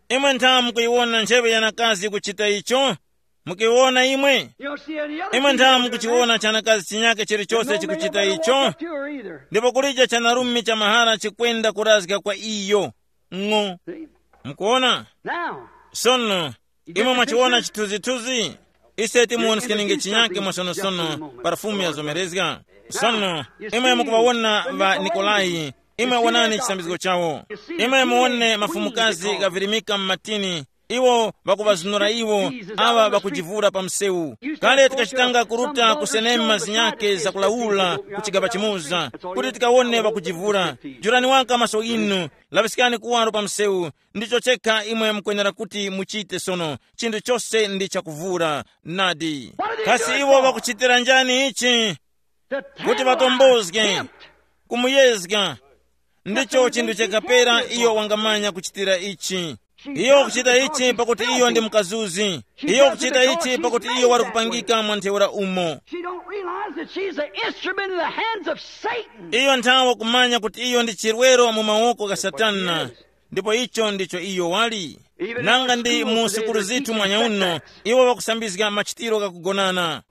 Imwe nthawe mukuyiwona ncheve yanakazi kuchita icho? Mukiwona imwe? You don't see any other imwe female nthawe doing that. Mukuchiwona chanakazi chinyake chilichose chikuchita icho? Walk up to her either. Ndipo kulija chanarume cha mahara chikwenda kurazga kwa iyo. Ng'o. See? Mukuona? Now, sono, imwe mwachiwona chithunzithunzi? Ise timuwoniskenge chinyake mwasonosono, parafumu yazomerezga. Sono, imwe mukuŵawona ŵa Nikolayi, imwe wonani chisambizgo chawo. Imwe muwone mafumukazi ghavirimika m'matini, iwo ŵakuŵazunura iwo, aŵa ŵakujivura pa msewu. Kale tikachitanga kuruta kusenema zinyake zakulawula ku chigaba chimoza, kuti tikawone ŵakujivura. Jurani waka maso inu, laŵiskani kuwaro pa msewu, ndicho chekha imwe mukwenera kuti muchite sono, chinthu chose ndi chakuvura. Nadi. Kasi iwo ŵakuchitira njani ichi? Kuti ŵatombozge, kumuyezga. Ndicho chinthu chakapera iyo wangamanya kuchitira ichi. Iyo kuchita ichi pakuti iyo ndi mukazuzi. Iyo kuchita ichi pakuti iyo wali kupangika mwa ntheura umo. She don't realize that she's an instrument in the hands of Satan. Iyo nthawe kumanya kuti iyo ndi chirwero mu mawoko ga Satana. Ndipo icho ndicho iyo wali. Nanga ndi mu sikulu zithu mwanyauno, iwo ŵakusambizga machitiro ghakugonana.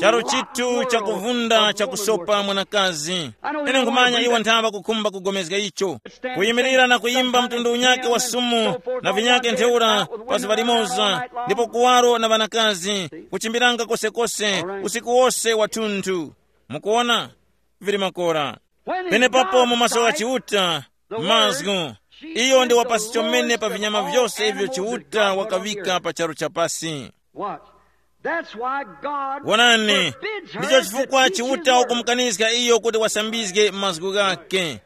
Charo chithu chakuvunda chakusopa mwanakazi. Ine nkhumanya iwo nthawe kukhumba kugomezga icho, kuyimirira na kuyimba mtundu unyake wa sumu na vinyake ntheura pa zuŵa limoza, ndipo kuwaro na ŵanakazi, kuchimbiranga kosekose usiku wose wathunthu. Mukuona? Vili makora. Penepapo mu maso gha Chiuta, mazgu, iyo ndi wapasi chomene pa vinyama vyose ivyo Chiuta wakaŵika pa charu cha pasi. Watch. That's why God wonani, forbids her ndicho chifukwa to teach Chiuta his word. Wakumukaniska iyo kuti wasambizge mazgu ghake.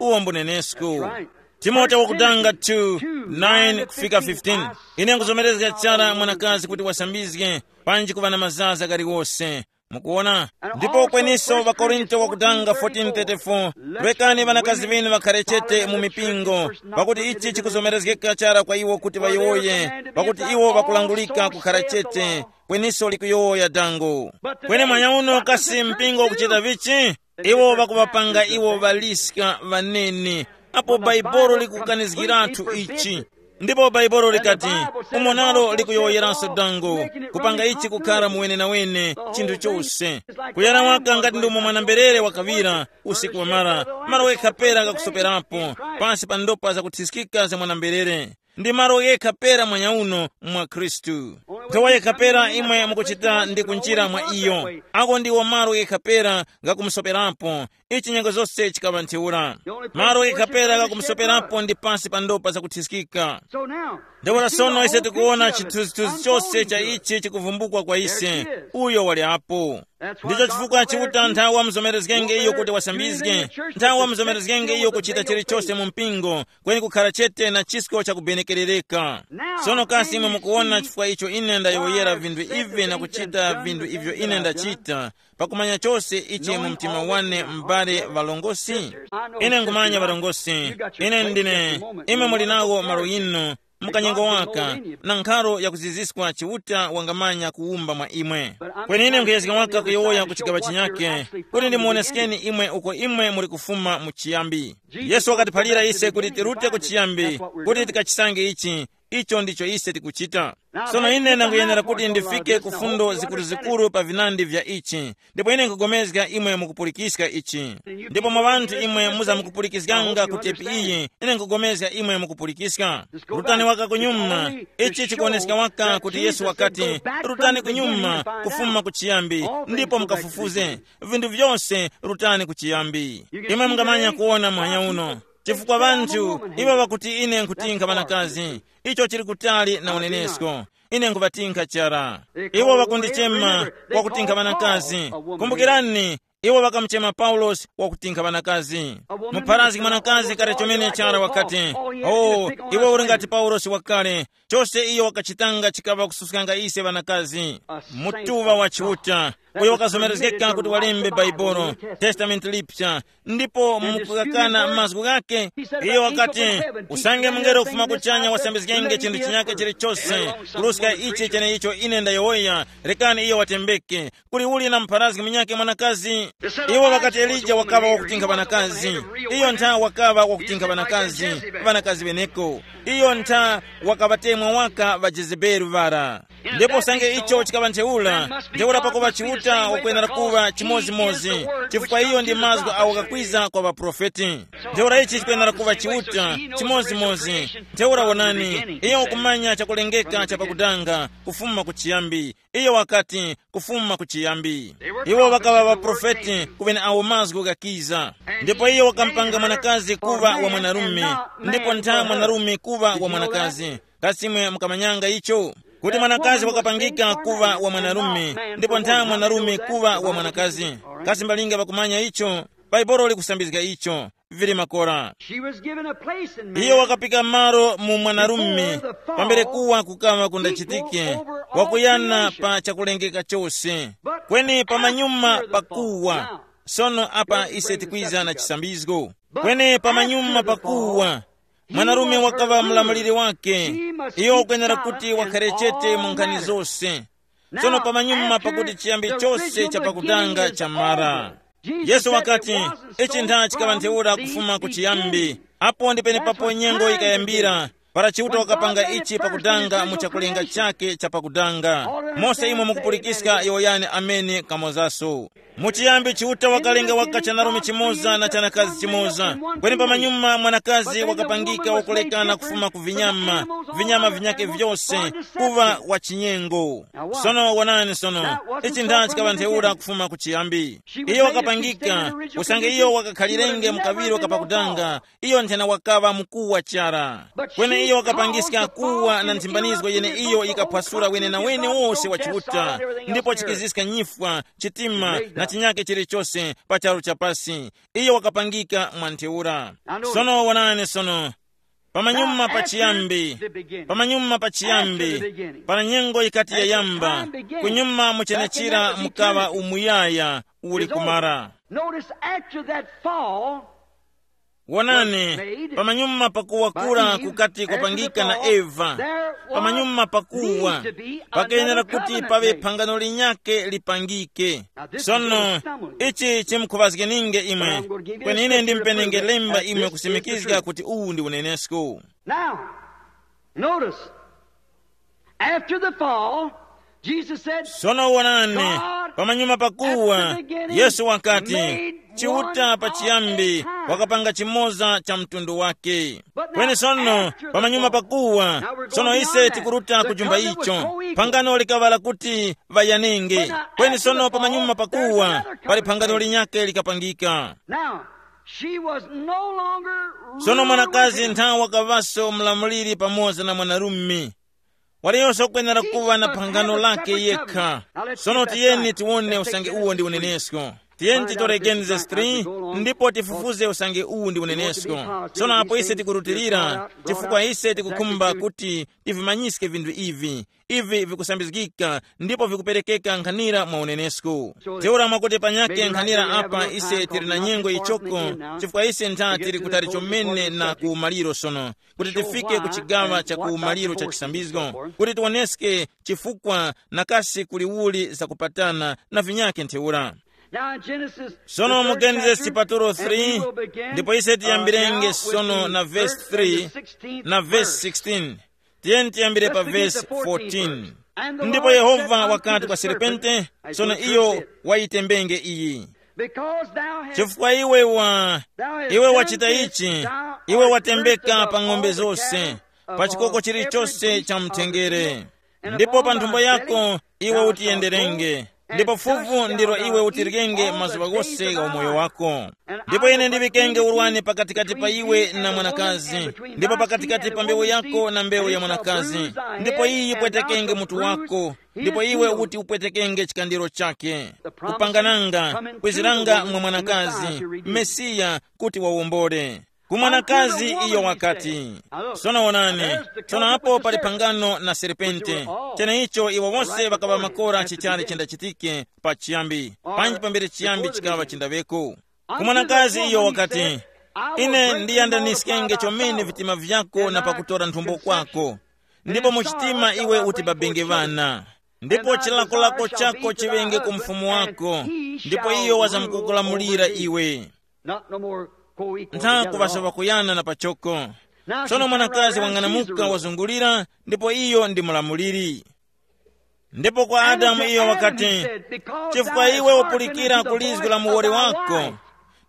Uwo mbunenesku. That's right. Timote wakutanga two, nine kufika fifteen. Ine nkuzomerezga chara mwanakazi kuti wasambizge, panji kuva na mazaza galiwose. Mukuona? Ndipo kweniso ŵakorinto wakutanga fourteen thirty-four, rekani ŵanakazi ŵinu ŵakhare chete mu mipingo, pakuti ichi chikuzomerezgeka chara kwa iwo kuti ŵayowoye, pakuti iwo ŵakulangulika kukhara chete, kweniso likuyowoya dango. Kweni mwanyauno kasi mpingo ukuchita vichi? Iwo ŵakuŵapanga iwo ŵaliska ŵanene, apo Baibolo likukanizgiratu ichi. Ndipo Bhaibuli likati, umo nalo likuyowoyeranso dango, kupanga ichi kukhara muwenenawene chinthu chose. Kuyana waka ngati ndi umo mwana-mberere wakaŵira usiku wamara, malo ghekha pera ghakusoperapo, pansi pa ndopa zakuthiskika za mwana-mberere. Ndi malo ghekha pera mwanyauno mwa Khristu. Nthowa yekha pera imwe mukuchita ndi kunjira mwa iyo. Ako ndiwo malo ghekha pera ghakumusoperapo. Ichi nyengo zose chikaŵa ntheura. Malo ghekha pera ghakumusoperapo ndi pansi pa ndopa zakuthiskika. So now, Ntheura sono ise tikuwona chithunzithunzi chose cha ichi chikuvumbukwa kwa ise. Uyo wali apo. Ndicho chifukwa Chiuta nthawi wamuzomerezgenge iyo kuti wasambizge, nthawi wamuzomerezgenge iyo kuchita chilichose mu mpingo, kweni kukhara chete na chisko chakubenekerereka. Sono kasi imwe mukuwona chifukwa icho ine ndayowoyera vinthu ivi na kuchita vinthu ivyo ine ndachita, pakumanya chose ichi mu mtima wane, m'bale ŵalongosi? Ine nkhumanya ŵalongosi, ine ndine, imwe muli nawo malo yinu, mukanyengo waka, na nkharo yakuziziswa Chiuta wangamanya kuwumba mwa imwe. Kweni ine nkhuyezga waka kuyowoya ku chigaŵa chinyake, kuti ndimuwoneskeni imwe uko imwe muli kufuma mu chiyambi. Yesu wakatiphalira ise kuti tirute ku chiyambi, kuti tikachisange ichi. Icho ndicho ise tikuchita. Sono ine ndangoyenera kuti ndifike ku fundo zikuruzikuru pa vinandi vya ichi. Ndipo ine nkupulikana imwe mukupulikiska ichi. Ndipo mwa ŵanthu imwe muzamukupulikiskanga ku tepi iyi, ine nkupulikana imwe mukupulikiska. Rutani waka kunyuma. Ichi chikuoneska waka kuti Yesu wakati, rutani kunyuma, kufuma ku chiyambi, ndipo mukafufuze vinthu vyose, rutani ku chiyambi. Imwe mungamanya kuwona mwanya uno, chifukwa ŵanthu iwo ŵakuti ine nkutinkha ŵanakazi. Icho chili kutali na unenesko. Ine nkhuŵatinkha chara. Iwo ŵakundichema wakutinkha ŵanakazi. Kumbukirani, iwo ŵakamuchema Paulosi wakutinkha ŵanakazi. Mupharazgi mwanakazi kale chomene chara wakati, oh, iwe uli ngati Paulosi wakale. Chose iyo wakachitanga chikaŵa kususkanga ise ŵanakazi. Mutuŵa wa Chiuta, uyo wakazomerezgeka kuti walembe Bhaibuli, Testamenti Lipsa, ndipo mukukakana mazgu ghake. Iyo wakati, usange mungelo kufuma kuchanya wasambizgenge chinthu chinyake chilichose, kuruska ichi cheneicho ine ndayowoya, rekani iyo watembeke. Kuli uli na mupharazgi munyake mwanakazi? Iwo ŵakati Elija wakaŵa wakutinkha ŵanakazi. Iyo ntha wakaŵa wakutinkha ŵanakazi, ŵanakazi ŵeneko. Iyo ntha wakaŵatemwa waka ŵa Jezebeli ŵara. Ndipo sange icho chikaŵa ntheura, ntheura pakuŵa Chiuta wakwenera kuŵa chimodzimodzi, chifukwa iyo ndi mazgu awo kakwiza kwa ŵaprofeti. Ntheura ichi chikwenera kuŵa Chiuta chimodzimodzi. Ntheura wonani, iyo wakumanya chakulengeka cha pakudanga, kufuma ku chiyambi. Iyo wakati, kufuma ku chiyambi. Iwo ŵakaŵa ŵaprofeti ku ŵeneawo mazgu ghakiza. Ndipo iyo wakampanga mwanakazi kuŵa wa mwanarume, ndipo ntha mwanarume kuŵa wa mwanakazi. Kasi imwe mukamanyanga icho, kuti mwanakazi wakapangika kuŵa wa mwanarume, ndipo ntha mwanarume kuŵa wa mwanakazi? Kasi mbalinga ŵakumanya icho? Bhaibuli likusambizga icho. Vili makora. She was given a place in iyo man wakapika malo mu mwanarume, before the fall, pambere kuwa kukawa kundachitike, wakuyana pa chakulengeka chose. Kweni pamanyuma pakuwa. Sono apa ise tikwiza na chisambizgo. Kweni pamanyuma pakuwa, mwanarume wakaŵa mlamuliri wake. Iyo ukwenera kuti wakhare chete mu nkhani zose. Sono pamanyuma pakuti chiyambi chose cha pakutanga chamara, Yesu wakati, ichi ntha chikaŵa ntheura kufuma ku chiyambi. Apo ndi penepapo nyengo yikayambira, para Chiuta wakapanga ichi pakutanga mu chakulenga chake cha pakutanga. Mose imwe mukupulikiska yowoyani ameni kamozaso. Mu chiyambi Chiuta wakalenga waka chanarume chimoza na chanakazi chimoza. Kweni pamanyuma mwanakazi wakapangika wakulekana kufuma ku vinyama, vinyama vinyake vyose, kuva wa chinyengo. Sono wonani sono, ichi ntha chikaŵa ntheura kufuma ku chiyambi. Iyo wakapangika, usange iyo wakakhalirenge mu kaŵiro kapakudanga, iyo nthena wakaŵa mukuwa chara. Kweni iyo wakapangiska kuwa na nthimbanizgo yene iyo yikaphwasula wenenawene wose wa Chiuta, ndipo chikiziska nyifwa, chitima na chinyake chilichose pa charu cha pasi. Iyo wakapangika mwa ntheura. Sono wonani sono, pamanyuma pa chiyambi, pamanyuma pa chiyambi, para nyengo yikati yayamba, kunyuma mu chenechira mukaŵa umuyaya uli kumara. Notice after that fall, wonani, pamanyuma pakuwa kura kukati kwapangika na Eva, pamanyuma pakuwa, pakayenera kuti pawe phangano linyake lipangike. Sono, ichi chimkhuŵazgeninge imwe, kweni ine ndimpenenge lemba imwe kusimikizga kuti uwu ndi unenesko. Now, notice, after the fall, Jesus said, sono wonani, pamanyuma pakuwa, Yesu wakati, Chiuta pachiyambi wakapanga chimoza cha mtundu wake. Kweni sono, pamanyuma pakuwa, sono ise tikuruta ku chumba icho, phangano likaŵala kuti ŵayanenge. Kweni sono pamanyuma pakuwa, pali phangano linyake likapangika. Now, She was no longer Sono ruler mwanakazi with him. Nthawe wakaŵaso mlamuliri pamoza na mwanarume. Waliyonso kwenera kuŵa na phangano lake yekha. Sono tiyeni tiwone usange uwo ndi unenesko. Tiyeni titore Genesis three ndipo tifufuze usange uwu ndi unenesko. Sono apo ise tikurutilira, chifukwa ise tikukhumba kuti tivimanyiske vinthu ivi. Ivi vikusambizgika ndipo vikuperekeka nkhanira mwa unenesko. Teura mwakuti panyake nkhanira apa ise tili na nyengo ichoko, chifukwa ise ntha tili kutali chomene na kumaliro sono, kuti tifike ku chigawa cha kumaliro cha chisambizgo, kuti tiwoneske chifukwa na kasi kuli uli zakupatana na vinyake ntheura. Now in Genesis, sono mu Genesis chapter chipatulo three, ndipo ise tiyambirenge sono na verse three na verse sixteen. Tiyeni tiyambire pa verse fourteen. Ndipo Yehova wakati kwa serpente, sono iyo wayitembenge iyi, because thou hast chifukwa iwe wa iwe wachita ichi, iwe watembeka pa ng'ombe zose, pa chikoko chilichose cha mtengere, ndipo pa nthumbo yako iwe utiyenderenge, ndipo fuvu ndilo iwe utiryenge mazuŵa ghose gha umoyo wako. Ndipo ine ndiŵikenge urwani pakatikati pa iwe na mwanakazi, ndipo pakatikati pa mbewu yako na mbewu ya mwanakazi, ndipo iyi yipwetekenge mutu wako, ndipo iwe uti upwetekenge chikandiro chake. Kupangananga, kwiziranga mwa mwanakazi, Mesiya, kuti wawombole. Ku mwanakazi iyo wakati, sono wonani, sono apo pali phangano na serpente. Cheneicho iwo wose ŵakaŵa makora chichali chindachitike pa chiyambi, panji pambere chiyambi chikaŵa chindaŵeko. Ku mwanakazi iyo wakati, ine ndiyandaniskenge chomene vitima vyako na pakutora nthumbo kwako, ndipo mu chitima iwe utibabenge ŵana, ndipo chilakolako chako chiŵenge ku mfumu wako, ndipo iyo wazamkukulamulira iwe. Not no more co-equal. Ntha kuŵaso ŵakuyana na pachoko. Sono mwanakazi wang'anamuka wazungulira, ndipo iyo ndi mulamuliri. Ndipo kwa Adamu iyo wakati, chifukwa iwe upulikira ku lizgu la muwoli wako,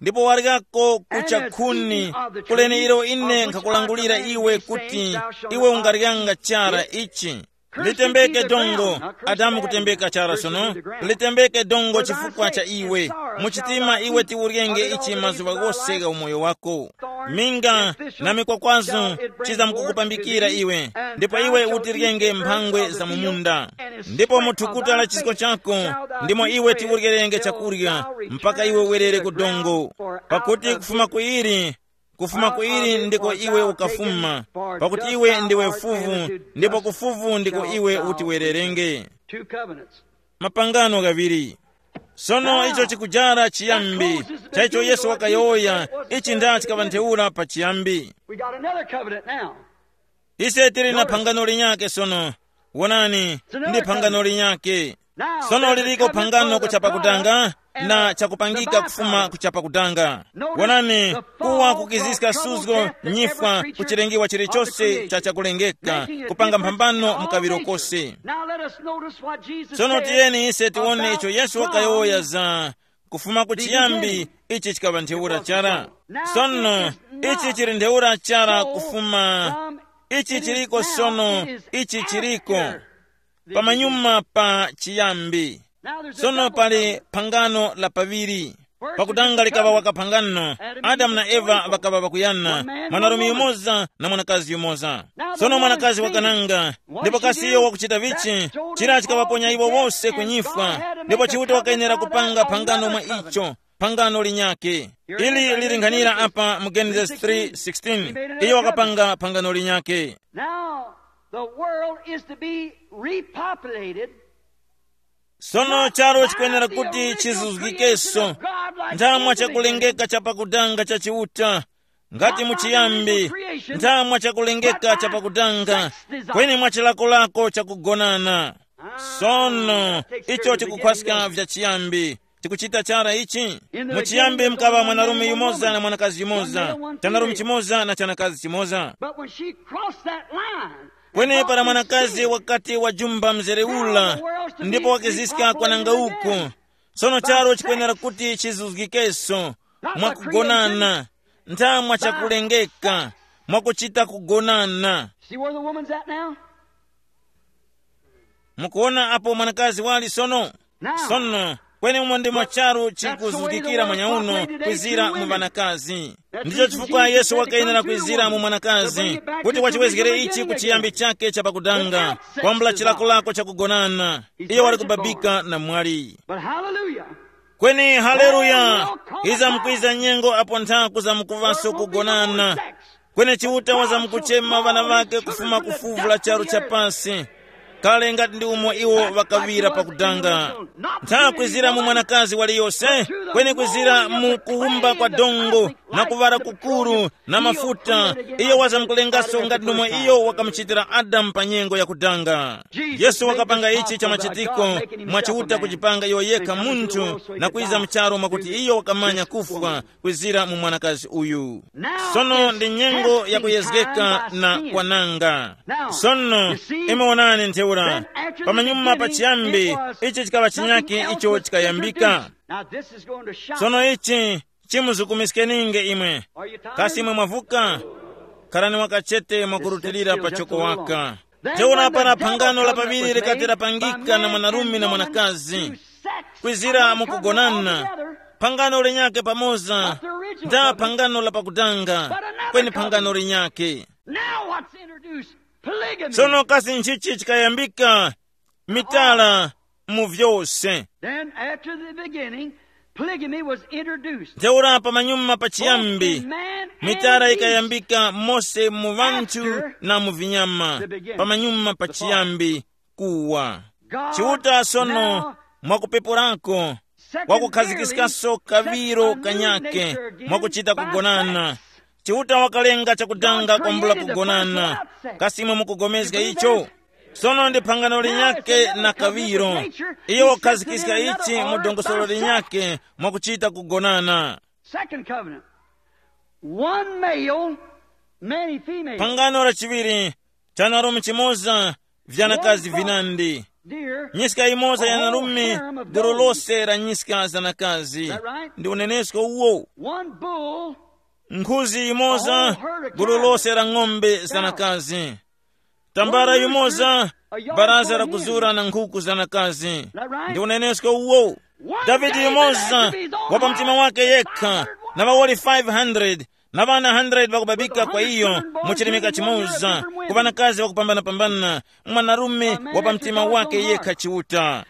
ndipo waryako kucha khuni, kuleni ilo ine nkhakulangulira iwe kuti iwe ungaryanga chara ichi. Litembeke dongo. Adamu kutembeka chara sono. Litembeke dongo chifukwa cha iwe. Muchitima iwe tiuryenge ichi mazuŵa ghose gha umoyo wako. Minga na mikwakwazo chizamkukupambikira iwe, ndipo iwe utiryenge mphangwe za mu munda. Ndipo mu thukuta la chisko chako ndimo iwe tiuryerenge chakurya, mpaka iwe werere ku dongo. Pakuti kufuma kuili kufuma ku ili ndiko iwe ukafuma, pakuti iwe ndiwe fuvu, ndipo ku fuvu ndiko iwe utiwererenge. Two covenants. Mapangano ghaŵiri. Sono icho chikujara chiyambi cha icho Yesu wakayowoya. Ichi nda chikaŵa ntheura pa chiyambi. We got another covenant now. Ise tili na phangano linyake sono. Wonani, ndi phangano linyake. Sono liliko phangano kuchapa kutanga na chakupangika kufuma kuchapa kutanga. Wonani, kuwa kukiziska suzgo, nyifwa, kuchilengewa chilichose cha chakulengeka, kupanga mphambano mu kaŵiro kose. Sono tiyeni ise tiwone icho Yesu wakayowoya za kufuma ku chiyambi. Ichi chikaŵa ntheura chara. Sono ichi chili ntheura chara kufuma. Ichi chiliko sono. Ichi chiliko pamanyuma pa chiyambi. Sono pali phangano la paŵiri. Pakutanga likaŵa waka phangano. Adamu na Eva ŵakaŵa ŵakuyana, mwanarume yumoza na mwanakazi yumoza. Sono mwanakazi wakananga, ndipo kasi iyo wakuchita vichi? Chira chikaŵaponya iwo wose ku nyifwa. Ndipo Chiuta wakayenera kupanga phangano mwa icho, phangano linyake. Ili lilinghanira apa mu Genesis three sixteen. Iyo wakapanga phangano linyake. Now, the world is to be repopulated. Sono charo chikwenera kuti chizuzgikenso nthamwa chakulengeka chapakutanga cha Chiuta, ngati mu chiyambi nthamwa chakulengeka chapakutanga, kweni mwa chilakolako chakugonana. Sono icho chikukhwaska vya chiyambi. Tikuchita chara ichi. Mu chiyambi mkaŵa mwanarume yumoza na mwanakazi yumoza, chanarume chimoza na chanakazi chimoza. But when she crossed that line, kweni para mwanakazi wakati wajumba mzere ula, ndipo wakiziska kwananga uku. Sono charo chikwenera kuti chizuzgikenso mwakugonana, nthamwa chakulengeka, mwakuchita kugonana. See where the woman's at now? Mukuona apo mwanakazi wali sono? Sono, Kweni umo ndimo charu chikuzuzgikira manyauno kwizira mu ŵanakazi. Ndicho chifukwa Yesu wakayenera kwizira mu mwanakazi, kuti wachiwezgere ichi ku chiyambi chake cha pakudanga, kwambula chilakolako cha kugonana. Iyo wali kubabika na mwali. But hallelujah. Kweni haleluya, iza mukwiza nyengo apo nthaku za mukuvaso kugonana. Kweni Chiuta waza mukuchema ŵana ŵake kufuma ku fuvu la charu cha pasi, kale ngati ndi umo iwo ŵakaŵira pakudanga. Ntha kwizira mu mwanakazi waliyose, kweni kwizira mu kuwumba kwa dongo na kuŵala kukuru na mafuta, iyo waza mukulengaso ngati nomwe iyo wakamuchitira Adamu pa nyengo yakudanga. Yesu wakapanga ichi cha machitiko mwa Chiuta kujipanga iyo yekha munthu na kwiza mu charu mwakuti iyo wakamanya kufwa kwizira mu mwanakazi uyu. Sono ndi nyengo yakuyezgeka na kwananga. Sono, imwe wonani ntheura, pamanyuma pachiyambi, ichi chikaŵa chinyake icho chikayambika. Now this is going to shock. Sono ichi chimuzukumiskeninge imwe. Are you tired? Kasi imwe mwavuka? Kharani wakachete mwakurutilira pachoko waka. Ntheura para phangano la paŵiri likati lapangika na mwanarume na mwanakazi, kwizira mukugonana, phangano lenyake pamoza nda phangano la pakudanga, kweni phangano lenyake. Now what's introduced? Polygamy. Sono kasi nchichi chikayambika? Mitala mu vyose. Then after the beginning, polygamy was introduced. Ntheura pamanyuma pachiyambi, both in man and mitala beast. Ikayambika mose mu vanthu na mu vinyama. Pamanyuma pachiyambi kuwa. Chiuta sono, mwakupepurako, wakukhazikiskanso kaŵiro kanyake mwakuchita kugonana. Chiuta wakalenga chakudanga kwambula kugonana. Kasi imwe mukugomezga icho? Sono ndi phangano linyake na kaŵiro. Iyo wakhazikiska ichi mu dongosolo linyake mwakuchita kugonana. Second covenant. One male, many females. Phangano la chiŵiri, chanarume chimoza, vyanakazi vinandi. Dear, nyiska imoza yanarume, gulu lose la nyiska zanakazi. Is that right? Ndi unenesko uwo. One bull, nkhuzi imoza, gulu lose la ng'ombe zanakazi. Tambala yumoza, baraza la kuzura na nkhuku zanakazi. Ndi unenesko uwo. Davide yumoza, wa pa mtima wake yekha, na ŵawoli five hundred, na ŵana hundred ŵakubabika kwa iyo, mu chilimika chimoza, ku ŵanakazi ŵakupambanapambana, mwanarume wa pa mtima wake yekha Chiuta.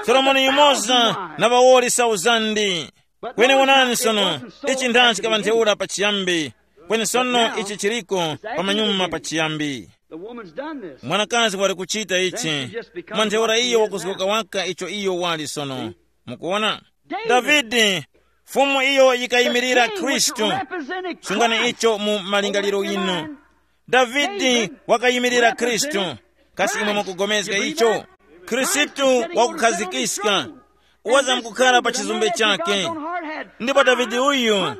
Solomoni yumoza, na ŵawoli sauzandi. Kweni wonani sono, ichi ndani chikaŵa ntheura pachiyambi, kweni sono ichi chiriko pamanyuma pachiyambi. The woman's done this. Mwanakazi wali kuchita ichi. Then she just becomes mwa ntheura what she iyo is wakuzgoka now. Waka icho iyo wali sono. Mukuona? David. Davide, fumu iyo yikayimirira Khristu. Sungani icho mu malingaliro inu. Davide wakayimirira Khristu. Kasi imwe mukugomezga icho? Khristu wakukhazikika, waza mkukhala pa chizumbe chake. Ndipo Davide uyu,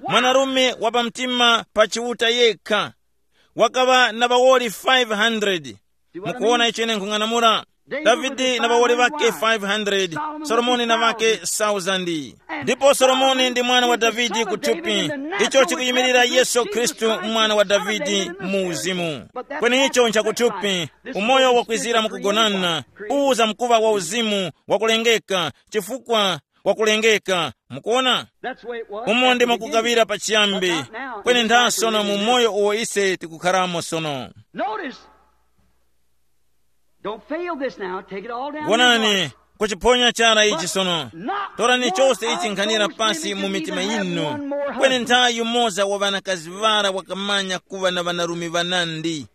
mwanarume wa pamtima pa Chiuta yekha, wakaŵa na ŵawoli five hundred. Mukuwona icho ine nkhung'anamula? Davide na ŵawoli ŵakhe five hundred, Solomoni na ŵakhe thousand. Ndipo Solomoni ndi mwana wa Davide kuthupi, icho chikuyimirira Yesu Khristu, mwana wa Davide mu uzimu. Kweni icho nchakuthupi, umoyo wakwizira mukugonana, uza mkuŵa wa uzimu wakulengeka, chifukwa wakulengeka. Mukuona? Umo ndimo kukaŵira pachiyambi, kweni ntha sono mu moyo uwo ise tikukharamo sono. Notice. Don't fail this now. Take it all down. Wonani, kuchiphonya chara ichi sono. Torani chose ichi nkhanira pasi mu mitima yinu. Kweni nthawi yumoza wa ŵanakazi ŵara wakamanya kuŵa na ŵanarume ŵanandi.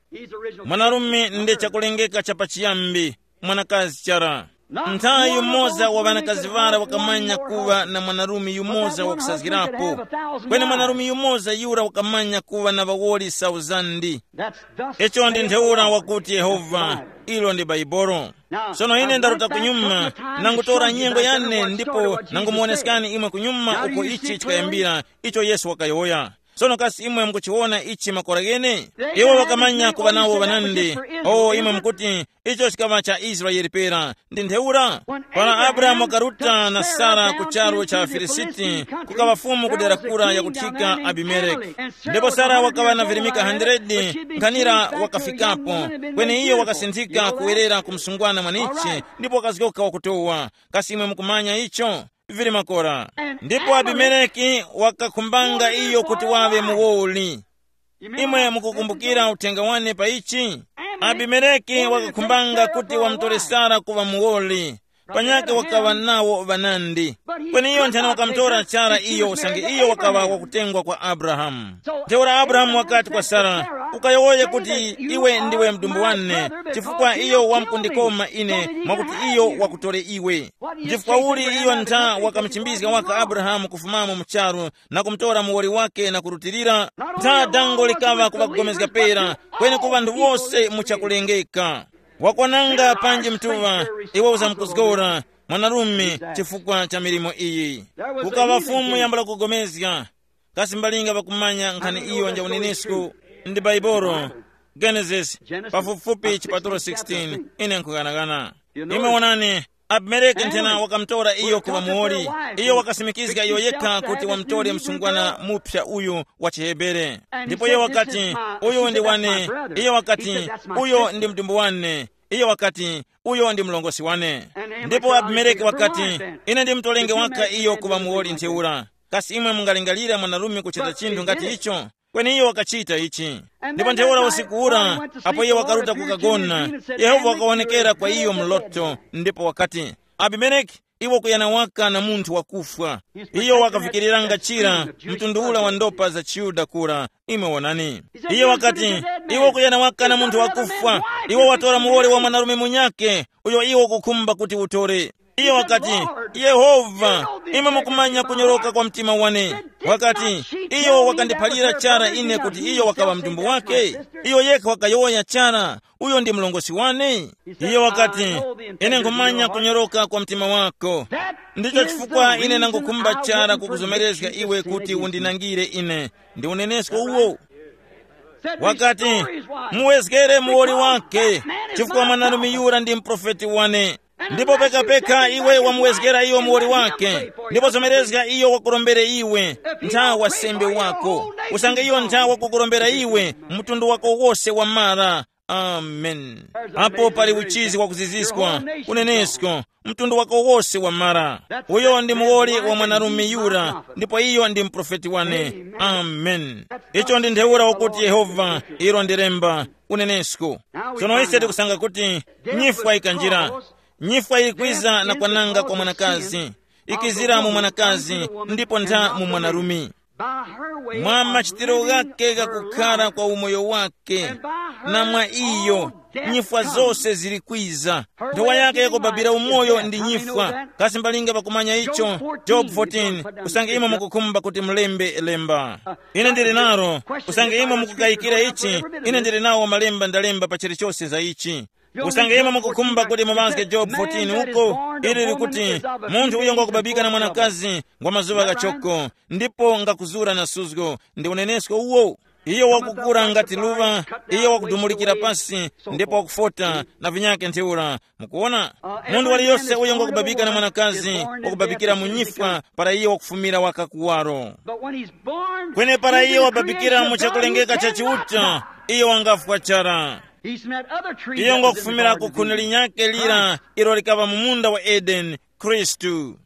Mwanarume ndi chakulengeka cha pachiyambi, mwanakazi chara. Nthawi yumoza wa ŵanakazi ŵara wakamanya kuŵa na mwanarume yumoza wakusazgirapo. Kweni mwanarume yumoza yura wakamanya kuŵa na ŵawoli sauzandi. Icho ndi ntheura wakuti Yehova, ilo ndi Baibolo. Sono ine ndaruta kunyuma, nangutora nyengo yane ndipo nangumuwoneskani imwe kunyuma uko ichi chikayambira, icho Yesu wakayowoya. Sono kasi imwe mukuchiwona ichi makora ghene? Iwo wakamanya kuŵa nawo ŵanandi. O imwe mukuti, icho chikaŵa cha Israele pera. Ndi ntheura, para Abrahamu wakaruta na Sara ku charu cha Filisiti, kukaŵa fumu ku dera kura yakuthika Abimeleki. Ndipo Sara wakaŵa na virimika hundred, nkhanira wakafikapo. Kweni iyo wakasinthika kuwerera ku msungwana mwanichi, ndipo wakazgoka wakutowa. Kasi imwe mukumanya icho? Vili makora. Ndipo Abimeleki wakakhumbanga iyo kuti waŵe muwoli. Imwe mukukumbukira uthenga wane pa ichi? Abimeleki wakakhumbanga kuti wamutore Sara kuŵa muwoli. Panyake wakaŵa nawo ŵanandi. Kweni iyo nthena wakamutora chara iyo usange iyo wakaŵa wakutengwa kwa Abrahamu. Ntheura Abrahamu wakati kwa Sara, ukayowoye kuti, iwe ndiwe mdumbu wane, chifukwa iyo wamkundikoma ine mwakuti iyo wakutore iwe. Chifukwa uli iyo ntha wakamuchimbizga waka Abrahamu kufumamo mu charu na kumutora muwoli wake na kurutilira? Ntha dango likaŵa kuŵakugomezga pera, kweni ku ŵanthu wose muchakulengeka. Wakwananga panji mtuŵa, iwe uzamkuzgora, mwanarume, chifukwa cha milimo iyi. Kukaŵa fumu yambula kugomezga. Kasi mbalinga ŵakumanya nkhani iyo nja unenesko? Ndi Baibolo, Genesis, pafupifupi chipatulo sixteen. Ine nkughanagana. Imwe wonani, Abimeleki nthena wakamutora iyo kuŵa muwoli. Iyo wakasimikizga iyo yekha kuti wamutore msungwana mupsa uyu wa chiHebere. Ndipo iyo wakati, uyu ndi wane. Iyo wakati, uyo ndi mdumbu wane. Iyo wakati, uyo ndi mlongosi wane. Ndipo Abimeleki wakati, ine ndimutolenge waka iyo kuŵa muwoli ntheura. Kasi imwe mungalingalira mwanarume kuchita chinthu ngati icho? Kweni iyo wakachita ichi. Ndipo ntheura usiku ura, apo iye wakaruta kukagona, Yehova wakawonekera kwa iyo mloto, ndipo wakati, Abimeleki, iwe kuyana waka na munthu wakufwa. Iyo wakavikiriranga chira, mtundu ula wa ndopa za chiYuda kura. Imwe wonani. Iye wakati, iwe kuyana waka na munthu wakufwa. Iwe watora muwoli wa mwanarume munyake, uyo iwe ukukhumba kuti utore. Iyo wakati, Yehova, imwe mukumanya kunyoroka kwa mtima wane. Wakati, iyo wakandiphalira chara ine kuti iyo wakaŵa mdumbu wake. Iyo yekha wakayowoya chara, uyo ndi mlongosi wane. Iyo wakati, ine nkhumanya kunyoroka kwa mtima wako. Ndicho chifukwa ine nangukhumba chara kukuzomerezga iwe kuti undinangire ine. Ndi unenesko uwo. Wakati, muwezgere muwoli wake, chifukwa mwanarume yura ndi mprofeti wane. Ndipo pekapeka iwe wamuwezgera iyo muwoli wake, ndipo zomerezga iyo wakurombere iwe, ntha wasembe wako. Usange iyo ntha wakukurombera iwe, mtundu wako wose wamara. Amen. Apo pali uchizi wakuziziskwa, unenesko, mtundu wako wose wamara. Uyo ndi muwoli wa mwanarume yura, ndipo iyo ndi mprofeti wane. Amen. Icho ndi ntheura wakuti Yehova, ilo ndi lemba, unenesko. Sono ise tikusanga kuti nyifwa ikanjira. Nyifwa ikwiza na kwananga kwa mwanakazi, ikizira mu mwanakazi, ndipo ntha mu mwanarume. Mwa machitiro ghake ghakukhara kwa umoyo wake, na mwa iyo nyifwa zose zili kwiza. Nthowa yake yakubabira umoyo ndi nyifwa. Kasi mbalinga pakumanya icho? Job fourteen. Usange imwe mukukhumba kuti mulembe lemba. Ine ndili naro. Usange imwe mukukayikira ichi, ine ndili nawo malemba ndalemba pa chilichose za ichi. Usange imwe mukukhumba kuti muŵazge Job fourteen uko, ili likuti, munthu uyo ngwakubabika na mwanakazi ngwa mazuŵa ghachoko, ndipo ngakuzura na suzgo. Ndi unenesko uwo. Iyo wakukura ngati luŵa, iyo wakudumulikira pasi, ndipo wakufota na vinyake ntheura. Mukuona? Munthu waliyose uyo ngwakubabika na mwanakazi, wakubabikira mu nyifwa para iyo wakufumira waka kuwaro. Kweni para iyo wababikira mu chakulengeka cha Chiuta, iyo wangafwa chara. Iyo ngwakufumira ku khuni linyakhe lira ilo likaŵa mu munda wa Edeni, Khristu.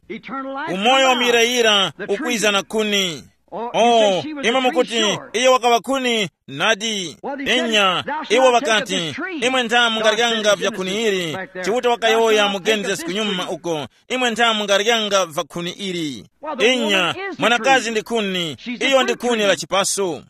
Umoyo wa muyirayira ukwiza na khuni. Oh, imwe mukuti, iyo wakaŵa khuni? Nadi. Inya, iwo ŵakati, imwe ntha mungaryanga vya khuni ili. Chiuta wakayowoya mu Genesis kunyuma uko, imwe ntha mungaryanga va khuni ili. Inya, mwanakazi ndi khuni. Iyo ndi khuni la chipaso.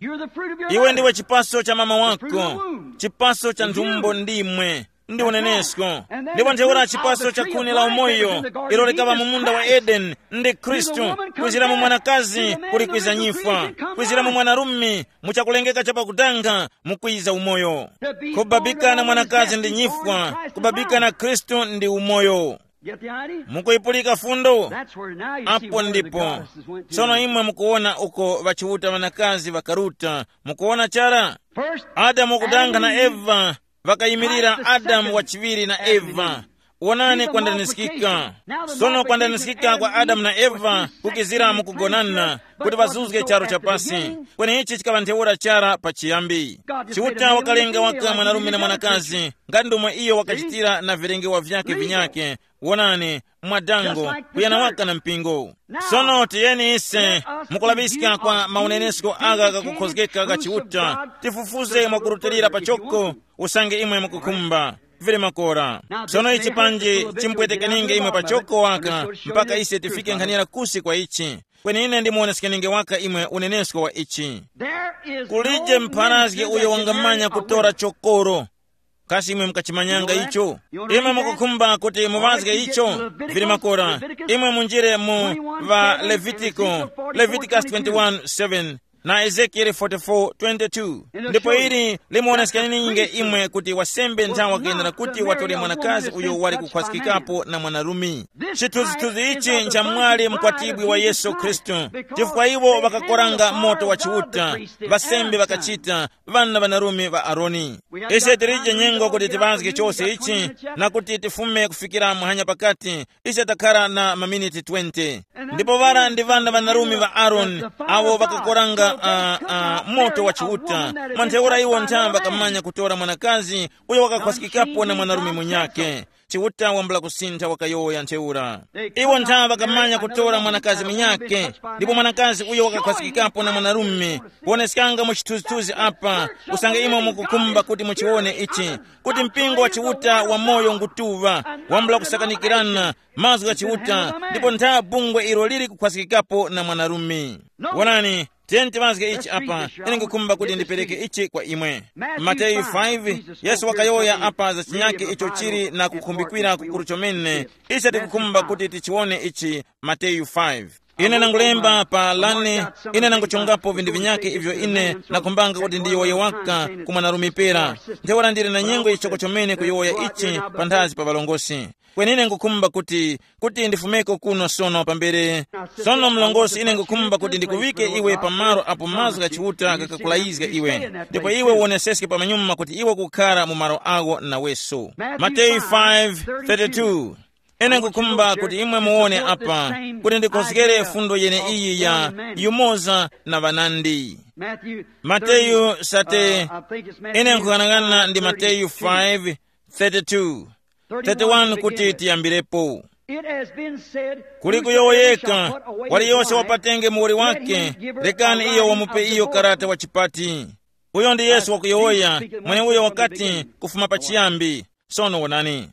Iwe ndiwe chipaso cha mama wako, chipaso cha nthumbo ndimwe. Ndi unenesko. Ndipo ntheura chipaso cha khuni la umoyo, ilo likaŵa mu munda wa Edeni, ndi Khristu. Kwizira mu mwanakazi kuli kwiza nyifwa, kwizira mu mwanarume mu chakulengeka cha pakutanga mukwiza umoyo. Kubabika na mwanakazi ndi nyifwa, kubabika na Khristu ndi umoyo. Get the idea? Mukuyipulika fundo? That's where now you see apo where the ndipo goddesses went to. Tsono imwe mukuwona uko ŵachiuta ŵanakazi ŵakaruta. Mukuwona chara? First, adamu wakudanga na Adam and Eve, eva vakayimirira Christ the adamu second wachiŵiri na Adam and eva Eve. Wonani kwandanizikika. Sono kwandanizikika kwa adamu na eva kukizira mukugonana kuti ŵazuzge charu cha pasi. Kweni ichi chikaŵa ntheura chara pachiyambi. Chiuta wakalenga waka mwanarume na mwanakazi, ngati ndomwe iyo wakachitira na vilengewa vyake vinyake. Wonani, mwadango, kuyana waka na mpingo. Sono tiyeni ise mukulaŵiska kwa maunenesko aka kakukhozgeka ka Chiuta, tifufuze mwakurutilira pachoko, usange imwe mukukhumba. Vili makora. Sono ichi panji chimpwetekeninge imwe pachoko waka, mpaka ise tifike nkhanira kusi kwa ichi. Kweni ine ndimuwoneskeninge waka imwe unenesko wa ichi. Kulije mpharazgi uyo wangamanya kutora chokoro. Kasi imwe mukachimanyanga icho? Imwe mukukhumba kuti muŵazge icho? Vili makora. Imwe munjire mu va Levitiko, Leviticus twenty-one seven, na Ezekieli forty-four twenty-two. Ndipo ili limuwoneskeninge imwe kuti wasembe nthawi wakuyendera kuti watore mwanakazi uyo wali kukhwasikikapo na mwanarume. Chithunzithunzi ichi nchamwali mkwatibwi wa Yesu Khristu, chifukwa iwo ŵakakoranga moto wa Chiuta, ŵasembe ŵakachita, ŵana ŵanarume ŵa Aroni. Ise tilije nyengo kuti tiŵazge chose ichi, na kuti tifume kufikira muhanya pakati, ise takhara na maminiti twenty. Ndipo ŵara ndi ŵana ŵanarume ŵa Aroni, awo ŵakakoranga uh, uh, moto wa Chiuta. Mwa ntheura iwo ntha ŵakamanya kutora mwanakazi uyo wakakhwasikikapo na mwanarume munyakhe. Chiuta wambula kusintha wakayowoya ntheura. Iwo ntha ŵakamanya kutora mwanakazi munyakhe, ndipo mwanakazi uyo wakakhwasikikapo na mwanarume. Kuoneskanga mu chithunzithunzi apa, usange imwe mukukhumba kuti muchiwone ichi, kuti mpingo wa Chiuta wa moyo ngutuŵa, wambula kusakanikirana, mazgu gha Chiuta, ndipo ntha bungwe ilo lili kukhwasikikapo na mwanarume. Wonani, tiyeni tiŵazge ichi apa, ine nkukhumba kuti ndipereke ichi kwa imwe. Mateyu five, Yesu wakayowoya apa za chinyake icho chili na kukhumbikira kukuru chomene. Ise tikukhumba kuti tichiwone ichi, Mateyu five. Ine nangulemba pa lane, ine nanguchongapo vinthu vinyake ivyo ine nakhumbanga kuti ndiyowoye waka ku mwanarume pera. Ntheura ndili na nyengo yichoko chomene kuyowoya ichi panthazi pa ŵalongosi. Kweni ine ngukhumba kuti, kuti ndifumeko kuno sono pambere. Sono mlongosi, ine ngukhumba kuti ndikuŵike iwe pamalo apo mazgu gha Chiuta ghakakulayizga iwe, ndipo iwe uwoneseske pamanyuma kuti iwe ukukhara mu malo agho naweso. Mateyu five thirty-two. Ine nkukhumba kuti imwe muwone apa, kuti ndikhozgere fundo yeneiyi ya yumoza na ŵanandi. Mateyu sate, ine nkughanagana ndi Mateyu five thirty-two, thirty-one kuti tiyambirepo. Kuli kuyowoyeka, waliyose wapatenge muwoli wake, rekani iyo wamupe iyo karata wa chipati. Uyo ndi Yesu wakuyowoya, mweneuyo wakati kufuma pachiyambi. Sono wonani.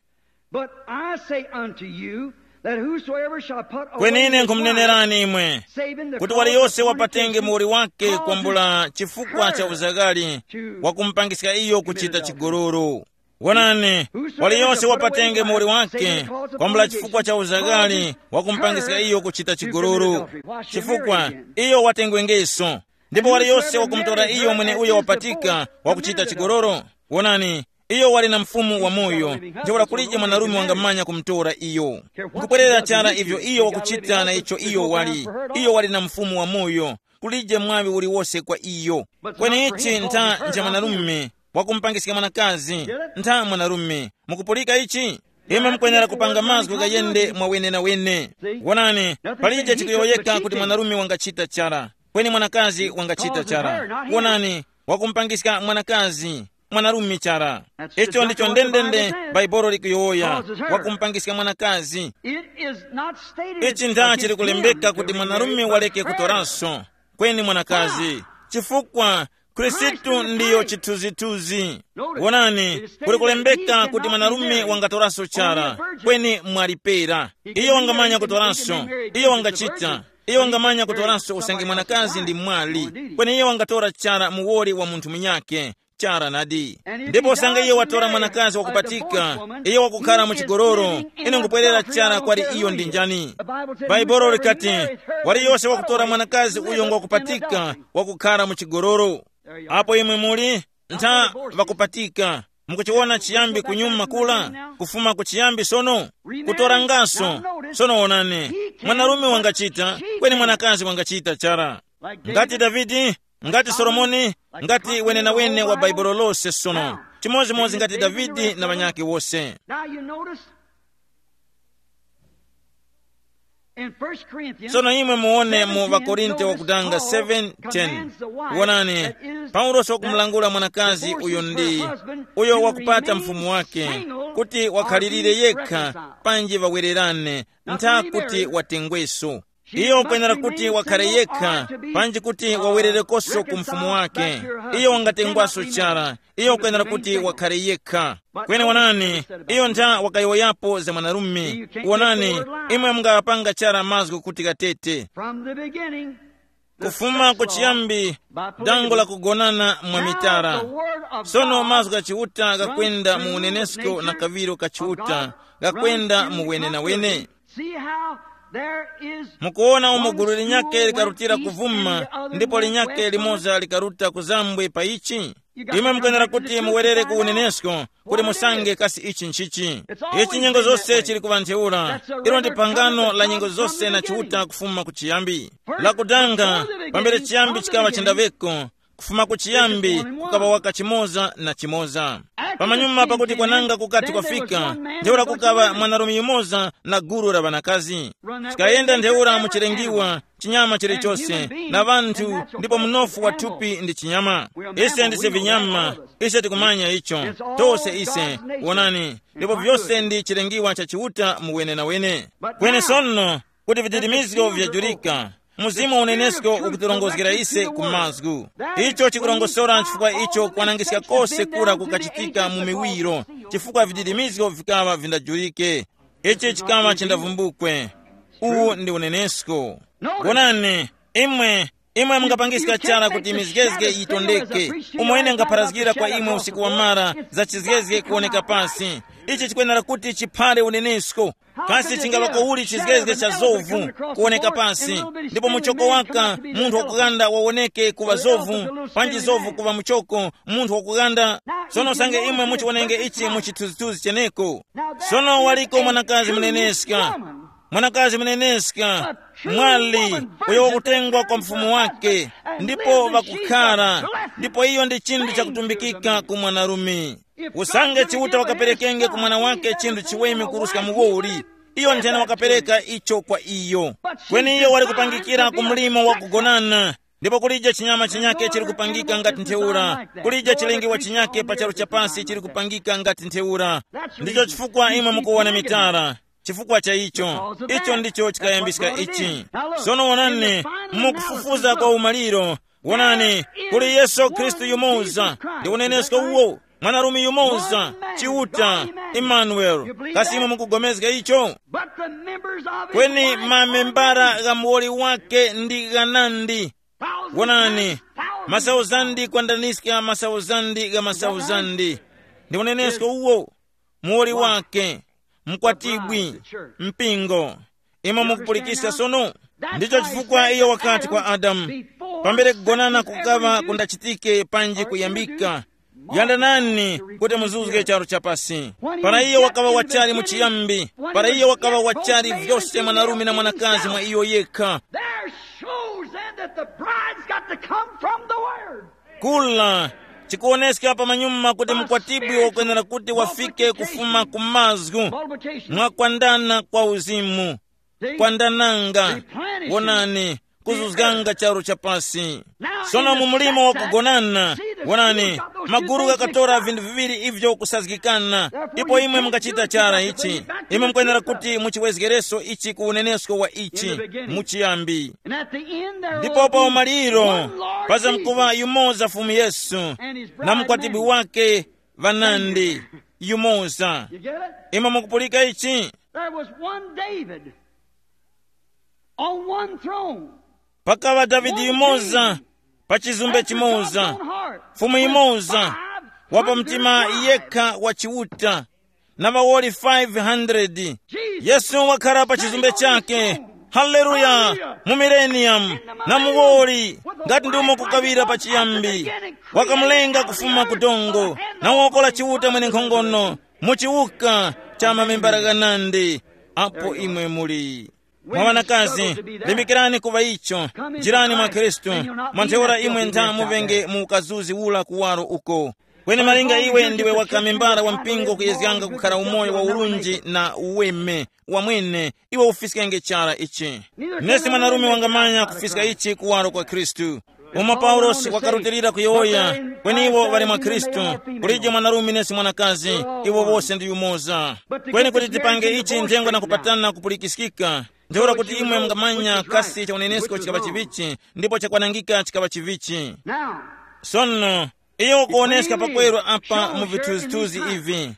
But I say unto you, that whosoever shall put away kweni ine his nkhumunenerani wife, imwe, saving the kuti cause waliyose of wapatenge fornication, muwoli wake causes kwambula chifukwa cha her uzaghali, to wakumupangiska iyo kuchita chigololo. Wonani, waliyose wapatenge muwoli wake kwambula chifukwa cha uzaghali, wakumupangiska iyo kuchita chigololo. Chifukwa iyo watengwengeso. Ndipo waliyose wakumutora iyo mweneuyo wapatika wakuchita chigololo. Wonani, iyo wali na Mfumu wa moyo, ntheura kulije mwanarume wangamanya kumutora iyo. Nkubwerera chara ivyo iyo wakuchita na icho iyo wali. Iyo wali na Mfumu wa moyo, kulije mwaŵi uliwose kwa iyo. Kweni ichi ntha nja mwanarume wakumupangiska mwanakazi, ntha mwanarume. Mukupulika ichi? Imwe mukwenera kupanga mazgu ghayende mwawenenawene. Wonani, palije chikuyowoyeka kuti mwanarume wangachita chara, kweni mwanakazi wangachita chara. Wonani, wakumupangiska mwanakazi, mwanarume chara. Icho ndicho ndendende Bhaibuli likuyowoya, wakumupangiska mwanakazi. Ichi ntha chili kulembeka kuti mwanarume waleke kutoraso, kweni mwanakazi. Chifukwa Khristu ndiyo chithunzithunzi. Wonani, kuli kulembeka kuti mwanarume wangatoraso chara, kweni mwali pera. Iyo wangamanya kutoraso, iyo wangachita, iyo wangamanya kutoraso usange mwanakazi ndi mwali, kweni iyo wangatora chara muwoli wa munthu munyakhe. Chara nadi. Ndipo usange iyo watora mwanakazi wakupatika, iyo wakukhara mu chigololo, ine nkubwerera chara kwali iyo ndi njani? Bhaibuli likati, waliyose wakutora mwanakazi uyo ngwakupatika, wakukhara mu chigololo. Apo imwe muli, ntha ŵakupatika, Mukuchiwona chiyambi kunyuma kula, kufuma ku chiyambi sono, kutorangaso. Sono wonani, mwanarume wangachita, kweni mwanakazi wangachita chara. Ngati Davide, ngati Solomoni, ngati wenenawene wa Baibulo lose sono, chimodzimodzi ngati Davide na ŵanyakhe wose. Now you notice in First Corinthians, tsono imwe muone mu vakorinto wakudanga seven ten. Wonani, paulosi wakumulangula mwanakazi uyo ndi uyo wakupata mfumu wake, kuti wakhalirire yekha, panji ŵawererane, ntha kuti watengweso. Iyo ukwenera kuti wakhare yekha, panji kuti wawererekoso ku mfumu wake. Iyo wangatengwaso chara. Iyo ukwenera kuti wakhare yekha. Kweni wonani, iyo ntha wakayowoyapo za mwanarume. Wonani, imwe mungapanga chara mazgu kuti katete. From the beginning, kufuma ku chiyambi, dango la kugonana mwa mitara. Sono mazgu gha Chiuta ghakwenda mu unenesko na kaŵiro ka Chiuta, ghakwenda mu wenenawene. See how there is mukuona umo gulu linyakhe likarutira kuvuma, ndipo linyakhe limoza likaruta kuzambwe pa ichi. Imwe mukwenera kuti muwerere ku unenesko, kuti musange kasi ichi nchichi. Ichi nyengo zose chili kuŵa ntheura. Ilo ndi phangano la nyengo zose na Chiuta kufuma ku chiyambi. Lakudanga, pambere chiyambi chikaŵa chendaŵeko, kufuma ku chiyambi kukaŵa waka chimoza na chimoza. Pamanyuma pakuti kwananga kukati kwafika, ntheura kukaŵa mwanarume yumoza na gulu la ŵanakazi. Chikayenda ntheura mu chilengiwa, chinyama chilichose, na ŵanthu, ndipo mnofu wa thupi ndi chinyama. Ise ndise vinyama, ise tikumanya icho. Tose ise, wonani, ndipo vyose ndi chilengiwa cha Chiuta mu wenenawene. Kweni sono, kuti vididimizgo vyajurika, Mzimu wa unenesko ukutirongozgera ise ku mazgu. Icho chikurongosora chifukwa icho kwanangiska kose kura kukachitika mu miwiro, chifukwa vididimizgo vikaŵa vindajurike. Ichi chikaŵa chindavumbukwe. Uwu ndi unenesko. Wonani, imwe, imwe mungapangiska chara kuti mizgezge yitondeke. Umo ine ngapharazgira kwa imwe usiku wa mara za chizgezge kuwoneka pasi. Ichi chikwenera kuti chiphare unenesko. Kasi chingaŵa kowuli chizgezge cha zovu kuwoneka pasi, ndipo muchoko waka munthu wakughanda wawoneke kuŵa zovu, panji zovu kuŵa muchoko munthu wakughanda? Sono usange imwe muchiwonenge ichi mu chithunzithunzi cheneko. Sono waliko mwanakazi muneneska, mwanakazi muneneska, mwali uyo wakutengwa kwa mfumu wake, ndipo ŵakukhara, ndipo iyo ndi chinthu chakutumbikika ku mwanarume. Usange Chiuta wakaperekenge ku mwana wake chinthu chiweme kuruska muwoli, iyo nthena wakapereka icho kwa iyo. Kweni iyo wali kupangikira ku mlimo wa kugonana, ndipo kulije chinyama chinyake chili kupangika ngati ntheura, kulije chilengewa chinyake pa charu chapasi chili kupangika ngati ntheura. Ndicho chifukwa imwe mukuwona mitara. Chifukwa cha icho, icho ndicho chikayambiska ichi. Sono wonani, mukufufuza kwa umaliro. Wonani, kuli Yesu Khristu yumoza, ndi unenesko uwo, mwanarume yumoza, Chiuta, Emmanuel. Kasi imwe mukugomezga icho? Kweni mamembara gha muwoli wake ndi ghanandi. Wonani, masauzandi kwandaniska masauzandi gha masauzandi. Ndi unenesko uwo, muwoli wake, mkwatibwi, mpingo. Imwe mukupulikisa sono? Ndicho chifukwa iyo wakati kwa Adamu, pambere kugonana kukaŵa kundachitike panji kuyambika, yandanani kuti muzuzge charu chapasi. Para iyo wakaŵa wachali mu chiyambi, para iyo wakaŵa wachali vyose mwanarume na mwanakazi mwa iyo yekha. There shows then that the bride's got to come from the Word. Kula, chikuwoneska pamanyuma kuti mkwatibwi wakwenera kuti wafike kufuma ku mazgu, mwa kwandana kwa uzimu, kwandananga, wonani, kuzuzganga charu cha pasi. Sono mu mulimo wa kugonana, wonani, maguru ghakatora vinthu viŵiri ivyo kusazgikana. Ipo imwe mungachita chara ichi, imwe mukwenera kuti muchiwezgereso ichi ku unenesko wa ichi, muchiyambi. Ndipo pa umaliro pazamkuŵa yumoza Fumu Yesu na mukwatibwi wake ŵanandi, yumoza. Imwe mukupulika ichi? There was one David on one throne. Pakaŵa Davide yumoza pa chizumbe chimoza, Fumu yimoza, wa pa mtima yekha wa Chiuta, na ŵawoli five hundred. Yesu wakhala pa chizumbe chake, Haleluya! Mu millennium, na muwoli, ngati ndimo kukaŵira pachiyambi, wakamulenga kufuma ku dongo, na wokola Chiuta mwenenkhongono, mu chiwuka cha mamembala ghanandi, apo imwe muli. Mwa ŵanakazi, limbikirani kuŵa icho, njirani mwa Khristu, mwa ntheura imwe ntha muŵenge mu ukazuzi ula kuwaro uko. Kweni malinga iwe ndiwe wakamembala wa mpingo kuyezganga kukhara umoyo wa urunji na uweme wamwene, iwe ufiskenge chara ichi. Nesi mwanarume wangamanya kufiska ichi kuwaro kwa Khristu. Umo Paulosi wakarutilira kuyowoya, kweni iwo ŵali mwa Khristu, kulije mwanarume nesi mwanakazi, iwo wose ndi yumoza. Kweni kuti tipange ichi nthengo na kupatana kupulikiskika, ntheura kuti imwe mungamanya kasi cha unenesko chikaŵa chivichi, ndipo chakwanangika chikaŵa chivichi. Now, sono, iyo ukuwoneska pakweru apa mu vithunzithunzi ivi,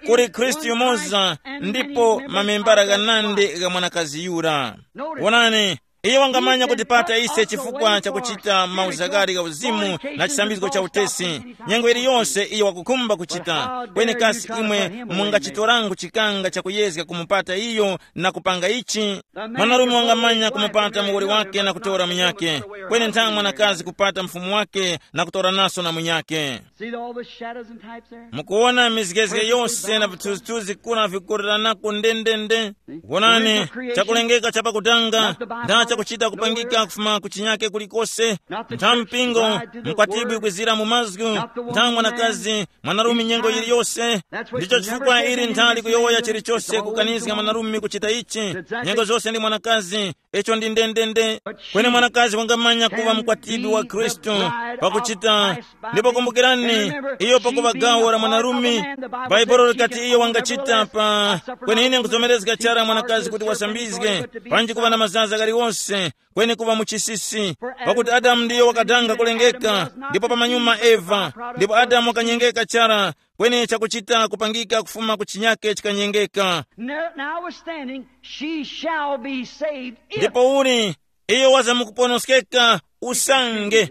kuli Khristu yumoza, ndipo mamembara ghanandi gha mwanakazi yura. Wonani, iyo wangamanya kutipata ise chifukwa cha kuchita mauzakari gha uzimu na chisambizgo cha utesi. Nyengo iliyonse iyo wakukhumba kuchita, kweni kasi imwe mungachitorangu chikanga chakuyezga kumupata iyo na kupanga ichi? Mwanarume wangamanya kumupata muwoli wake na kutora munyake, kweni ntha mwanakazi kupata mfumu wake na kutora naso na munyake. See all the shadows and types there? Mukuwona mizgezge yose na vithunzithunzi kuna vikuliranako ndendende. Wonani, chakulengeka chapakutanga, ntha chakuchita kupangika kufuma ku chinyake kulikose, ntha mpingo, mkwatibwi kwizira mu mazgu, ntha mwanakazi, mwanarume nyengo yiliyose. Ndicho chifukwa ili nthali kuyowoya chilichose kukanizga mwanarume kuchita ichi, nyengo zose ndi mwanakazi. Icho ndi ndendende. Kweni mwanakazi wangamanya kuva mukwatibwi wa Khristu, pakuchita. Ndipo kumbukirani, iyo pakuva gawo la mwanarume, Baibulo likati iyo wangachita pa. Kweni ine nkuzomerezga chara mwanakazi kuti wasambizge, panji kuva na mazaza galiwonse, kweni kuva muchisisi. Pakuti Adamu ndiyo wakadanga kulengeka, ndipo pamanyuma Eva, ndipo Adamu wakanyengeka chara, kweni chakuchita kupangika kufuma ku chinyake chikanyengeka. Now, notwithstanding, she shall be saved if. Ndipo uli, iyo waza mukuponoskeka usange.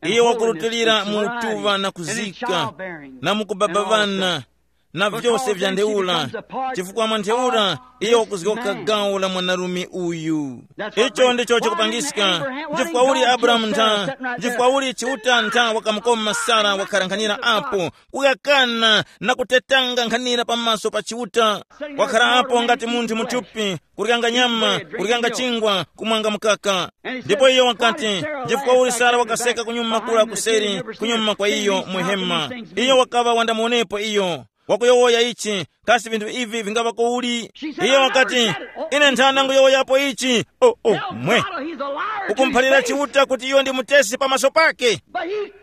Iyo wakurutilira mu utuŵa na kuzika, na mukubaba ŵana, na vyose vya ntheura, chifukwa mwa ntheura iyo wakuzgoka gawo la mwanarume uyu. Icho ndicho chikupangiska. Chifukwa uli Abrahamu ntha, chifukwa uli Chiuta ntha wakamukoma Sara wakharankhanira apo, kuyakana na kutetanga nkhanira pamaso pa Chiuta. Wakhara apo ngati munthu muthupi, kuryanga nyama, kuryanga chingwa, kumwanga mukaka. Ndipo iyo wakati, chifukwa uli Sara wakaseka kunyuma kula kuseri, kunyuma kwa iyo muhema. Iyo wakaŵa wandamuonepo iyo. Wakuyowoya ichi, kasi vinthu ivi vingaŵa kuuli? Iyo wakati, ine nthana nguyowoyapo ichi. Oh, oh, mwe. Ukumphalira Chiuta kuti iyo ndi mutesi pamaso pake.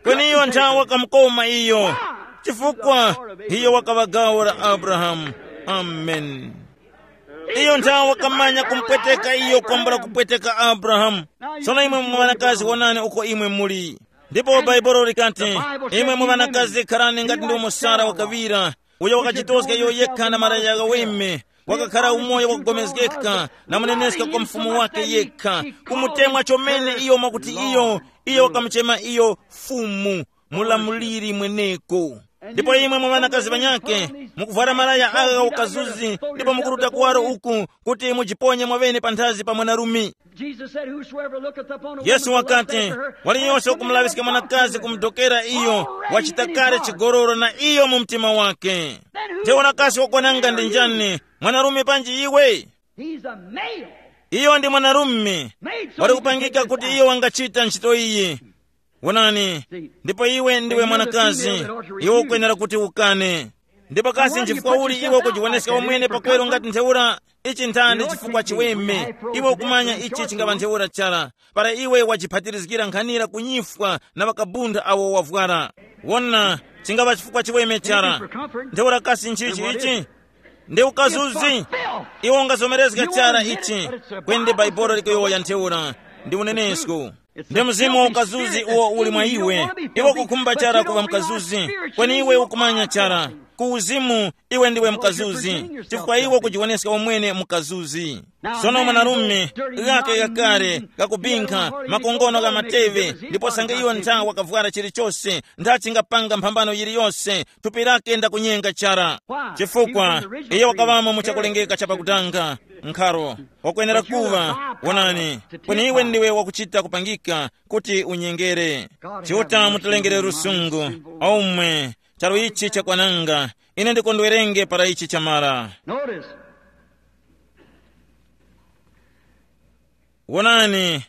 Kweni iyo nthawe wakamukoma iyo. Chifukwa iyo wakaŵa gawo la Abrahamu. Amen. Iyo nthawe wakamanya kumupweteka iyo kwambula kupweteka Abrahamu. Sono imwe mwanakazi wonani uko imwe muli. Ndipo Baibulo likati, imwe mwanakazi kharani ngati ndi umo Sara wakaŵira, uyo wakachitoska iyo yekha na malaya ghaweme, wakakhara umoyo wakugomezgeka na muneneska kwa mfumu wake yekha, kumutemwa chomene iyo mwakuti iyo, iyo wakamuchema iyo fumu, mulamuliri mweneko. Ndipo imwe mwa ŵanakazi ŵanyakhe, mukuvwara malaya agha ukazuzi ndipo mukuruta kuwaro uku, kuti mujiponye mwaŵene panthazi pa mwanarume. Jesus said, "Whosoever looketh upon a woman Yesu to lust wakati, after her, waliyonse hath committed ukumulaŵiska adultery mwanakazi with her." Kumudokera iyo, already wachita in his kale heart. Chigololo na iyo mu mtima wake. Then who Ntheura kasi wakwananga ndi njani, mwanarume panji iwe? He's a male. Iyo ndi mwanarume. Made so wali he can kupangika take kuti this iyo wangachita ntchito iyi. Wonani, ndipo iwe ndiwe mwanakazi, iwe ukwenera kuti ukane. Ndipo kasi nchifukwa uli iwe ukujiwoneska umwene pakweru ngati ntheura? Ichi nthandi chifukwa chiweme. Iwe ukumanya ichi chingava ntheura chara, para iwe wajiphatilizgira nkhanira kunyifwa na ŵakabunda awo wavwara. Wona, chingava chifukwa chiweme chara. Ntheura kasi nchichi ichi? Ndi ukazuzi. Iwe ungazomerezga chara ichi, kwende Bhaibuli likuyowoya ntheura, ndi unenesko. Ndi mzimu wa ukazuzi uwo uli mwa iwe. Iwe ukukhumba chara kuŵa mkazuzi, kweni iwe ukumanya chara. Ku uzimu, iwe ndiwe mkazuzi, chifukwa iwe kujiwoneska umwene mkazuzi. Sono mwanarume, ghake ghakale ghakubinkha, makongono gha mateŵe, ndipo sange iyo ntha wakavwara chilichose, ntha chingapanga mphambano yiliyose, thupi lake ndakunyenga chara. Chifukwa, iye wakaŵamo mu chakulengeka chapakutanga, nkharo, wakwenera kuŵa, wonani, kweni iwe ndiwe wakuchita kupangika kuti unyengere. Chiuta mutilengere lusungu, omwe, charu ichi chakwananga, ine ndikondwerenge para ichi chamara. Notice. Wonani,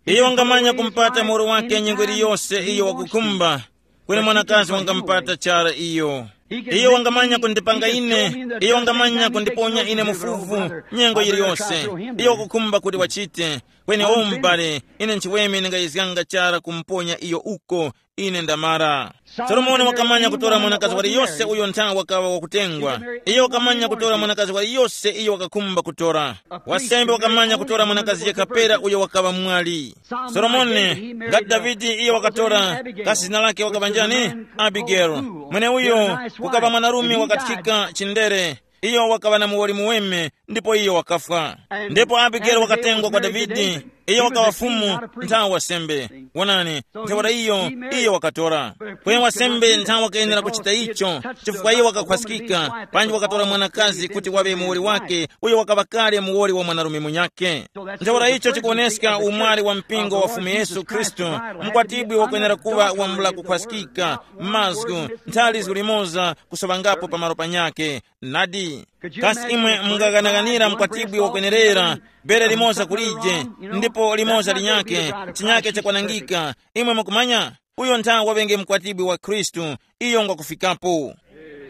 iyo wangamanya kumpata muwoli wake nyengo iliyose iyo wakukhumba, kweni mwanakazi wangampata chara iyo. Iyo wangamanya kundipanga ine, iyo wangamanya kundiponya ine mufuvu nyengo yiliyose iyo wakukhumba kuti wachite, kweni o m'bale, ine nchiweme ndingayizganga chara kumponya iyo uko, ine ndamara. Solomoni wakamanya kutora mwanakazi waliyose uyo nthawi wakaŵa wakutengwa. Iyo wakamanya kutora mwanakazi waliyose iyo wakakhumba kutora. Wasembe wakamanya kutora mwanakazi yekha pera uyo wakaŵa mwali. Solomoni, ngati Davide, iyo wakatora, kasi zina lake wakaŵa njani? Abigelo. Mweneuyo kukaŵa mwanarume wakathika chindere. Iyo wakaŵa na muwoli muweme, ndipo iyo wakafwa. Ndipo Abigelo wakatengwa kwa Davide. Iyo wakaŵa fumu nthawi wasembe. Wonani, ntheura iyo, iyo wakatora. Kweni wasembe nthawi wakayenera kuchita icho, chifukwa iyo wakakhwaskika, panji wakatora mwanakazi kuti waŵe muwoli wake, uyo wakaŵa kale muwoli wa mwanarume munyakhe. Ntheura icho chikuwoneska umwali wa mpingo wa Fumu Yesu Khristu. Mkwatibwi wakwenera kuŵa wambula kukhwaskika, mazgu, nthali zilimoza, kusoŵangapo pamalo panyakhe. Nadi, kasi imwe mungaghanaghanira mkwatibwi wakwenerera, bere limoza kulije, ndipo limoza linyakhe, chinyakhe chakwanangika? Imwe mukumanya, uyo ntha waŵenge mkwatibwi wa Khristu, iyo ngwakufikapo.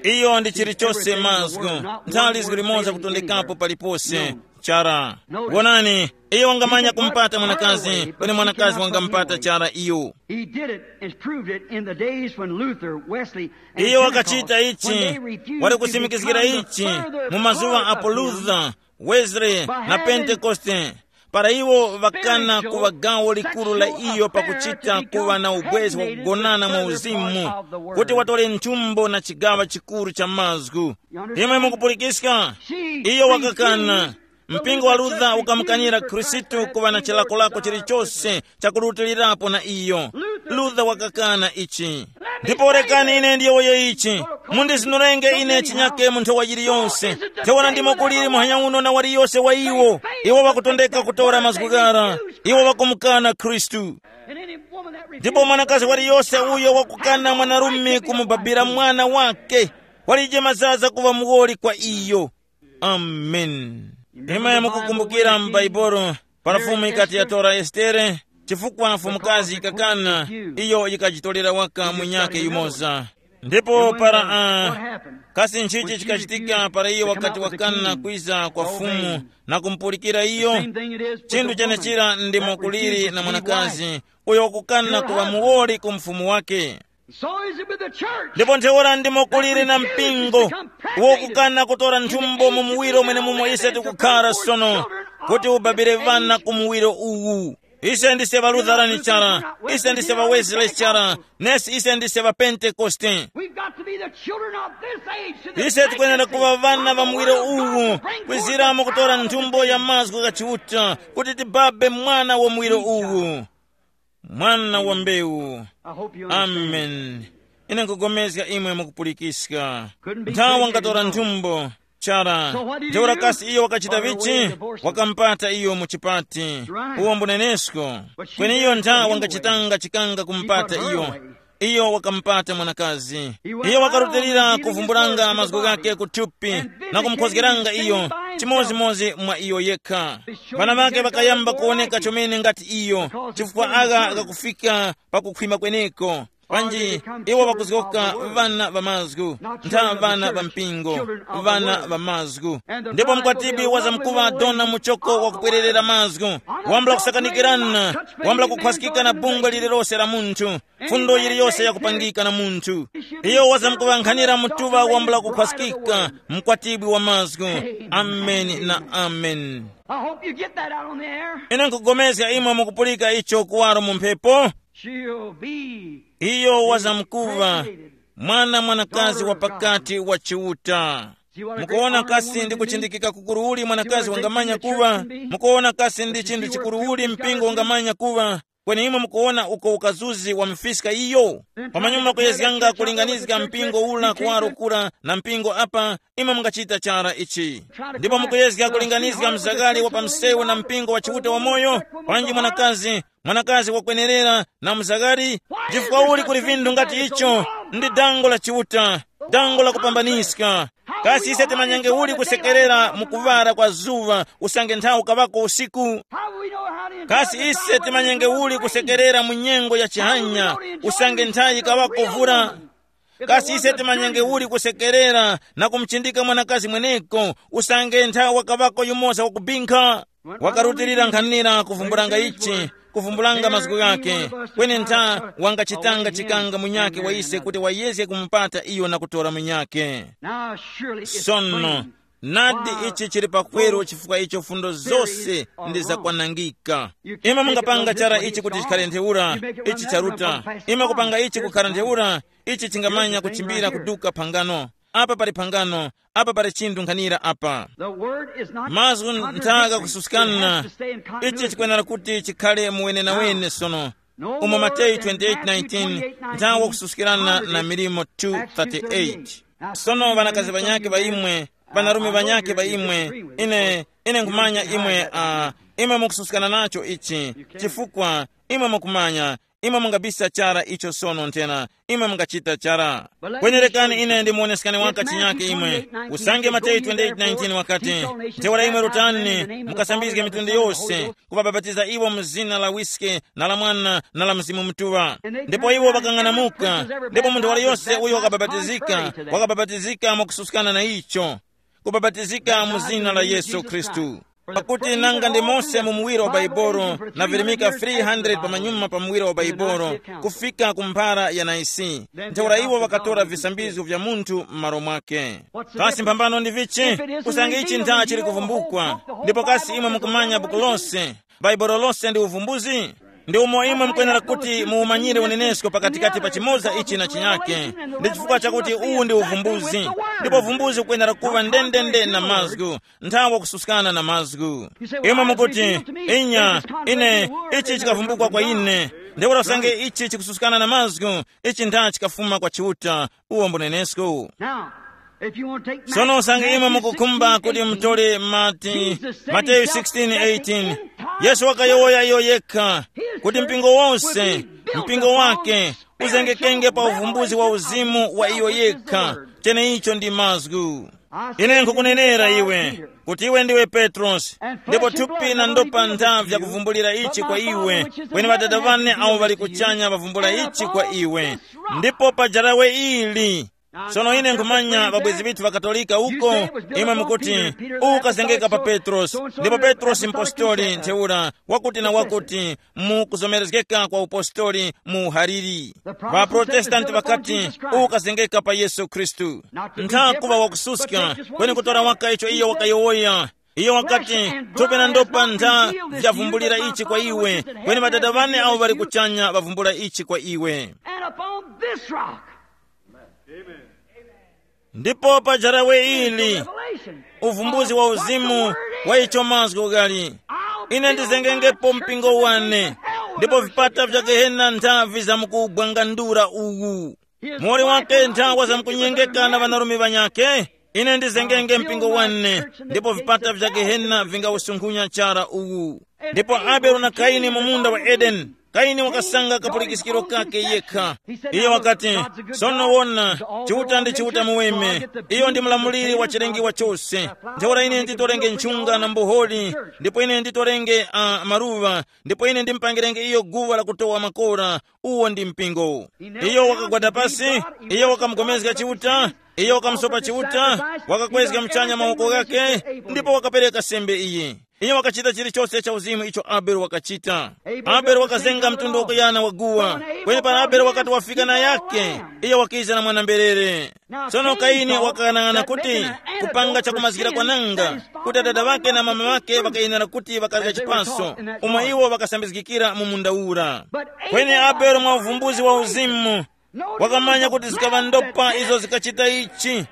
Iyo ndi chilichose mazgu, nthali zili limoza kutondekapo palipose. Chara. Wonani, iyo wangamanya kumpata mwanakazi, kweni mwanakazi wangampata chara iyo. He did it and proved it in the days when Luther, Wesley, and Iyo Pentecost, wakachita ichi, when they refused wali to kusimikizgira become the ichi further mu mazuwa part apo of him. Luther, Wesley na Pentekoste, para iwo ŵakana kuŵa gawo likuru la iyo pakuchita kuŵa na ubwezi wakugonana mu uzimu, kuti watole nthumbo na chigaŵa chikuru cha mazgu. Imwe mukupulikiska? Iyo wakakana. Mpingo wa Luther ukamukanira Khristu kuŵa na chilakolako chilichose chakurutilirapo na iyo. Luther wakakana ichi. Ndipo rekani ine ndiyowoye ichi, mundizinurenge ine chinyake mu nthowa yiliyonse. Ntheura ndimo kuliri muhanya uno na waliyose wa iwo. Iwo wakutondeka kutora mazgu ghara. Iwo wakumukana Khristu. Ndipo mwanakazi waliyose uyo wakukana mwanarume kumubabira mwana wake, walije mazaza kuŵa muwoli kwa iyo. Amen. Imwe mukukumbukira m'Baibulo, para Fumu ikati yatora Estere, chifukwa mfumukazi ikakana, iyo yikajitolera waka munyakhe yumoza. Ndipo para uh, kasi nchichi chikachitika para iyo wakati wakana kwiza kwa Fumu na kumpulikira iyo? Chinthu chenechira ndimo kuliri na mwanakazi uyo wakukana kuŵa muwoli ku mfumu wake. So is it with the church. Ndipo ntheura ndimo kuliri na mpingo wokukana kutora nthumbo mu muwiro mwene mumo ise tikukhara sono, kuti ubabire vana ku muwiro uwu. Ise ndise ŵalutharani chara, ise ndise ŵawezile chara, nesi ise ndise ŵapentekoste. We've got to be the children of this age, to the ise tikuyenera kuva vana va muwiro uwu, kwizira mukutora nthumbo ya mazgu gha Chiuta, kuti tibabe mwana wa muwiro uwu. Mwana wa mbewu. I hope you understand. Amen. Ine nkugomezga imwe mukupulikiska. Nthawa ngatora nthumbo chara. Ntheura kasi iyo wakachita vichi? Wakampata iyo mu chipati. Uwo mbunenesko. Kweni iyo nthawa ngachitanga chikanga kumpata iyo. Iyo wakampata mwanakazi. Iyo wakarutilira kuvumbulanga mazgu ghake kuthupi na kumukhozgeranga iyo chimodzimodzi mwa iyo yekha. Ŵana ŵake ŵakayamba kuwoneka chomene ngati iyo, chifukwa agha ghakufika pakukhwima kweneko. Panji iwo ŵakuzgoka ŵana ŵa mazgu, ntha ŵana ŵa mpingo, ŵana ŵa mazgu. Ndipo mkwatibwi wazamkuŵa dona muchoko wakupwererera mazgu, wambula kusakanikirana, wambula kukhwasikika na bungwe lililose la munthu, fundo yiliyose yakupangika na munthu. Iyo wazamkuŵankhanira mutuŵa wambula kukhwasikika, mkwatibwi wa mazgu. Ameni na ameni. I hope you get that out on the air. Ine nkugomezga imwe mukupulika icho kuwaro mu mphepo. She'll be iyo wazamkuŵa created. Mwana mwanakazi wa pakati wa Chiuta. Mukuona kasi ndi kuchindikika kukuruuli mwanakazi wangamanya kuŵa? Mukuona kasi ndi chinthu chikuruuli mpingo ungamanya kuŵa? Kweni imwe mukuona uko ukazuzi wa mifiska iyo? Pamanyuma kuyezganga kulinganizga mpingo ula kuwaro kura na mpingo apa, imwe mungachita chara ichi. Ndipo mukuyezga kulinganizga mzakali wa pamsewu na mpingo wa Chiuta wamoyo, panji mwanakazi, mwanakazi wakwenerera na mzakali? Chifukwa uli kuli vinthu ngati icho? Ndi dango la Chiuta, dango la kupambaniska. Kasi ise timanyenge uli kusekerera mu kuŵara kwa zuŵa usange nthawi ukaŵako usiku? Kasi ise timanyenge uli kusekerera mu nyengo ya chihanya usange nthawi ikaŵako vura? Kasi ise timanyenge uli kusekerera na kumuchindika mwanakazi mweneko usange nthawi wakaŵako yumoza wakubinkha? Wakarutilira nkhanira kuvumbulanga ichi, kuvumbulanga mazgu ghake, kweni ntha wangachitanga chikanga munyakhe wa ise kuti wayezge kumupata iyo na kutora munyakhe. Sono, nadi ichi chili pakweru chifukwa icho fundo zose ndi zakwanangika. Imwe mungapanga chara ichi kuti chikhale ntheura, ichi charuta. Imwe kupanga ichi kukhala ntheura, ichi chingamanya kuchimbira kuduka phangano. Apa pali phangano, apa pali chinthu nkhanira apa. Mazgu nthaka kususkana. Ichi chikwenera kuti chikhale muwenenawene sono. Umo Mateyu twenty-eight nineteen, nthawi wakususkirana na milimo two thirty-eight. Sono ŵanakazi ŵanyakhe ŵa imwe, ŵanarume ŵanyakhe ŵa imwe, ine, ine nkhumanya imwe, uh, imwe mukususkana nacho ichi, chifukwa imwe mukumanya, imwe mungabisa chara icho sono nthena, imwe mungachita chara. Kwenerekani ine ndimuoneskani waka chinyake imwe. Usange Mateyu twenty-eight nineteen wakati, ntheura imwe rutani mukasambizge mitundu yose, kubabapatiza iwo mu zina la wiske na la Mwana na la Mzimu Mutuŵa. Ndipo iwo ŵakang'anamuka, ndipo munthu waliyose uyo wakabapatizika, wakabapatizika mwakususkana na icho, kubapatizika mu zina la Yesu Khristu. Pakuti nanga ndi Mose mu muwiro wa Baibolo navirimika three hundred pamanyuma pa muwiro wa Baibolo, kufika ku mphara ya Naisi, ntheura iwo ŵakatora visambizgo vya munthu m'malo mwake. Kasi mphambano ndi vichi? Usange ichi ntha chili kuvumbukwa, ndipo kasi imwe mukumanya buku lose, Baibolo lose ndi uvumbuzi? Ndi umo imwe mukwenera kuti muwumanyire unenesko pakatikati pa chimoza ichi na chinyake, ndi chifukwa chakuti uwu ndi uvumbuzi. Ndipo uvumbuzi ukwenera kuŵa ndendende na mazgu, nthawi wakususkana na mazgu. Imwe mukuti, inya, ine, ichi chikavumbukwa kwa ine. Ntheura usange ichi chikususkana na mazgu, ichi ntha chikafuma kwa Chiuta, uwo mbunenesko. Now, if you want to take sono usange imwe mukukhumba kuti mutole mati, Mateyu sixteen eighteen, Yesu wakayowoya iyo yekha kuti mpingo wonse, mpingo wake uzengekenge pa uvumbuzi wa uzimu wa iyo yekha, cheneicho ndi mazgu. Ine nkukunenera iwe kuti iwe ndiwe Petrosi, ndipo thupi na ndopa ntha vyakuvumbulira ichi kwa iwe, kweni Ŵadada ŵane awo ŵali kuchanya ŵavumbula ichi kwa iwe. Ndipo pa jarawe ili, sono ine nkhumanya ŵabwezi ŵithu ŵakatolika uko, imwe mukuti, ukazengeka pa Petrosi, ndipo Petrosi mpostoli ntheura, wakuti na wakuti, mu kuzomerezgeka kwa upostoli mu uhariri. Ŵaprotestanti ŵakati, ukazengeka pa Yesu Khristu. Ntha kuŵa wakususka, kweni kutora waka icho iyo wakayowoya. Iyo wakati, thupi na ndopa ntha vyavumbulira ichi kwa iwe, kweni Ŵadada ŵane awo ŵali kuchanya ŵavumbula ichi kwa iwe. And upon this rock, ndipo pa jarawe ili, revelation, uvumbuzi wa uzimu wa icho mazgu gali. Ine ndizengengepo mpingo wane, ndipo vipata vya gehena ntha vizamkugwangandura uwu. Muwoli wake ntha wazamkunyengeka na ŵanarume ŵanyakhe. Ine ndizengenge mpingo wane, ndipo vipata vya gehena vingawusunkhunya chara uwu. Ndipo Abele na Kaini mu munda wa Edeni, Kaini wakasanga kapulikiskiro kake yekha. Iye wakati, sono wona, Chiuta ndi Chiuta muweme, iyo ndi mlamuliri wa chilengiwa chose. Ntheura ine nditorenge nchunga na mboholi, ndipo ine nditorenge uh, maluwa, ndipo ine ndimpangirenge iyo guwa lakutowa makora, uwo ndi mpingo. Iyo wakagwada pasi, iyo wakamukomezga Chiuta, iyo wakamusopa Chiuta, wakakwezga mchanya mawoko ghake, ndipo wakapereka sembe iyi. Iyo wakachita chilichose cha uzimu icho Abele wakachita. Abele wakazenga mtundu wakuyana wa guwa, kweni para Abele wakati wafika na yake, iyo wakiza na mwana-mberere. Sono Kaini wakang'anang'ana kuti kupanga chakumazgira kwananga, kuti adada ŵake na mama ŵake ŵakayenera kuti ŵakarya chipaso, umo iwo ŵakasambizgikira mu munda ura. Kweni Abele mwa uvumbuzi wa uzimu, Wakamanya kuti zikaŵa ndopa izo zikachita ichi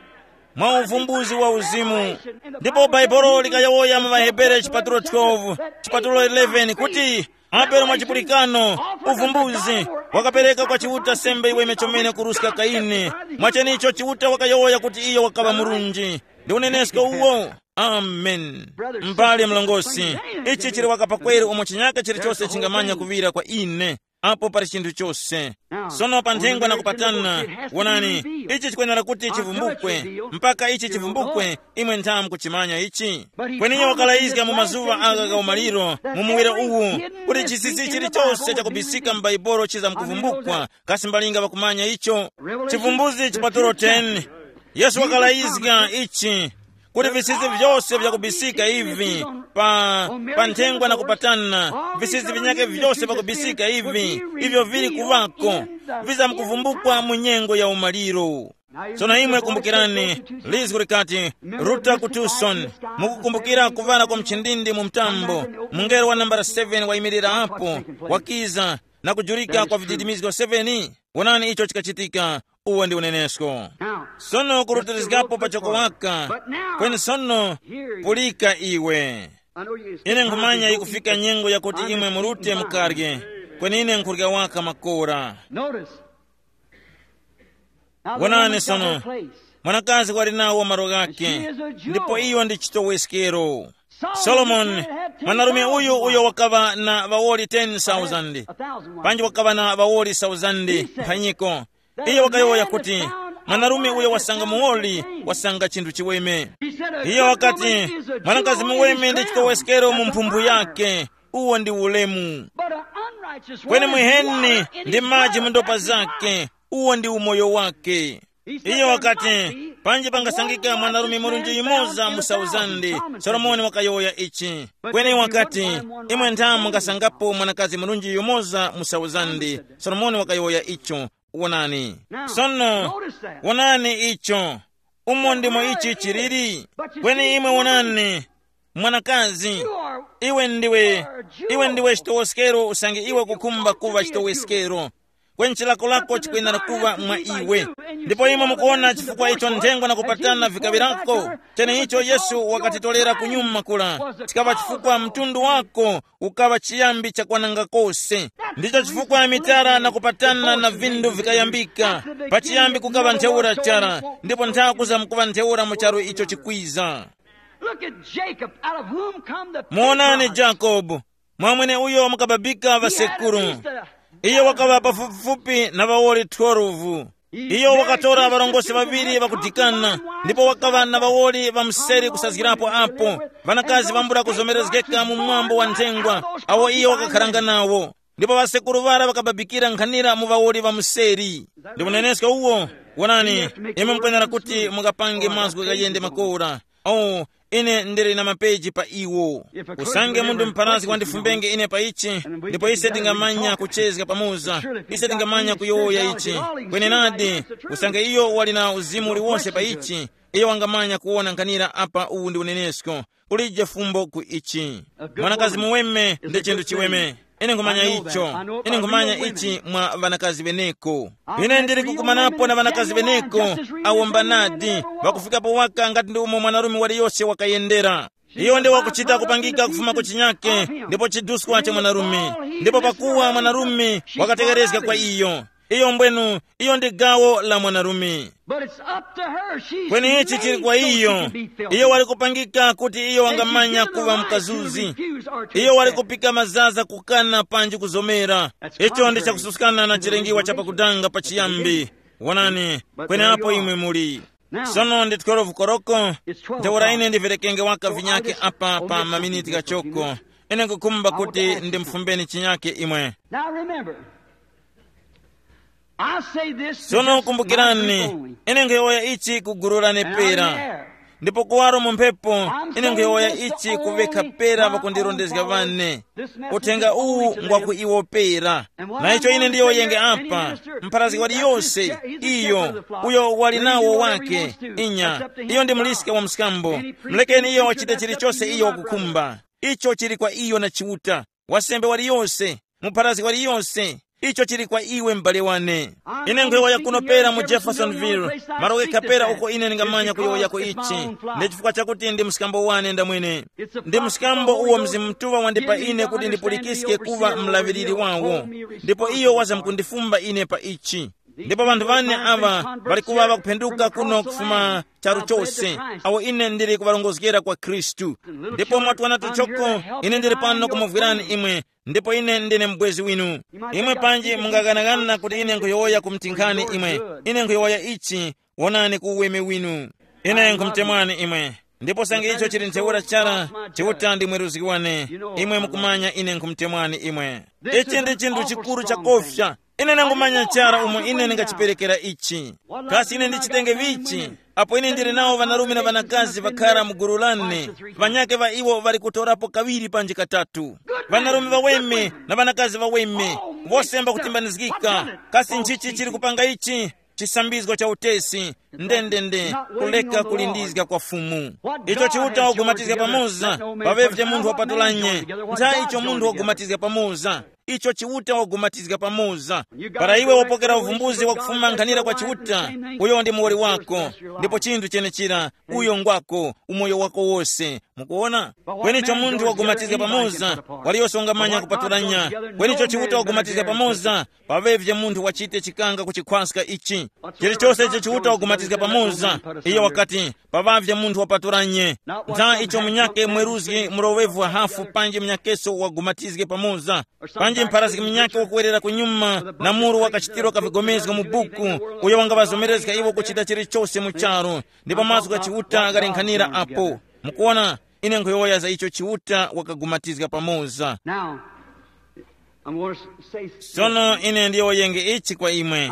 mwa uvumbuzi wa uzimu. Ndipo Bhaibuli likayowoya mu ŵaHebere chipatulo twelve, chipatulo eleven kuti, Abele mwa chipulikano, uvumbuzi, wakapereka kwa Chiuta sembe iweme chomene kuruska Kaini. Mwachenicho Chiuta wakayowoya kuti iyo wakaŵa murunji. Ndi unenesko uwo. Amen. Mbale mlongosi, ichi chili wakapakweru umo chinyaka chilichose chingamanya kuŵira kwa ine. Apo pali chinthu chose. Sono pa nthengwa na kupatana, wonani, ichi chikwenera kuti chivumbukwe. Mpaka ichi chivumbukwe, imwe nthamu kuchimanya ichi. Kweni iyo wakalayizga mu mazuŵa agha gha umaliro, mu muwiro uwu, kuti chisisi chilichose chakubisika m'Baibulo chizamkuvumbukwa. Kasi mbalinga ŵakumanya icho? Chivumbuzi chipatulo ten. Yesu wakalayizga ichi, kuti visisi vyose vyakubisika ivi, pa, pa nthengwa na kupatana, visisi vinyake vyose vyakubisika ivi, ivyo vili kuŵako, vizamkuvumbukwa mu nyengo ya umaliro. Sono imwe kumbukirani, lizgu likati, Ruta ku Tucson. Mukukumbukira kuvara kwa mchindindi mu mtambo, mungelo wa nambala seven wayimirira apo, wakiza, na kujurika kwa vididimizgo seven. Wonani icho chikachitika. Uwo ndi unenesko. Sono kurutirizgapo pachoko waka. Kweni sono, pulika iwe. Ine nkhumanya ikufika nyengo yakuti imwe murute mukarye. Kweni ine nkhurya waka makora. Wonani sono, mwanakazi wali nawo malo ghake, ndipo iyo ndi chitoweskero. Solomoni, mwanarume uyu uyo wakaŵa na ŵawoli ten thousand, panji wakaŵa na ŵawoli thousand mphanyiko. Iyo wakayowoya kuti, mwanarume uyo wasanga muwoli, wasanga chinthu chiweme. Iyo wakati, mwanakazi muweme ndi chitoweskero mu mphumbu yake. Uwo ndi ulemu. Kweni muheni ndi maji mu ndopa zake. Uwo ndi umoyo wake. Iyo wakati, panji pangasangika mwanarume murunji yumoza mu sauzande. Solomoni wakayowoya ichi. Kweni wakati, imwe nthamu mungasangapo mwanakazi murunji yumoza mu sauzande. Solomoni wakayowoya icho. Wonani. Sono, wonani icho. Umo ndimo ichi chiliri. Kweni imwe wonani, mwanakazi, iwe ndiwe, iwe ndiwe chitowoskero usange iwe kukhumba kuŵa chitowoskero. Kweni chilako lako chikwenera kuŵa mwa iwe. Ndipo imwe mukuona chifukwa icho nthengo na kupatana vikaŵirako. Cheneicho Yesu wakatitolera kunyuma kula, chikaŵa chifukwa mtundu wako ukaŵa chiyambi chakwananga kose. Ndicho chifukwa mitara na kupatana na vindu vikayambika. Pachiyambi kukaŵa ntheura chara, ndipo nthakuza mukuŵa ntheura mu charu icho chikwiza. Look at Jacob, out of whom come the muonani patriarchs. Jakobo, mwamwene uyo mukababika ŵasekuru. Iyo wakaŵa pafupifupi na ŵawoli twelve. Iyo wakatora ŵarongozgi ŵaŵiri ŵakudikana, ndipo wakaŵa na ŵawoli ŵa mseri kusazgirapo apo, ŵanakazi ŵambula kuzomerezgeka mu mwambo wa nthengwa, awo iyo wakakharanga nawo. Ndipo ŵasekuru ŵara ŵakababikira nkhanira mu ŵawoli ŵa mseri. Ndi unenesko uwo. Wonani, imwe mukwenera kuti mukapange mazgu ghayende makora. Oh, ine ndili na mapeji pa iwo. Usange munthu mpharazgi wandifumbenge ine pa ichi, ndipo ise tingamanya kuchezga pamoza, ise tingamanya kuyowoya ichi. Kwenenadi, usange iyo wali na uzimu uliwonse pa ichi, iyo wangamanya kuwona nkhanira apa uwu ndi unenesko. Kulije fumbo ku ichi. Mwanakazi muweme ndi chinthu chiweme. Ine nkhumanya icho. Ine nkhumanya ichi mwa ŵanakazi ŵeneko. Ine ndili kukumanapo na ŵanakazi ŵeneko, awo mbanadi, ŵakufikapo waka ngati ndi umo mwanarume waliyose wakayendera. Iyo ndi wakuchita kupangika kufuma ku chinyake, ndipo chiduskwa cha mwanarume. Ndipo pakuwa mwanarume wakategerezga kwa iyo, iyo mbwenu, iyo ndi gawo la mwanarume. But it's up to her. She's kweni ichi chili kwa iyo. Iyo wali kupangika kuti iyo wangamanya kuŵa mkazuzi. Iyo wali kupika mazaza kukana panji kuzomera. Icho ndi chakususkana na chilengiwa cha pakudanga pachiyambi. Wonani, kweneapo imwe muli. Sono ndi twelve koroko. Ntheura ine ndiverekenge waka vinyake apa pa maminiti ghachoko. Ine nkukhumba kuti ndimfumbeni chinyake imwe. Now remember, I say this to sono just kumbukirani, ine nkhuyowoya ichi ku gulu lane pera. Ndipo kuwaro mu mphepo, ine nkhuyowoya ichi kuvekha pera pakundirondezga vane. Uthenga uwu ngwa ku iwo pera. Na icho ine ndiyowoyenge apa, mpharazgi waliyose, iyo, uyo wali nawo wake, inya, iyo ndi muliske wa mskambo. Mulekeni iyo wachite chilichose iyo wakukhumba. Icho chili kwa iyo na Chiuta. Wasembe waliyose, mupharazgi waliyose, Icho chili kwa iwe, m'bale wane. Ine nkhuyowoya kuno pera mu Jeffersonville, malo ghekha pera uko ine ndingamanya kuyowoyako ichi. Ndi chifukwa chakuti ndi mskambo wane ndamwene. Ndi mskambo uwo Mzimu Mutuŵa wandipa ine kuti ndipulikiske kuŵa mlaŵiriri wawo. Ndipo iyo wazamkundifumba ine pa ichi. Ndipo ŵanthu ŵane aŵa ŵali kuŵa ŵakuphenduka kuno kufuma charu chose, awo ine ndili kuŵarongozgera kwa Khristu. Ndipo mwatwana tuchoko, ine ndili pano kumuvwirani imwe, ndipo ine ndine mubwezi winu. Imwe panji mungaganaghana kuti ine nkhuyowoya ku mtinkhani imwe. Ine nkhuyowoya ichi, wonani ku uweme winu. Ine nkhumutemwani imwe. Ndipo sange icho chili ntheura chara, Chiuta ndi mweruzgi wane. Imwe mukumanya ine nkhumutemwani imwe. Ichi ndi chinthu chikuru chakofya. Ine nangumanya chara umo ine ndingachiperekera ichi. Kasi ine ndichitenge vichi? Apo ine ndili nawo ŵanarume na ŵanakazi ŵakhara mu gulu lane, ŵanyakhe ŵa iwo ŵali kutorapo kaŵiri panji katatu. Ŵanarume ŵaweme na ŵanakazi ŵaweme, wose mbakutimbanizgika. Kasi nchichi chili kupanga ichi? Chisambizgo cha utesi, ndendende, kuleka kulindizga kwa Fumu. Icho Chiuta wagumatizga pamoza, paŵevye munthu wapatulanye. Ntha icho munthu wagumatizga pamoza, icho Chiuta wagumatizga pamoza. Para iwe wapokera uvumbuzi wakufuma nkhanira kwa Chiuta, uyo ndi muwoli wako, ndipo chinthu chenechira, uyo ngwako, umoyo wako wose. Mukuona? Kweni icho munthu wagumatizga pamoza, waliyose ungamanya kupatulanya. Kweni icho Chiuta wagumatizga pamoza, paŵevye munthu wachite chikanga kuchikhwaska ichi. Chilichose icho Chiuta wagumatizga pamoza, iyo wakati, paŵavye munthu wapatulanye. Ntha icho munyakhe mweruzgi muloŵevu wa hafu panji munyakeso wagumatizge pamoza, panji mpharazgi munyakhe wakuwerera kunyuma na muru wakachitirwa kavigomezgo mu buku, uyo wangaŵazomerezga iwo kuchita chilichose mu charu, ndipo mazgu gha Chiuta ghalenkhanira apo. Mukuona, ine nkhuyowoya za icho Chiuta wakagumatizga pamoza. Now, I'm going to say sono ine ndiyowoyenge ichi kwa imwe.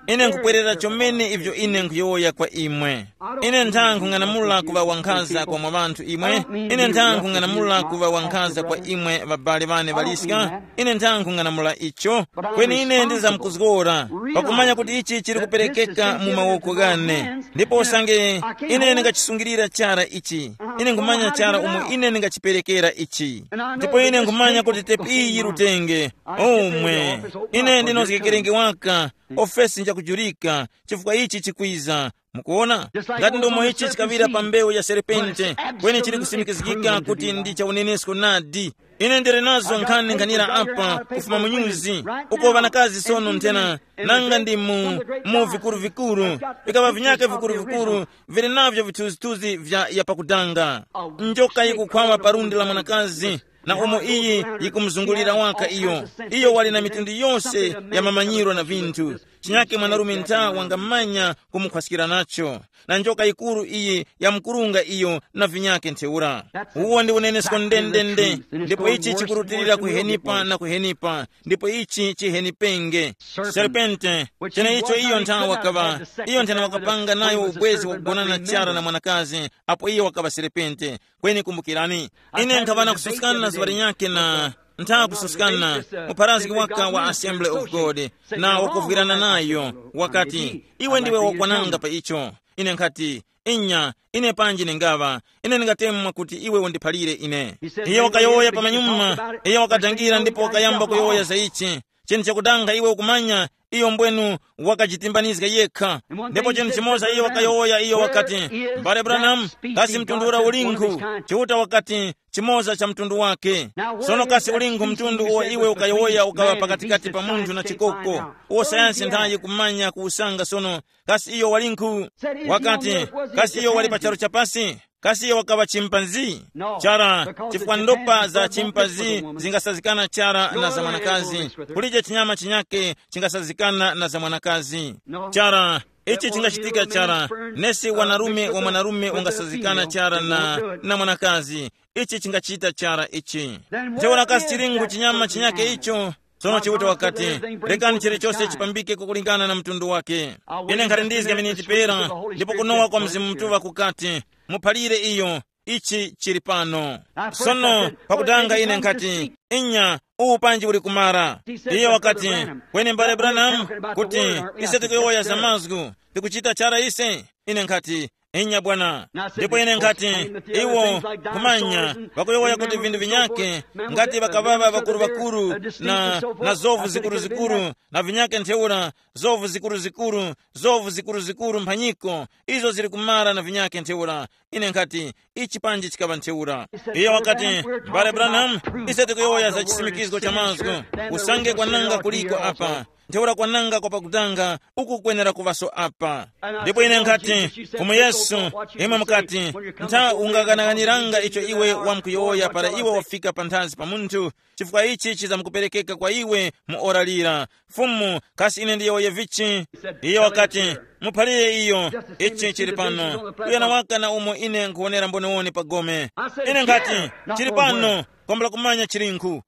Ine nkupwerera chomene ivyo ine nkuyowoya kwa imwe. Ine ntha nkhung'anamula kuŵa wankhaza kwa mwa ŵanthu imwe. Ine ntha nkhung'anamula kuŵa wankhaza kwa imwe ŵabale ŵane ŵaliska. Ine ntha nkhung'anamula icho. Kweni ine ndizamkuzgora, pakumanya kuti ichi chili kuperekeka mu mawoko ghane. Ndipo usange ine ndingachisungirira chara ichi, ine nkhumanya chara umo ine ndingachiperekera ichi. Ndipo ine nkhumanya kuti tepi iyi yirutenge. Omwe, ine ndinozgekerenge waka, ofesi njakujurika, chifukwa ichi chikwiza. Mukuona? Ngati ndomo ichi chikaŵira pa mbewu ya serpente, kweni chili kusimikizgika kuti ndi cha unenesko nadi. Ine ndili nazo nkhani nkhanira apa kufuma mu nyuzi, uko ŵanakazi sono nthena, nanga ndi mu, mu vikuru-vikuru, vikaba vinyake vikuru-vikuru, vili navyo vithunzithunzi vya yapakudanga. Njoka yikukhwawa pa lundi la mwanakazi, na umo iyi yikumuzungulira waka iyo. Iyo wali na mitundu yose ya mamanyiro na vinthu. Chinyake mwanarume ntha wangamanya kumukhwaskira nacho. Na njoka yikuru iyi yamkurunga iyo na vinyake ntheura. Uwo ndi unenesko ndendende, ndipo ichi chikurutilira kuhenipa na kuhenipa, ndipo ichi chihenipenge. Serpente, cheneicho iyo ntha wakaŵa, iyo nthena wakapanga nayo ubwezi wakugonana chara na mwanakazi, apo iyo wakaŵa serpente. Kweni kumbukirani, ine nkhaŵa na kususkana na zuŵa linyakhe na ntha kususkana, mupharazgi waka wa Assembly of God, na wakuvwirana nayo, wakati, iwe ndiwe wakwananga pa icho. Ine nkhati, inya, ine panji ningaŵa, ine ndingatemwa kuti iwe undiphalire ine. Iye wakayowoya pamanyuma, iye wakadangira ndipo wakayamba kuyowoya za ichi. Chinthu chakudanga iwe ukumanya, iyo mbwenu wakajitimbanizga yekha. Ndipo chinthu chimoza iye wakayowoya, iyo wakati, mbale Branham, kasi mtundu ura ulinkhu? Chiuta wakati, chimoza cha mtundu wake. Sono kasi ulinkhu mtundu uwo iwe ukayowoya ukaŵa pakatikati pa munthu na chikoko, uwo sayansi nthayi kumanya kuwusanga sono? Kasi iyo walinkhu? Wakati, kasi iyo wali pa charu chapasi? Kasi iyo wakaŵa chimpanzi? Chara, chifukwa ndopa za chimpanzi zingasazikana chara na za mwanakazi. Kulije chinyama chinyake chingasazikana na za mwanakazi. Chara, ichi chingachitika chara. Nesi wanarume wa mwanarume ungasazikana chara na, na mwanakazi. Ichi chingachita chara ichi. Ntheura kasi chilingu chinyama chinyake icho? Tsono Chiuta wakati, rekani chilichose chipambike kukulingana na mtundu wake. Ine nkhali ndizga miniti pera, ndipo kunowa kwa Mzimu Mutuŵa kukati, muphalire iyo, ichi chili pano. Sono pakutanga ine nkhati, inya, uwu panji uli kumara. Iye wakati, kweni mbale Branham, kuti ise tikuyowoya za mazgu, tikuchita chara ise? Ine nkhati, Inya bwana. Ndipo ine nkhati, iwo kumanya, vakuyowoya kuti vinthu vinyake, ngati vakaŵaŵa ŵakuru-ŵakuru, na, na zovu zikuru-zikuru, na vinyake ntheura, zovu zikuru-zikuru, zovu zikuru-zikuru mphanyiko, izo zili kumara na vinyake ntheura. Ine nkhati, ichi panji chikaŵa ntheura. Iye wakati, mbale Branham, ise tikuyowoya za chisimikizgo cha mazgu. Usange kwananga kuliko apa, ntheura kwananga kwa pakutanga uku kwenera kuŵaso apa. Ndipo ine nkhati, Fumu Yesu, imwe mukati, ntha ungaganaganiranga icho iwe wamkuyowoya para iwe wafika panthazi pa munthu, chifukwa ichi chizamukuperekeka kwa iwe mu ora lira. Fumu, kasi ine ndiyowoye vichi? Iye wakati, muphalire iyo, ichi chili pano. Uyo nawaka na umo ine nkhuwonera mboniwoni pa gome. Ine nkhati, chili pano, kwambula kumanya chilinkhu.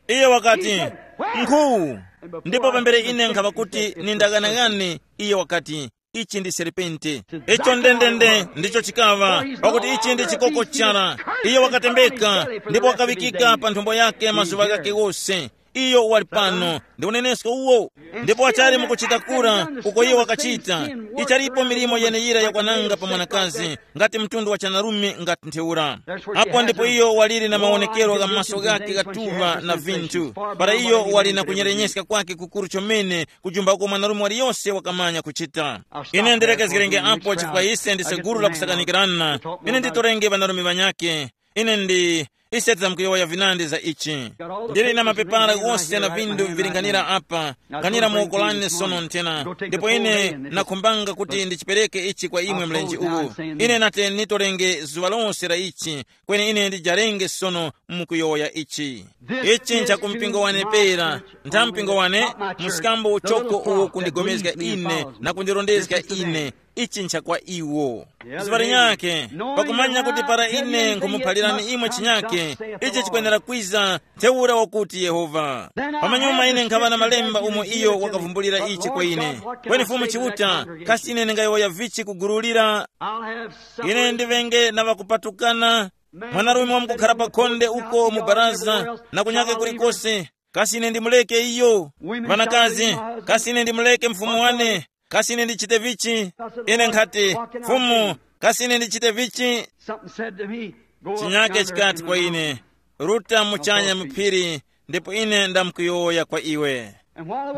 Iye wakati, nkhu. Ndipo pambere ine nkhaŵa kuti nindaghanagane, iye wakati, ichi ndi serpente. Icho ndendende ndicho chikaŵa, pakuti ichi ndi chikoko chara. Iye wakatembeka, ndipo wakaŵikika pa nthumbo yake mazuŵa ghake ghose. Iyo wali pano, ndi unenesko uwo. Ndipo wachali mukuchita kura, uko iye wakachita, ichalipo milimo yeneyira yakwananga pa mwanakazi, ngati mtundu wa chanarume ngati ntheura. Apo ndipo iyo waliri na mawonekero gha maso ghake ghatuŵa na vinthu, para iyo wali na kunyerenyezga kwake kukuru chomene, kujumba uko mwanarume waliyose wakamanya kuchita. Ine ndilekezgerenge apo chifukwa ise ndi seguru la kusakanikirana. Ine nditorenge ŵanarume ŵanyake. Ine ndi, ise tidzamkuyowoya vinandi za ichi. Ndili na mapepala ghose na vinthu vivilinganira apa, kanira mu woko lane sono nthena, ndipo ine nakhumbanga kuti ndichipereke ichi kwa imwe mlenje uwu. Ine nate nitolenge zuŵa lose la ichi, kweni ine ndijarenge sono mukuyowoya ichi. Ichi ncha ku mpingo wane pera, ntha mpingo wane, msikambo uchoko uwo kundigomezga ine na kundirondezga ine. Ichi ncha kwa iwo. Zipali nyakhe, pakumanya kuti para ine nkhumuphalirani imwe chinyakhe, ichi chikwenera kwiza ntheura wakuti Yehova. Pamanyuma ine nkhaŵa na malemba umo iyo wakavumbulira ichi kwa ine. Kweni Fumu Chiuta, kasi ine ndingayowoya vichi kugululira? Ine ndiŵenge na ŵakupatukana, mwanarume wamkukhara pa khonde uko mu baraza na kunyake kulikose. Kasi ine ndimuleke iyo? Ŵanakazi, kasi ine ndimuleke mfumu wane? Kasi ine ndichite vichi? Ine nkhati, Fumu, kasi ine ndichite vichi? Something said to me, "Go up chinyake yonder chikati kwa ine, ruta muchanya muphiri, ndipo ine ndamkuyowoya kwa iwe."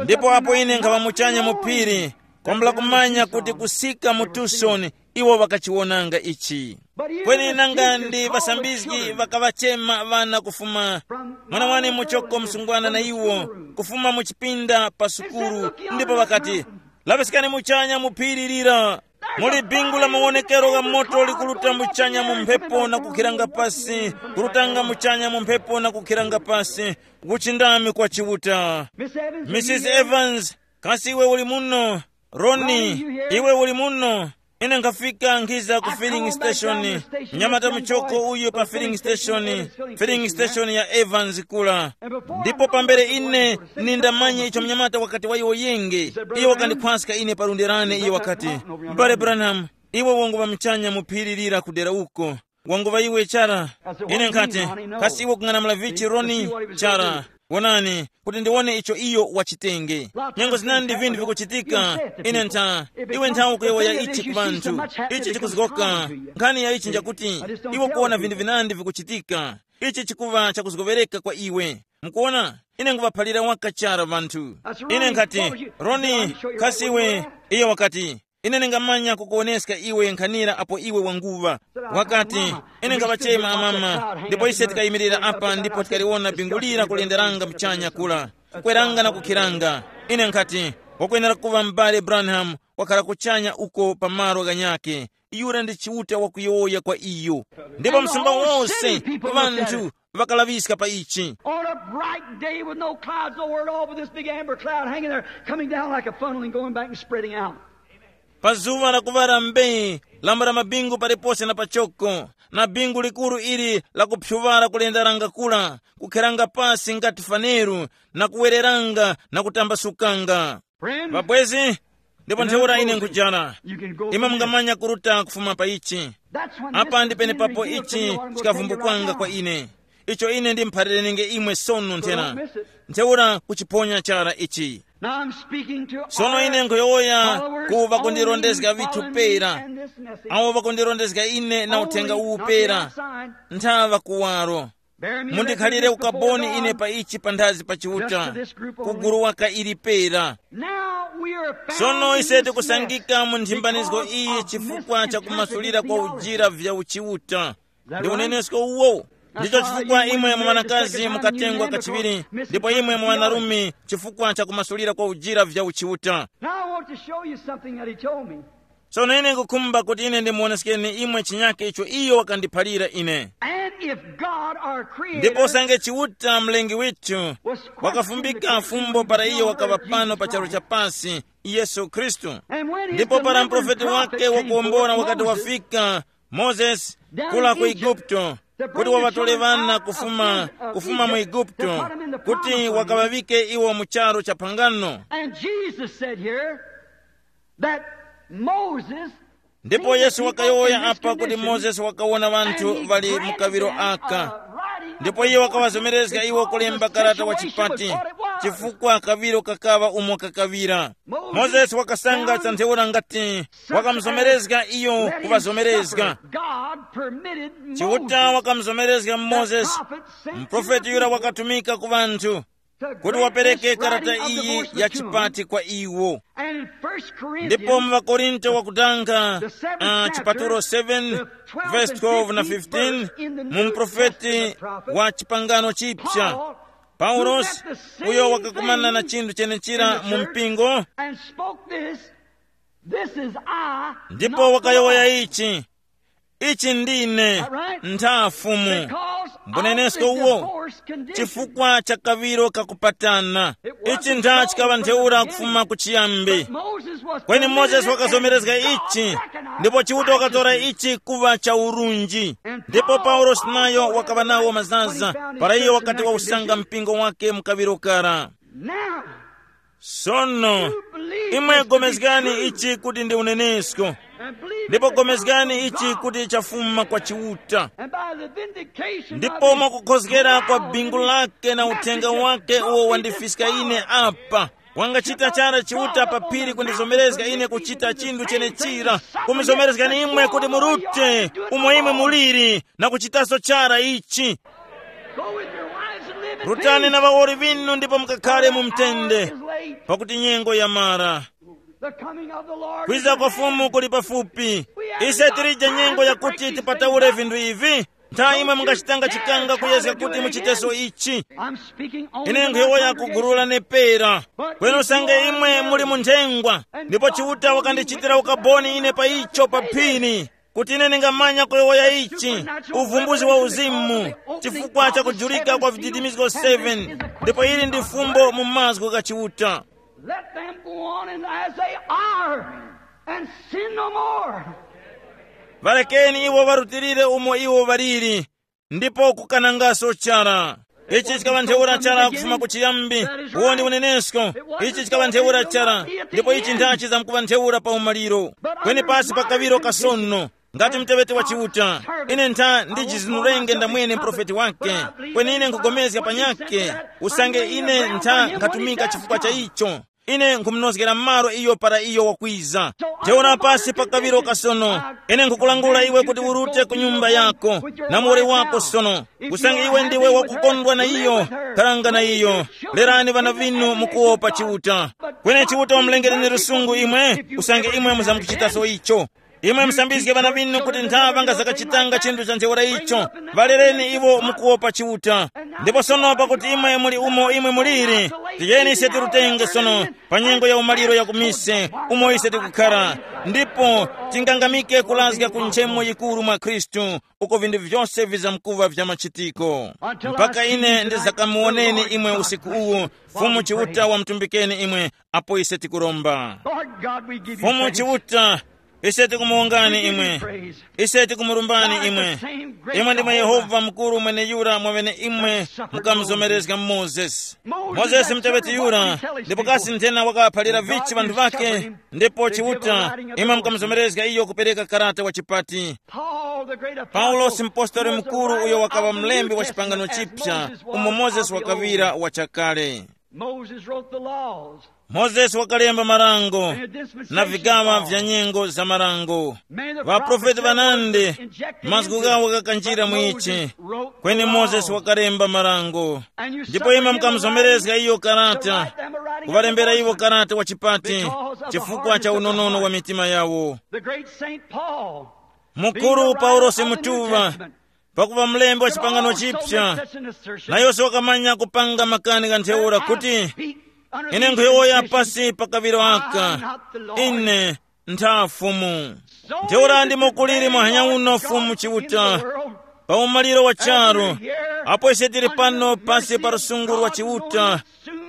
Ndipo apo ine nkhaŵa muchanya muphiri, kwambula kumanya kuti kusika mu Tucson iwo ŵakachiwonanga ichi. Kweni nanga ndi ŵasambizgi ŵakaŵachema ŵana kufuma, mwana wane muchoko msungwana na iwo, kufuma mu chipinda pa sukulu, ndipo ŵakati, laŵiskani muchanya mu phiri lira. Muli bingu la mawonekero gha moto likuruta muchanya mu mphepo na kukhiranga pasi, kurutanga muchanya mu mphepo na kukhiranga pasi, kuchindami kwa Chiuta. Missus Evans, kasi iwe uli muno? Roni, iwe uli muno? Ine nkhafika nkhiza ku filling station. Mnyamata muchoko uyu pa filling station, filling station ya Evans kula. Ndipo pambere ine nindamanya icho mnyamata wakati wayowoyenge, iyo wakandikhwaska ine pa lundi lane, iyo wakati, mbale Branham, iwe wanguŵa muchanya mu phiri lira kudera uko. Wanguŵa iwe chara. Ine nkhati, kasi iwe kung'anamula vichi Roni? Chara, wonani, kuti ndiwone icho iyo wachitenge. Nyengo zinandi vinthu vikuchitika. Ine ntha, iwe nthawe kuyowoya ichi ku vanthu. Ichi chikuzgoka. Nkhani ya ichi njakuti, iwe kuwona vinthu vinandi vikuchitika. Ichi chikuŵa chakuzgoŵereka kwa iwe. Mukuwona, ine nguŵaphalira waka chara vanthu. Ine nkhati, Roni, kasi iwe? Iye wakati, ine ndingamanya kukuwoneska iwe nkhanira apo iwe wanguŵa. Wakati, ine ngaŵachema amama, ndipo ise tikayimirira apa ndipo tikaliwona bingu lira kulenderanga muchanya kula, kukweranga na kukhiranga. Ine nkhati, wakwenera kuŵa m'bale Branham, wakhala kuchanya uko pa malo ghanyakhe. Yura ndi Chiuta wakuyowoya kwa iyo. Ndipo msumba wose, vanthu, vakalaŵiska pa ichi. On a bright day with no clouds nowhere at all, with this big amber cloud hanging there, coming down like a funnel and going back and spreading out. Pa zuŵa lakuŵala mbee, lamba la mabingu palipose na pachoko, na bingu likuru ili lakuphyuŵala kulendaranga kula, kukheranga pasi ngati faneru, na kuwereranga na kutambasukanga. Friends, vabwezi, ndipo ntheura ine nkujana. Imwe mungamanya kuruta kufuma pa ichi. Apa ndi penepapo ichi chikavumbukanga kwa ine. icho ine ndimuphalirenge imwe sono nthena. Ntheura kuchiponya chara ichi. Now I'm speaking to sono ine nkhuyowoya ku vakundilondezga vithu pera, awo vakundilondezga ine na uthenga uwu pera. Nthaŵa kuwaro. Mundikhalire ukaboni ine pa ichi panthazi pa Chiuta, kugulu waka ili pera. Sono ise tikusangika mu nthimbanizgo iyi chifukwa cha kumasulira kwa ujira vya uchiuta. Ndi unenesko uwo. Ndicho chifukwa imwe mwanakazi mukatengwa kachiŵiri, ndipo imwe mwanarume chifukwa cha kumasulira kwa ujira vya uchiuta. Now I want to show you something that he told me. Sono ine nkukhumba kuti ine ndimuoneskeni imwe chinyake icho iyo wakandiphalira ine. And if God our Creator ndipo usange Chiuta mlengi withu was wakafumbika fumbo para iyo wakaŵa pano pa charu cha pasi, Yesu Khristu. And when ndipo para mprofeti wake wakuwombora wakati wafika, Moses, kula ku Igupto, kuti waŵatole ŵana kufuma, kufuma mu Igupto, kuti wakaŵavike iwo mu charu cha phangano. And Jesus said here that Moses ndipo Yesu wakayowoya apa kuti Mozesi wakawona ŵanthu ŵali mu kaŵiro aka. Ndipo iye wakaŵazomerezga iwo kulemba karata wa chipati, chifukwa kaŵiro kakaŵa umo kakaŵira. Mozesi wakasanga cha ntheura ngati wakamuzomerezga iyo kuŵazomerezga. Chiuta wakamuzomerezga Mozesi, mprofeti yura wakatumika ku ŵanthu kuti wapereke karata iyi ya chipati kwa iwo. Ndipo mu ŵakorinto wakutanga, uh, chipatulo seven, verse twelve na fifteen, mu mprofeti wa chipangano chipya, Paulosi, uyo wakakumana na chinthu chenechira mu mpingo. This is I, ndipo wakayowoya ichi, ichi ndine, ntha Fumu. Mbunenesko uwo, chifukwa cha kaŵiro kakupatana. Ichi ntha chikaŵa ntheura kufuma kuchiyambi. Kweni Mozesi wakazomerezga ichi, ndipo Chiuta wakatora ichi kuŵa cha urunji. Ndipo Paulosi nayo wakaŵa nawo mazaza para iyo wakati wausanga mpingo wake mu kaŵiro kara. Sono, imwe gomezgani ichi kuti ndi unenesko, ndipo gomezgani ichi kuti chafuma kwa Chiuta. Ndipo mwakukhozgera kwa bingu lake na uthenga wake uwo wandifiska ine apa, wangachita chara Chiuta pa phiri kundizomerezga ine kuchita chinthu chenechira, kumizomerezgani imwe kuti murute umo imwe muliri na kuchitaso chara ichi. Rutani na ŵawoli ŵinu ndipo mukakhale mu mtende, pakuti nyengo yamara. Kwiza kwa Fumu kuli pafupi. Ise tilije nyengo yakuti tipataule vinthu ivi. Ntha imwe mungachitanga chikanga kuyezga kuti muchiteso ichi. Ine nkhuyowoya ku gulu la nepera. Kweni usange imwe muli mu nthengwa, ndipo Chiuta wakandichitira ukaboni ine pa icho pa phiri, kuti ine ndingamanya kuyowoya ichi, uvumbuzi wa uzimu, chifukwa cha kujulika kwa vididimizgo seven. Ndipo ili ndi fumbo mu mazgu gha Chiuta. Let them go on and as they are, and sin no more. Ŵalekeni iwo ŵarutilire umo iwo ŵaliri, ndipo kukanangaso chara. Ichi chikaŵa ntheura chara kufuma kuchiyambi. Uwo ndi unenesko. Ichi chikaŵa ntheura chara, ndipo ichi nthachi zamkuŵa ntheura pa umaliro. Kweni pasi pa kaŵiro kasono, ngati mteŵeti wa Chiuta, ine ntha ndijizinurenge ndamwene mprofeti wake. Kweni ine nkugomezga panyake, usange ine ntha nkhatumika chifukwa cha icho. Ine nkhumunozgera malo iyo para iyo wakwiza. Ntheura pasi pa kaŵiro kasono, ine nkhukulangula iwe kuti urute ku nyumba yako, na muwoli wako sono, usange iwe ndiwe wakukondwa na iyo. Kharanga na iyo. Lerani ŵana vinu mukuwopa Chiuta. Kweni Chiuta wamulengereni lusungu imwe, usange imwe muzamukuchitaso icho. Imwe musambizge ŵana vinu kuti ntha ŵangazakachitanga chinthu cha ntheura icho. Ŵalereni iwo mukuwopa Chiuta. Ndipo sono pakuti imwe muli umo imwe muliri, tiyeni ise tirutenge sono pa nyengo ya umaliro ya kumise umo ise tikukhara, ndipo tingangamike kulazga ku nchemo yikuru mwa Khristu, uko vinthu vyose vizamkuŵa vya machitiko. Mpaka ine ndizakamuwoneni imwe usiku uwu, Fumu Chiuta wamutumbikeni imwe, apo ise tikuromba. Lord God, we give you Fumu thanks. Chiuta, Ise tikumuwongani imwe. Ise tikumurumbani imwe. Imwe ndimwe Yehova mukuru mwene yura mwamene imwe mukamuzomerezga Mozesi. Mozesi muteweti yura, ndipo kasi nthena wakaphalira vichi vanthu vake? Ndipo Chiuta, imwe mukamuzomerezga iyo kupereka karata wa chipati. Paulosi mpostoli mukuru uyo wakaŵa mlembi wa chipangano chipsa, umo Mozesi wakaŵira wa chakale. Moses wrote the laws. Mozesi wakalemba marango na vigaŵa vya nyengo za marango. Ŵaprofeti ŵanandi, mazgu ghawo ghakanjira mu ichi. Kweni Mozesi wakalemba marango. Ndipo imwe mukamuzomerezga iyo karata, kuŵalembera iwo karata wa chipati, chifukwa cha unonono wa mitima yawo. The great Saint Paul, mukuru Paulosi mutuŵa, pakuva mlembi wa chipangano chipsa, na yose wakamanya kupanga makani gha ntheura kuti, ine nkhuyowoya pasi pa kaŵiro aka, ine ntha Fumu. Ntheura ndimo kuliri muhanya uno Fumu Chiuta, pa umaliro wa charu, apo ise tili pano pasi pa lusunguru wa Chiuta,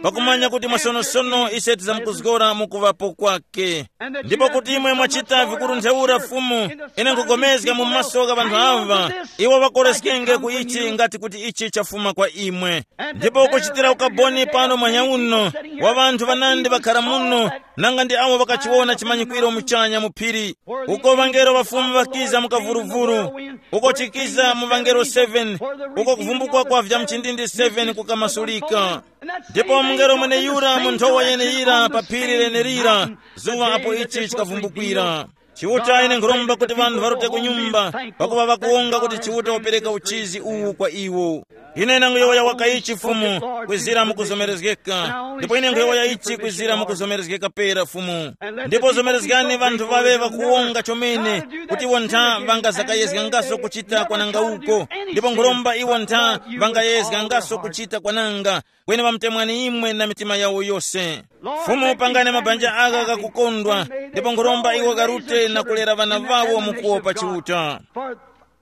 pakumanya kuti mwasonosono ise tizamkuzgora mu kuŵapo kwake. Ndipo kuti imwe mwachita vikuru ntheura Fumu, ine nkugomezga mu maso gha ŵanthu aŵa, iwo ŵakoreskenge ku ichi ngati kuti ichi chafuma kwa imwe. Ndipo kuchitira ukaboni pano mwanya uno, wa ŵanthu ŵanandi ŵakhara muno, nanga ndi awo ŵakachiwona chimanyikwiro muchanya mu phiri, uko ŵangelo ŵa Fumu ŵakiza mu kavuruvuru, uko chikiza mu ŵangelo seven, uko kuvumbukwa kwa vya mchindindi seven kukamasulika. Ndipo mungelo mweneyura mu nthowa yeneyira pa phiri lenelira, zuŵa apo ichi chikavumbukira. Chiuta, ine nkhuromba kuti ŵanthu ŵarute ku nyumba, pakuŵa ŵakuwonga kuti Chiuta wapereka uchizi uwu kwa iwo. Ine ndanguyowoya waka ichi Fumu, kwizira mukuzomerezgeka. Ndipo ine nkhuyowoya ichi kwizira mukuzomerezgeka pera Fumu. Ndipo zomerezgani ŵanthu ŵaŵe ŵakuwonga chomene, kuti iwo ntha ŵangazakayezgangaso kuchita kwananga uko. Ndipo nkhuromba iwo ntha ŵangayezgangaso kuchita kwananga, kweni ŵamutemwani imwe na mitima yawo yose. Fumu, pangani mabanja agha ghakukondwa, ndipo nkhuromba iwo gharute na kulera ŵana ŵawo mu kuwopa Chiuta.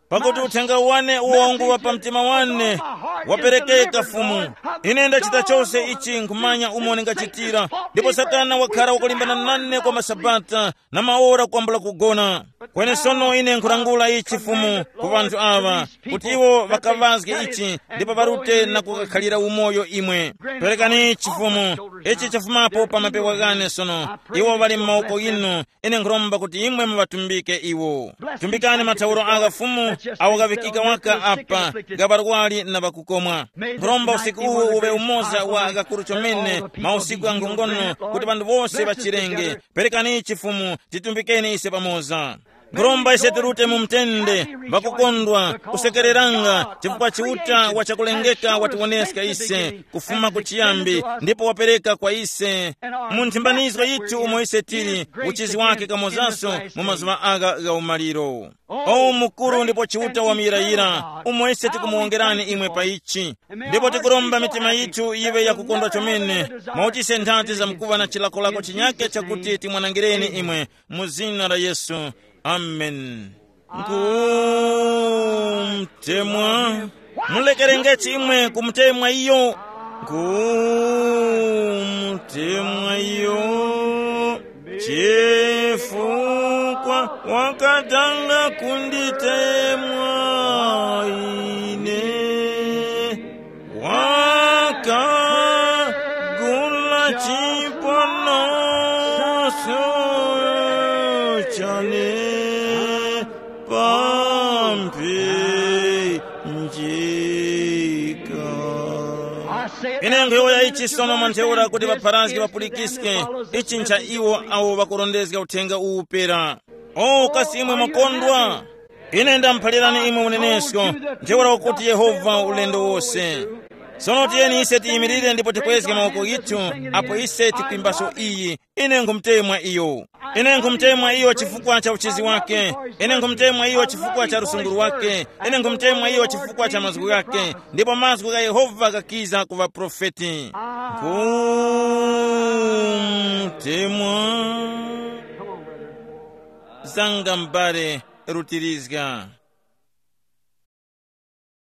Pakuti uthenga wane uwo nguŵa pa mtima wane waperekeka Fumu. Ine ndachita chose ichi nkhumanya umo ndingachitira, ndipo Satana wakhala wakulimbana nane kwa masabata na maora kwambula kugona. Kweni sono ine nkhulangula ichi Fumu ku ŵanthu aŵa, kuti iwo ŵakaŵazge ichi ndipo ŵarute na kukakhalira umoyo imwe. Perekani ichi Fumu, ichi chafumapo pa mapewa ghane sono. Iwo ŵali mu mawoko ghinu, ine nkhuromba kuti imwe muŵatumbike iwo. Tumbikani mathauro agha Fumu awo ghaŵikika waka apa, ga ŵarwari na ŵakukomwa. Nkhuromba usiku uwu uŵe umoza wa ghakuru chomene, mausiku gha nkhongono, kuti ŵanthu wose ŵachirenge. Perekani ichi Fumu, titumbikeni ise pamoza. Nkhuromba ise tirute mu mtende, ŵakukondwa, kusekereranga, chifukwa Chiuta wa chakulengeka watiwoneska ise kufuma ku chiyambi, ndipo wapereka kwa ise mu nthimbanizgo yithu umo ise tili, uchizi wake kamozanso mu mazuŵa agha gha umaliro. O mukuru ndipo Chiuta wa muyirayira, umo ise tikumuwongerani imwe pa ichi. Ndipo tikuromba mitima yithu yiŵe yakukondwa chomene, mwakuti ise nthati zamkuŵa na chilakolako chinyake chakuti timwanangireni imwe, mu zina la Yesu. Amen. Nkumtemwa. Mulekerenge chimwe kumutemwa iyo. Nkumtemwa iyo. Chifukwa wakatanga kunditemwa ine. Wakagula chiponoso chane pampe njika. Ine nkhuyowoya ichi sono mwa ntheura kuti ŵapharazgi ŵapulikiske, ichi ncha iwo awo ŵakurondezga uthenga uwu pera. O kasi imwe mwakondwa? Ine ndamuphalirani imwe unenesko, ntheura wakuti Yehova ulendo wose. Sono tiyeni ise tiyimirire ndipo tikwezge mawoko ghithu, apo ise tikwimbaso iyi. Ine nkhumutemwa iyo. Ine nkhumutemwa iyo chifukwa cha uchizi wake. Ine nkhumutemwa iyo chifukwa cha lusunguru wake. Ine nkhumutemwa iyo chifukwa cha mazgu ghake. Ndipo mazgu gha Yehova ghakiza ku ŵaprofeti. Nkhumutemwa. Zanga m'bale, rutirizga.